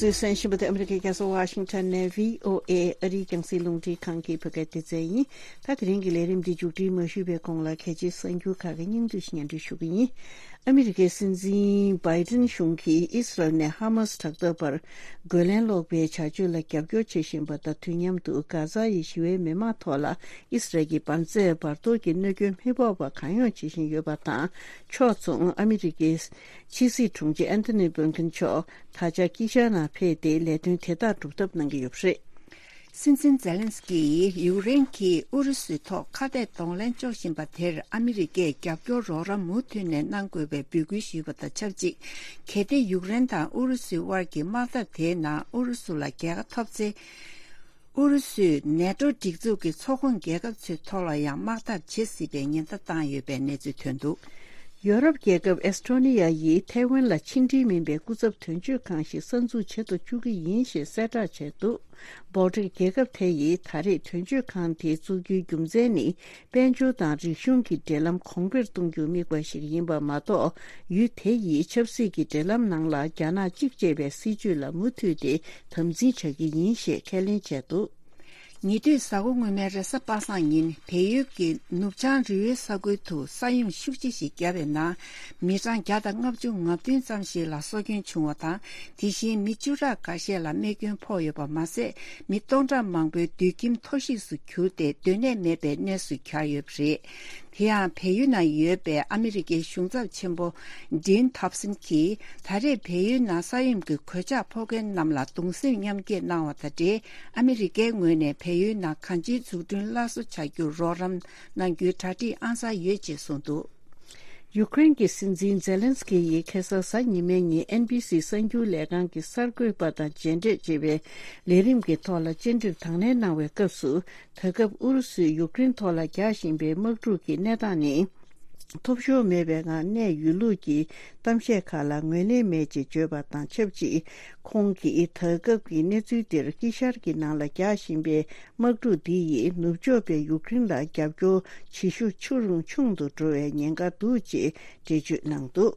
གསན་བཞིན་པ་དེ་ཨ་མི་རི་ཀའི་རྒྱལ་ས་ཝ་ཤིང་ཊོན་ནས་བྷི་ཨོ་ཨེ་ཨ་རིའི་རྒྱང་སྲིང་རླུང་འཕྲིན་ཁང་གི་བོད་སྐད་སྡེ་ཚན་ཡིན། ད་དེ་རིང་གི་ལས་རིམ་འདི་མཇུག་སྒྲིལ་མ་ཞུས་པའི་གོང་ལ་གལ་ཆེའི་གསར་འགྱུར་ཁག་གི་སྙིང་བསྡུས་ཤིག་སྙན་སྒྲོན་ཞུ་གི་ཡིན། ཨ་མི་རི་ཀའི་སྲིད་འཛིན་བྷའི་ཏིན་གཞུང་གིས་ཨི་སི་རལ་ནས་ཧ་མ་སི་དྲག་འཐབ་པར་རྒོལ་ལན་སློག་པའི་བྱ་སྤྱོད་ལ་རྒྱབ་སྐྱོར་བྱེད་བཞིན་པ་དང་དུས་མཉམ་དུ་གྷ་ཛ་ཡི་ཞི་བའི་མི་མང་ཐོག་ལ་ཨི་སི་རལ་གྱི་འབར་རྫས་འབར་གཏོར་གྱི་གནོད་སྐྱོན་མི་ཕོག་པ་གང་ཡོང་བྱེད་བཞིན་ཡོད་པ་དང་། ཕྱོགས་མཚུངས་ཨ་མི་རི་ཀའི་ཕྱི་སྲིད་དྲུང་ཆེ་ཨན་ཐོ་ནི་བྷིན་ཁིན་མཆོག་ད་ཆ་དཀྱིལ་ཤར་ནང་ཕེབས་ཏེ་ལས་དོན་དེ་དག་སྒྲུབ་ཐབས་གནང་གི་ཡོད་པ་རེད། སྲིད་འཛིན་ཛེ་ལན་སི་ཀི་ཡིས་ཡུཀ་རེན་གྱིས་ཨུ་རུ་སུའི་ཐོག་ཁ་གཏད་གདོང་ལེན་གཅོག་བཞིན་པ་དེར་ཨ་མི་རི་ཀས་རྒྱབ་སྐྱོར་རོགས་རམ་མུ་མཐུད་ནས་གནང་དགོས་པའི་འབོད་སྐུལ་ཞུས་པ་དང་ཆབས་ཅིག་གལ་ཏེ་ཡུཀ་རེན་དང་ཨུ་རུ་སུའི་དབར་གྱི་དམག་འཐབ་དེའི་ནང་ཨུ་རུ་སུ་ལ་རྒྱལ་ཁ་ཐོབ་ཚེ། ཨུ་རུ་སུས་ནེ་ཏོ་སྒྲིག་འཛུགས་ཀྱི་ཚོགས་ཁོངས་རྒྱལ་ཁབ་ཚོའི་ཐོག་ལ་ཡང་དམག་འཐབ་བྱེད་སྲིད་པའི་ཉེན་བརྡ་བཏང་ཡོད་པའི་གནས་ཚུལ་ཐོན་འདུག་ཡོ་རོབ་རྒྱལ་ཁབ་ཨེ་སི་ཊོ་ནི་ཡ་ཡིས་ཐའེ་ཝན་ལ་ཕྱི་འབྲེལ་མིན་པའི་སྐུ་ཚབ་དོན་གཅོད་ཁང་ཞིག་གསར་འཛུགས་བྱེད་དུ་བཅུག་གི་ཡིན་ཞེས་གསལ་བསྒྲགས་བྱས་འདུག་སྦོ་ཊིག་རྒྱལ་ཁབ་དེ་ཡིས་ད་རེས་དོན་གཅོད་ཁང་དེ་བཙུགས་རྒྱུའི་རྒྱུ་མཚན་ནི། དཔལ་འབྱོར་དང་རིག་གཞུང་གི་འབྲེལ་ལམ་གོང་འཕེལ་གཏོང་རྒྱུར་དམིགས་པ་ཞིག་ཡིན་པ་མ་གཏོགས། ཡུལ་དེ་ཡི་ཆབ་སྲིད་ཀྱི་འབྲེལ་ལམ་ནང་ལ་རྒྱ་ནག་གཅིག་ཅེས་པའི་སྲིད་བྱུས་ལ་མུ་མཐུད་དེ་དམ་འཛིན་བྱ་གི་ཡིན་ཞེས་ཁས་ལེན་བྱས་འདུག་ཉེ་དུས་གཟའ་འཁོར་སྔོན་མའི་རེས་གཟའ་པ་སངས་ཉིན་བལ་ཡུལ་གྱི་ནུབ་བྱང་རི་བོའི་ས་ཁུལ་དུ་ས་ཡོམ་ཤུགས་ཆེ་ཞིག་བརྒྱབ་པའི་ནང་མི་གྲངས་བརྒྱ་དང་ལྔ་བཅུ་ང་བདུན་ཙམ་ཞིག་ལ་སྲོག་སྐྱོན་བྱུང་བ་དང་། དེ་བཞིན་མི་བཅུ་ཕྲག་འགའ་ཤས་ལ་རྨས་སྐྱོན་ཕོག་ཡོད་པ་མ་ཟད། མི་སྟོང་ཕྲག་མང་པོའི་སྡོད་ཁྱིམ་མཐོ་གཤིས་སུ་གྱུར་ཏེ་སྡོད་གནས་མེད་པའི་གནས་སུ་གྱར་ཡོད་པ་རེད། དེ་ཡང་བལ་ཡུལ་ནང་ཡོད་པའི་ཨ་མི་རི་ཀའི་གཞུང་ཚབ་ཆེན་པོ་ཌིན་ཐོབ་སན་གྱིས་ད་རེས་བལ་ཡུལ་ནང་ས་ཡོམ་གྱི་གོད་ཆག་ཕོག་མཁན་རྣམས་ལ་གདུང་སེམས་མཉམ་སྐྱེད་གནང་བ་དང་འབྲེལ། ཨ་མི་རི་ཀའི་ངོས་ནས་བལ་ཡུལ་ནང་གང་ཅིའི་འཛུགས་སྐྲུན་སླར་གསོ་བྱ་རྒྱུར་རོགས་རམ་གནང་རྒྱུའི་གྲ་སྒྲིག་ཨང་གསར་ཡོད་ཅེས་གསུངས་འདུག་ཡུཀ་རེན་གྱི་སྲིད་འཛིན་ཛེ་ལན་སི་ཀི་ཡིས་ཁ་སང་གཟའ་ཉི་མའི་ཉིན་ཨེན་བྷི་སི་གསར་འགྱུར་ལས་ཁང་གི་གསར་འགོད་པ་དང་མཇལ་འཕྲད་ཅེས་པའི་ལས་རིམ་གྱི་ཐོག་ལ་བཅར་འདྲིར་དང་ལེན་གནང་བའི་སྐབས་སུ། ད་སྐབས་ཨུ་རུ་སུས་ཡུཀ་རེན་ཐོག་ལ་རྒྱག་བཞིན་པའི་དམག་འཁྲུག་གི་གནས་སྟངས་ནི། ཐོབ་ཤོར་མེད་པའི་ངང་གནས་ཡོད་ལུགས་ཀྱི་གཏམ་བཤད་ཁག་ལ་ངོས་ལེན་མེད་ཅེས་བརྗོད་པ་དང་ཆབས་ཅིག་ཁོང་གིས་ད་སྐབས་ཀྱི་གནས་ཚུལ་འདིར་དཀྱིལ་ཤར་གྱི་ནང་ལ་རྒྱག་བཞིན་པའི་དམག་འཁྲུག་འདི་ཡིས་ནུབ་ཕྱོགས་པའི་ཡུཀ་རེན་ལ་རྒྱབ་སྐྱོར་བྱེད་ཤུགས་ཆུང་རུ་ཆུང་དུ་འགྲོ་བའི་ཉེན་ཁ་འདུག་ཅེས་འགྲེལ་བརྗོད་གནང་འདུག་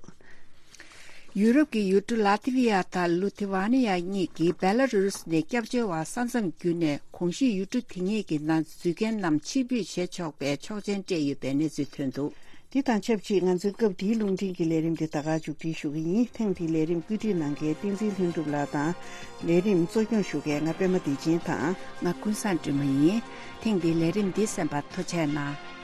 ཡུ་རོབ་ཀྱི་ཡུལ་གྲུ་ལ་ཐི་ཝི་ཡ་དང་ལུ་ཐི་ཝ་ནི་ཡ་གཉིས་ཀྱིས་བེ་ལ་རུ་སི་ནས་སྐྱབས་བཅོལ་བ་ས་མཚམས་བརྒྱུད་ནས་གོང་ཞུས་ཡུལ་གྲུ་དེ་གཉིས་ཀྱི་ནང་འཛུལ་མཁན་རྣམས་ཕྱིར་འབུད་བྱེད་ཆོག་པའི་ཆོག་མཆན་སྤྲད་ཡོད་པའི་གནས་ཚུལ་ཐོན་འདུག་འདི་དང་ཆབས་ཅིག་ང་ཚོའི་སྐབས་འདིའི་རླུང་འཕྲིན་གྱི་ལས་རིམ་འདི་ད་ག་མཇུག་སྒྲིལ་ཞུ་གི་ཡིན། ཐེངས་འདིའི་ལས་རིམ་བཀོད་སྒྲིག་གནང་མཁན་བསྟན་འཛིན་ལྷུན་གྲུབ་ལགས་དང་། ལས་རིམ་གཙོ་སྐྱོང་ཞུ་མཁན་ང་པད་མ་བདེ་ཆེན་དང་། ང་ཀུན་བཟང་སྒྲོལ་མ་ཡིན། ཐེངས་འདིའི་ལས་རིམ་འདི་གསན་པར་ཐུགས་རྗེ་གནང་།